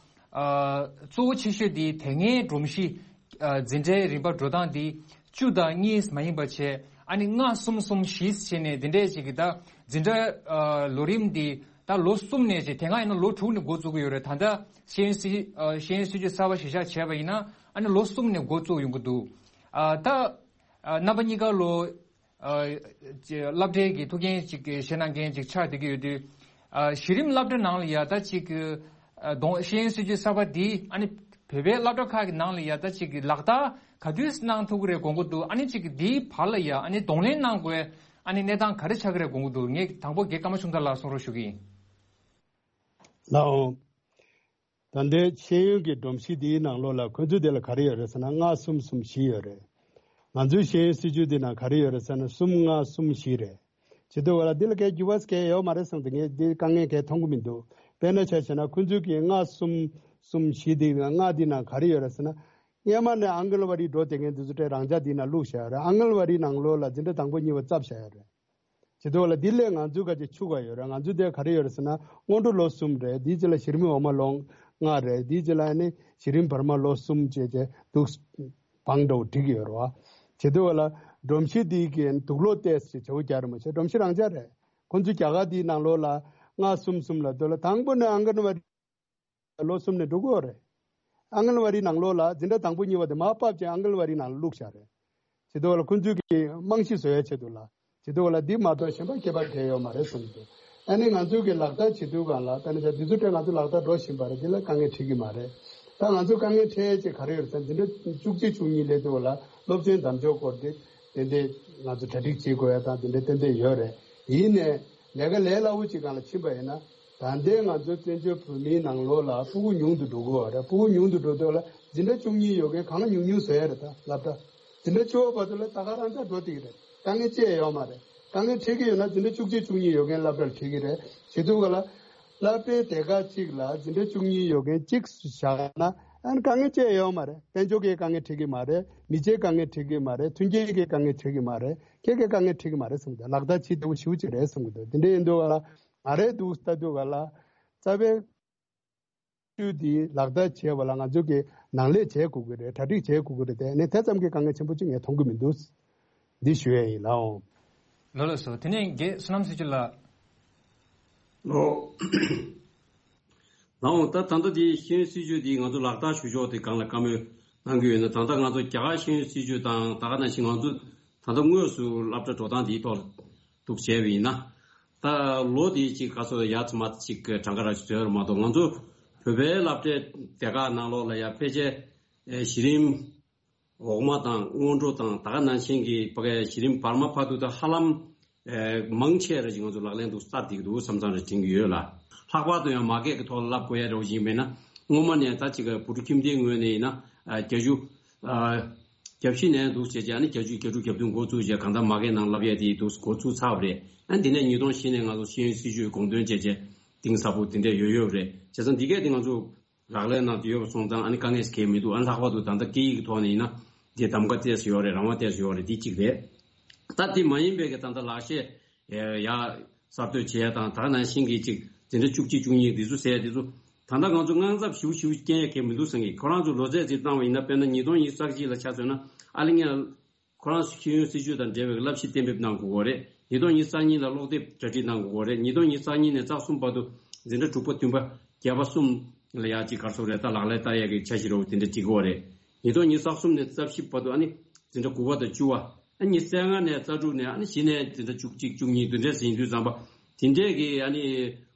ཨ་གཙོ་བོ་ཆེ་ཤོས་དེ་དེ་སྔའི་སྒྲོམ་གཞི་ཨ་འཛིན་གྲྭའི་རིམ་པ་འགྲོ་སྟངས་དེ་བཅུ་དང་གཉིས་མ་ཡིན་པ་བྱས། ཨ་ནི་ལྔ་གསུམ་གསུམ་བཞི་བྱས་ནས་དེ་འདྲས་ཅིག་གི་ད་འཛིན་གྲྭ་ཨ་ལོ་རིམ་དེ་ད་ལོ་གསུམ་ནས་བྱས། དེ་སྔ་ཡིན་ན་ལོ་དྲུག་ནས་འགོ་བཙུགས་ཀྱི་ཡོད་རེད། ད་ལྟ་ཤེས་ཡོན་སྲིད་ཨ་ཤེས་ཡོན་སྲིད་བྱུས་གསར་པ་གཞི་བཞག་བྱས་པ་ཡིན་ན། ཨ་ནི་ལོ་གསུམ་ནས་འགོ་བཙུགས་ཡོང་གི་འདུག་ཨ་ད་ཨ་རྣམ་པ་གཉིས་ཀ་ལོ་ཨ་ཅེ་སློབ་གྲྭའི་གི་ཐུགས་འགན་ཅིག་གི་བཞེས་གནང་མཁན་ཅིག་ཆགས་བསྡད་ཀྱི་ཡོད་དུས། ཨ་གཞི་རིམ་སློབ་གྲྭ་ནང་ལ་ཡ་ད་ཅིག་གི་ཨ་གདོང་ཤེས་ཡོན་སྲིད་བྱུས་གསར་པ་འདི་ཨ་ནི་བོད་པའི་སློབ་གྲྭ་ཁག་གི་ནང་ལ་ཡ་ད་ཅིག་གི་ལག་བསྟར་ག་དུས་གནང་ཐུབ་ཀྱི་རེད་དགོངས་ཀྱི་འདུག་ཨ་ནི་ཅིག་གི་འདིའི་བར་ལ་ཡ་ཨ་ནི་གདོང་ལེན་གནང་དགོས། ཨ་ནི་གནས་སྟངས་ག་རེ་ཆགས་ཀྱི་རེད་དགོངས་ཀྱི་འདུག་ངས་དང་པོ་རྒན་ཀརྨ་ཆུང་བདག་ལགས་གསུང་རོགས་ཞུ་གི་ཡིན། ལགས་འོང་། ད་ལྟའི་ཤེས་ཡོན་གྱི་སྒྲོམ་གཞི་འདིའི་ནང་ལོགས་ལ་ཁོ་ཚོའི་དེ་ལ་ག་རེ་ཡོད་རེད་ཟེར་ན། ལྔ་གསུམ་གསུམ་བཞི་ཡོད་རེད། ང་ཚོའི་ཤེས་ཡོན་སྲིད་བྱུས་འདི་ནང་ག་རེ་ཡོད་རེད་ཟེར་ན། གསུམ་ལྔ་གསུམ་བཞི་རེད། བྱེད་དུས་བ་ལ་འདི་ལ་གའི་འགྱུར་བ་གའི་ཡོད་མ་རེད་བསམ་སྟེ། ངས་འདི་དཀའ་ངལ་གའི་མཐོང་གི་མི་འདུག་དཔེར་ན་ཆ་བཞག་ན་ཁོ་ཚོའི་གི་ལྔ་གསུམ་གསུམ་བཞི་འདི་ལྔ་འདི་ནང་ག་རེ་ཡོད་རེད་ཟེར་ན། སྔོན་མ་ནས་ཨང་གལ་ཝ་རི་འགྲོ་བསྡད་མཁན་འདི་ཚོ་སྤྲད་རང་འཇགས་འདི་ནང་བླུགས་བཞག་ཡོད་རེད། ཨང་གལ་ཝ་རི་ནང་ལོགས་ལ་འཛིན་གྲྭ་དང་པོ་གཉིས་པ་བཙབས་བཞག་ཡོད་རེད། བྱེད་དུས་ལ་འདི་ལས་ང་ཚོའི་ཁ་ཅིག་ཕྱུག་པ་ཡོད་རེད། ང་ཚོའི་དེ་ག་རེ་ཡོད་རེད་ཟེར་ན། སྔོན་འགྲོ་ལོ་གསུམ་རེད། དེའི་རྗེས་ལ་གཞི་རིམ་འོག་མ་ལོ་ལྔ་རེད། དེའི་རྗེས་ལ་ཨ་ནི་གཞི་རིམ་བར་མ་ལོ་གསུམ་བྱས་བྱས་འདུག་བང་འགྲོ་འགྲིག་ཡོད་རེད་བ། བྱེད་དུས་ལ་སྒྲོམ་གཞི་འདི་གི་དུག་ལོག་ཏོག་ཙམ་བྱེད་འོ་རྒྱག་རེད་མ་བྱས། སྒྲོམ་གཞི་རང་འཇགས་རེད། ཁོང་ཚོའི་རྒྱ་གར་འདིའི་ནང་ལོགས་ལ་ལྔ་གསུམ་གསུམ་ལ་དུ་ལ་དང་པོ་ནས་ཨང་གལ་ཝ་རི་ལོ་གསུམ་ནས་འགྲོ་གི་ཡོད་རེད། ཨང་གལ་ཝ་རི་ནང་ལོགས་ལ་འཛིན་གྲྭ་དང་པོ་གཉིས་པ་དེ་མར་ཕབ་བྱས་ཨང་གལ་ཝ་རི་ནང་ལ་བླུགས་བཞག་རེད། བྱེད་དུས་ལ་ཁོ་ཚོས་ཀྱི་རྨང་གཞི་བཟོ་ཡ་ཆེད་དུ་ལ། བྱེད་དུས་ལ་འདི་མ་གཏོགས་གཞན་པ་ཁྱད་པར་གང་ཡོད་མ་རེད་གསུངས་འདུག་ཨ་ནི་ང་ཚོས་ཀྱི་ལག་བསྟར་བྱེད་དུས་སྒང་ལ་ད་ནི་ཆ་འདི་ཚོ་སྤྲད་ང་ཚོ་ལག་བསྟར་འགྲོ་བཞིན་པ་རེད། འདི་ལ་དཀའ་ངལ་འཕྲད་ཀྱི་མ་རེད། ད་ང་ཚོ་དཀའ་ངལ་འཕྲད་ཡས་ཅིག་ག་རེ་ཡོད་ཟེར་ན། འཛིན་གྲྭ་བཅུ་གཅིག་བཅུ་གཉིས་སླེབས་དུས་ལ་སློབ་ཚན་དམ་འཇོག་སྐོར་དེ་ཏན་ཏན་ང་ཚོ་གྲ་སྒྲིག་བྱེད་དགོས་ཡ་དང་དེ་འདྲ་ཏན་ཏན་ཡོད་རེད། ཡིན་ནའི་ལས་ཀ་ལས་སླ་བོ་ཅིག་སྒང་ལ་ཕྱིན་པ་ཡིན་ན། ད་ལྟའི་ང་ཚོ་བཙན་བྱོལ་བོད་མིའི་ནང་ལོགས་ལ་ཕྲུ་གུ་ཉུང་དུ་འགྲོ་གི་ཡོད་རེད། ཕྲུ་གུ་ཉུང་དུ་འགྲོ་དུས་ལ་འཛིན་གྲྭ་བཅུ་གཉིས་ཡོད་མཁན་གང་ཉུང་ཉུང་བཟོ་ཡ་རེད། ད་སློབ་གྲྭ་འཛིན་གྲྭ་བཅུ་པ་བར་དུ་ལ་ད་ག་རང་ཚ་འགྲོ་བསྡད་ཀྱི་རེད། དཀའ་ངལ་ཅི་ཡང་ཡོད་མ་རེད། དཀའ་ངལ་འཕྲད་ཀྱི་ཡོད་ན་འཛིན་གྲྭ་བཅུ་གཅིག་བཅུ་གཉིས་ཡོད་མཁན་སློབ་གྲྭར་འཁྲིད་ཀྱི་རེད། བྱེད་དུས་ག་ལ་སློབ་གྲྭའི་སྡེ་ཁག་གཅིག་ལ་འཛིན་གྲྭ་བཅུ་གཉིས་ཡོད་མཁན་གཅིག་བཞག་ན། ཨ་ནི་དཀའ་ངལ་ཅི་ཡང་ཡོད་མ་རེད། དཔལ་འབྱོར་གྱི་དཀའ་ངལ་འཕྲད་ཀྱི་མ་རེད། མི་ཚེའི་དཀའ་ངལ་འཕྲད་ཀྱི་མ་རེད། མཐུན་རྐྱེན་གྱི་དཀའ་ངལ་འཕྲད་ཀྱི་མ་རེད། ཁྱེད་ཀྱི་དཀའ་ངལ་འཕྲད་ཀྱི་མ་རེད་བསམ་གི་འདུག་ལག་བསྟར་བྱེད་བདེ་པོ་ཞེ་པོ་ཅིག་རེད་བསམ་གི་འདུག་དེ་འདྲ་ཡིན་དུས་ག་ལ་ང་རའི་འདུག་ལྟ་དུས་ག་ལ་རྩ་བའི་ཤུགས་དེ་ལག་བསྟར་བྱས་པ་ལ་ང་ཚོ་གི་ནང་ལས་བྱེད་དགོས་ཀྱི་རེད། གྲ་སྒྲིག་བྱེད་དགོས་ཀྱི་རེད། དེ་ནི་དེ་ཙམ་གྱི་དཀའ་ངལ་ཆེན་པོ་ཅིག་ངས་མཐོང་གི་མི་འདུག་འདི་ཞུ་ཡས་ཡིན་ལགས་འོང་། ལགས་ལགས་སོ། དེ་ནས་རྒན་བསོད་ནམས་ཚེ་ཆོས་ལགས། ལགས་འོང་། ད་ད་ལྟ་དེ་ཤེས་ཡོན་སྲིད་བྱུས་དེ་ང་ཚོ་ལག་བསྟར་ཞུ་ཕྱོགས་དེ་སྒང་ལ་བཀའ་མོལ་གནང་གི་ཡོད་ན། ད་ལྟ་ང་ཚོ་རྒྱ་གར་ཤེས་ཡོན་སྲིད་བྱུས་དང་ད་ག་ནང་བཞིན་ང་ཚོ་ད་ལྟ་དངོས་སུ་སློབ་གྲྭ་འགྲོ་སྟངས་དེའི་ཐོག་ལ་འདུག་བྱས་པ་ཡིན་ན། ད་ལོ་དེའི་གཅིག་ག་སོ་ཡ་ཚ་མ་གཅིག་གྲངས་ཀ་ར་ཞིག་བཟོས་ར་མ་གཏོགས། ང་ཚོ་བོད་པའི་སློབ་གྲྭའི་སྡེ་ཁག་ནང་ལོགས་ལ་ཡ་ཕལ་ཆེར་ཨེ་གཞི་རིམ་འོག་མ་དང་སྔོན་འགྲོ་དང་ད་ག་ནང་བཞིན་གྱི་ཕ་གའི་གཞི་རིམ་བར་མ་བར་དུ་ད་ཧ་ལམ་ཨེ་མང་ཆེ་ར་ཅིག་ང་ཚོ་ལག་ལེན་དུ་སྟར་བསྡད་ཀྱི་འདུག་བསམ་བསམ་ར་དྲན་གྱི་ཡོད་ལ། ལྷག་པར་དུ་ཡང་མ་སྐད་ཀྱི་ཐོག་ལ་བསླབ་དགོས་ཡ་རེ་བ་ཞིག་ཡིན་པས་ན། སྔོན་མ་ནས་ད་ཅིག་བུ་ཕྲུག་ཁྱིམ་སྡེའི་ངོས་ནས་ཡིན་ན་ཨ་བརྒྱད་ཅུ་ཨ་བརྒྱད་བཞི་ནས་འདུག་བྱས་བྱས། ཨ་ནི་བརྒྱད་ཅུ་བརྒྱད་དྲུག་བརྒྱད་བདུན་འགོ་བཙུགས་བྱས། གང་ལྟར་མ་སྐད་ནང་བསླབ་ཡས་དེ་འདུག་འགོ་བཙུགས་ཚར་བ་རེད། ཨ་ནི་འདི་ནས་ཉིས་སྟོང་བཞི་ནས་ང་ཚོ་ཤེས་ཡོན་སྲིད་བྱུས་དགོངས་དོན་བྱས་བྱས་གཏིང་ཟབ་པོ་དེ་འདྲས་ཡོད་ཡོད་རེད། བྱས་ཙང་འདི་གས་དེ་ང་ཚོ་ལག་ལེན་ནང་དུ་ཡོད་པ་སོང་ཙང་ཨ་ནི་དཀའ་ངལ་གང་ཡང་མི་འདུག་ཨ་ནི་ལྷག་པར་དུ་ད་ལྟ་སྐད་ཡིག་གི་ཐོག་ནས་ཡིན་ན་དེ་གདམ་ག་ཏོག་ཙམ་ཡོད་རེད། རང་དབང་ཏོག་ཙམ་ཡོད་རེད། དེ་གཅིག་རེད། ད་དེ་མ་ཡིན་པའི་གི་ད་ལྟ་ལག་ཤེས་ཡ་གསར་གཏོད་བྱེད་ཡ་དང་། ད་ག་ནང་བཞིན་གྱི་ཅིག་འཛིན་གྲྭ་བཅུ་གཅིག་བཅུ་གཉིས་འདི་ཚོ་ཟེར་ཡ་འདི་ཚོ་ད་ལྟ་ང་ཚོ་དངངས་འཚབ་ཞེ་པོ་ཞེ་པོ་སྐྱེ་ཡ་གང་ཡང་མི་འདུག་བསམ་གི། ཁོ་རང་ཚོ་ལོ་ཚད་ཅིག་བཏང་བ་ཡིན་ན། དཔེར་ན་ཉིས་སྟོང་ཉི་ཤུ་རྩ་གཅིག་ལ་ཆ་མཚོན་ན། ཨ་ལེ་ངས་ཁོ་རང་ཤེས་ཡོན་སྲིད་བྱུས་དང་འབྲེལ་བའི་བསླབ་གཞི་གཏན་འབེབས་གནང་དགོས་ཀྱི་རེད། ཉིས་སྟོང་ཉི་ཤུ་རྩ་གཉིས་ལ་ཀློག་དེབ་གྲ་སྒྲིག་གནང་དགོས་ཀྱི་རེད། ཉིས་སྟོང་ཉི་ཤུ་རྩ་གཉིས་ནས་རྩ་གསུམ་བར་དུ་འཛིན་གྲྭ་དྲུག་པ་བདུན་པ་བརྒྱད་པ་གསུམ་ལ་ཡ་ཅིག་ག་རེ་ཟེར་དགོས་རེད། ད་ལག་ལེན་བསྟར་ཡ་གི་འཆར་གཞི་རོབ་དེ་འདྲ་སྒྲིག་དགོས་རེད། ཉིས་སྟོང་ཉི་ཤུ་རྩ་གསུམ་ནས་རྩ་བཞི་བར་དུ་ཨ་ནི་འཛིན་གྲྭ་དགུ་པ་དང་བཅུ་པ། ཨ་ནི་ཉི་ཤུ་རྩ་ལྔ་ནས་རྩ་དྲུག་ནས་ཨ་ནི་གཞི་ནས་འཛིན་གྲྭ་བཅུ་གཅིག་བཅུ་གཉིས་འདི་འདྲས་ཡིན་དུས་ཙམ་པ། དེ་འདྲས་ཀྱི་ཨ་ནི་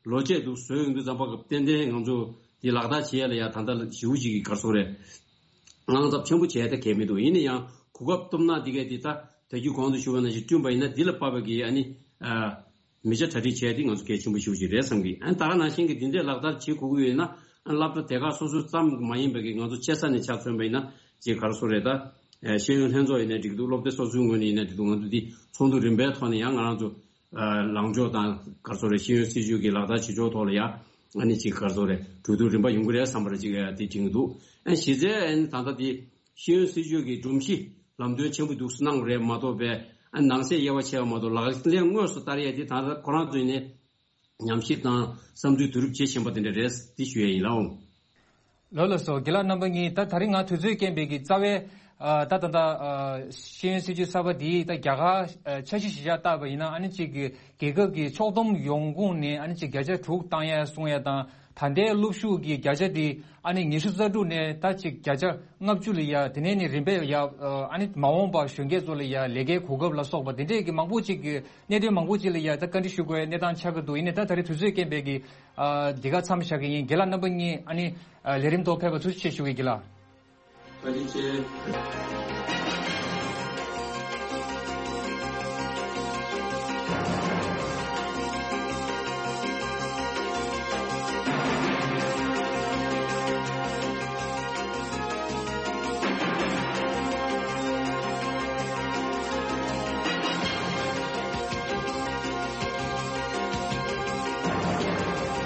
ལོ་ཆས་འདུག་བཟོས་ཡོང་དུས་ཙམ་པ། ཏན་ཏན་ང་ཚོ་དེ་ལག་བསྟར་བྱེད་ཡ་ལ་ཡ་ད་ལྟ་ཞེ་པོ་ཅིག་གི་ག་རེ་ཟེར་དགོས་རེད། དངངས་འཚབ་ཆེན་པོ་བྱས་ཏེ་གལ་མི་འདུག་ཡིན་ན་ཡང་གོ་སྐབས་སྟོབས་ན་འདི་གས་འདི་ད་ད་གིན་གོང་དུ་ཞུས་པ་ནང་བཞིན་བསྐྲུན་པ་ཡིན་ན། འདི་ལ་དཔག་པའི་གི་ཨ་ནི་ཨ་མི་ཆ་གྲ་སྒྲིག་བྱས་ཏེ་ང་ཚོ་གལ་ཆེན་པོ་ཞེ་པོ་ཅིག་རེད་བསམ་གི། ཨ་ནི་ད་ག་ནང་བཞིན་གི་འདི་འདྲས་ལག་བསྟར་བྱེད་དགོས་ཀྱི་ཡོད་ན། ཨ་ནི་སློབ་གྲྭ་སྡེ་ཁག་སོ་སོ་ཙམ་མ་ཡིན་པའི་གི་ང་ཚོ་ཆེ་ས་ནས་ཆ་མཚོན་པ་ཡིན་ན་ཅིག་ག་རེ་ཟེར་དགོས་རེད། ད་ཨ་ཤེས་ཡོན་ལྷན་ཚོགས་ཡིན་ནའི་འགྲིག་འདུག་སློབ་སྡེ་སོ་སོའི་ངོས་ནས་ཡིན་ནའི་འགྲིག་འདུག་ང་ཚོ་འདི་ཚོགས་འདུ་རིམ་པའི་ཐོག་ནས་ཡང་ང་རང་ཚོ་ཨ་ལངས་ཕྱོགས་དང་ག་རེ་ཟེར་དགོས་རེད། ཤེས་ཡོན་སྲིད་བྱུས་ཀྱི་ལག་བསྟར་བྱེད་ཕྱོགས་ཐོག་ལ་ཡ་ཨ་ནི་ཅིག་ག་རེ་ཟེར་དགོས་རེད། གྲོས་བསྡུར་རིམ་པ་ཡོང་གི་རེད་བསམ་པ་རེད། ཅིག་ཨ་དེ་དྲན་གྱི་འདུག་ཨ་གཞི་རྩའི་ཨ་ནི་ད་ལྟ་དེ་ཤེས་ཡོན་སྲིད་བྱུས་ཀྱི་སྒྲོམ་གཞི་ལམ་སྟོན་ཆེན་པོ་འདུག་སེ་གནང་བ་རེད་མ་གཏོགས་པའི། ཨ་ནང་གསེས་དབྱེ་བ་ཕྱེ་བ་མ་གཏོགས་ལག་ལེན་དངོས་སུ་བསྟར་ཡས་དེ་ད་ལྟ་ཁོ་རང་ཚོ་ཡིན་ནའི་ཉམས་ཞིབ་དང་བསམ་ཚུལ་བསྡུ་རུབ་བྱེད་བཞིན་པ་དེ་འདྲ་རེད། འདི་ཞུ་ཡས་ཡིན་ལགས་འོང་། ལགས་ལགས་སོ། རྒན་ལགས་རྣམ་པ་གཉིས། ད་དེ་རིང་ང་དུས་ཚོད་རྐྱེན་པས་ཀྱི་རྩ་བའི་ཨ་ད་ད་ད་ཨ་ཤེས་ཡོན་སྲིད་བྱུས་གསར་པ་འདིའི་ད་རྒྱ་གར་ཨ་འཆར་གཞི་གཞི་བཞག་བཏགས་པ་ཡིན་ན། ཨ་ནི་གཅིག་གི་རྒྱལ་ཁབ་ཀྱི་ཕྱོགས་བསྡོམས་ཡོང་ཁུངས་ནས་ཨ་ནི་གཅིག་བརྒྱ་ཆ་དྲུག་བཏང་ཡ་གསུང་ཡ་དང་། ད་ལྟའི་སློབ་ཞུགས་ཀྱི་བརྒྱ་ཆ་དེ་ཨ་ནི་ཉི་ཤུ་རྩ་དྲུག་ནས་ད་གཅིག་བརྒྱ་ཆ་ལྔ་བཅུ་ལ་ཡ། དེ་ནས་ནི་རིམ་པས་ཡ་ཨ་ནི་མ་འོངས་པ་གཞོན་སྐྱེས་ཚོ་ལ་ཡ་ལས་ཀའི་གོ་སྐབས་ལ་སོགས་པ་དེ་འདྲས་ཀྱི་མང་པོ་ཅིག་གི་གནད་དོན་མང་པོ་ཅིག་ལ་ཡ་ད་བཀའ་འདྲི་ཞུ་དགོས་གནས་སྟངས་ཆགས་ཀྱི་འདུག་ཡིན་ནའི་ད་ད་རེས་དུས་ཚོད་རྐྱེན་པས་ཀྱི་ཨ་འདི་ག་མཚམས་བཞག་གི་ཡིན། རྒན་ལགས་རྣམ་པ་གཉིས་ཨ་ནི་ཨ་ལས་རིམ་ཐོག་ཕེབས་པ་ཐུགས་རྗེ་ཆེ་ཞུ་གི་རྒན་ལགས། བཀའ་དྲིན་ཆེ།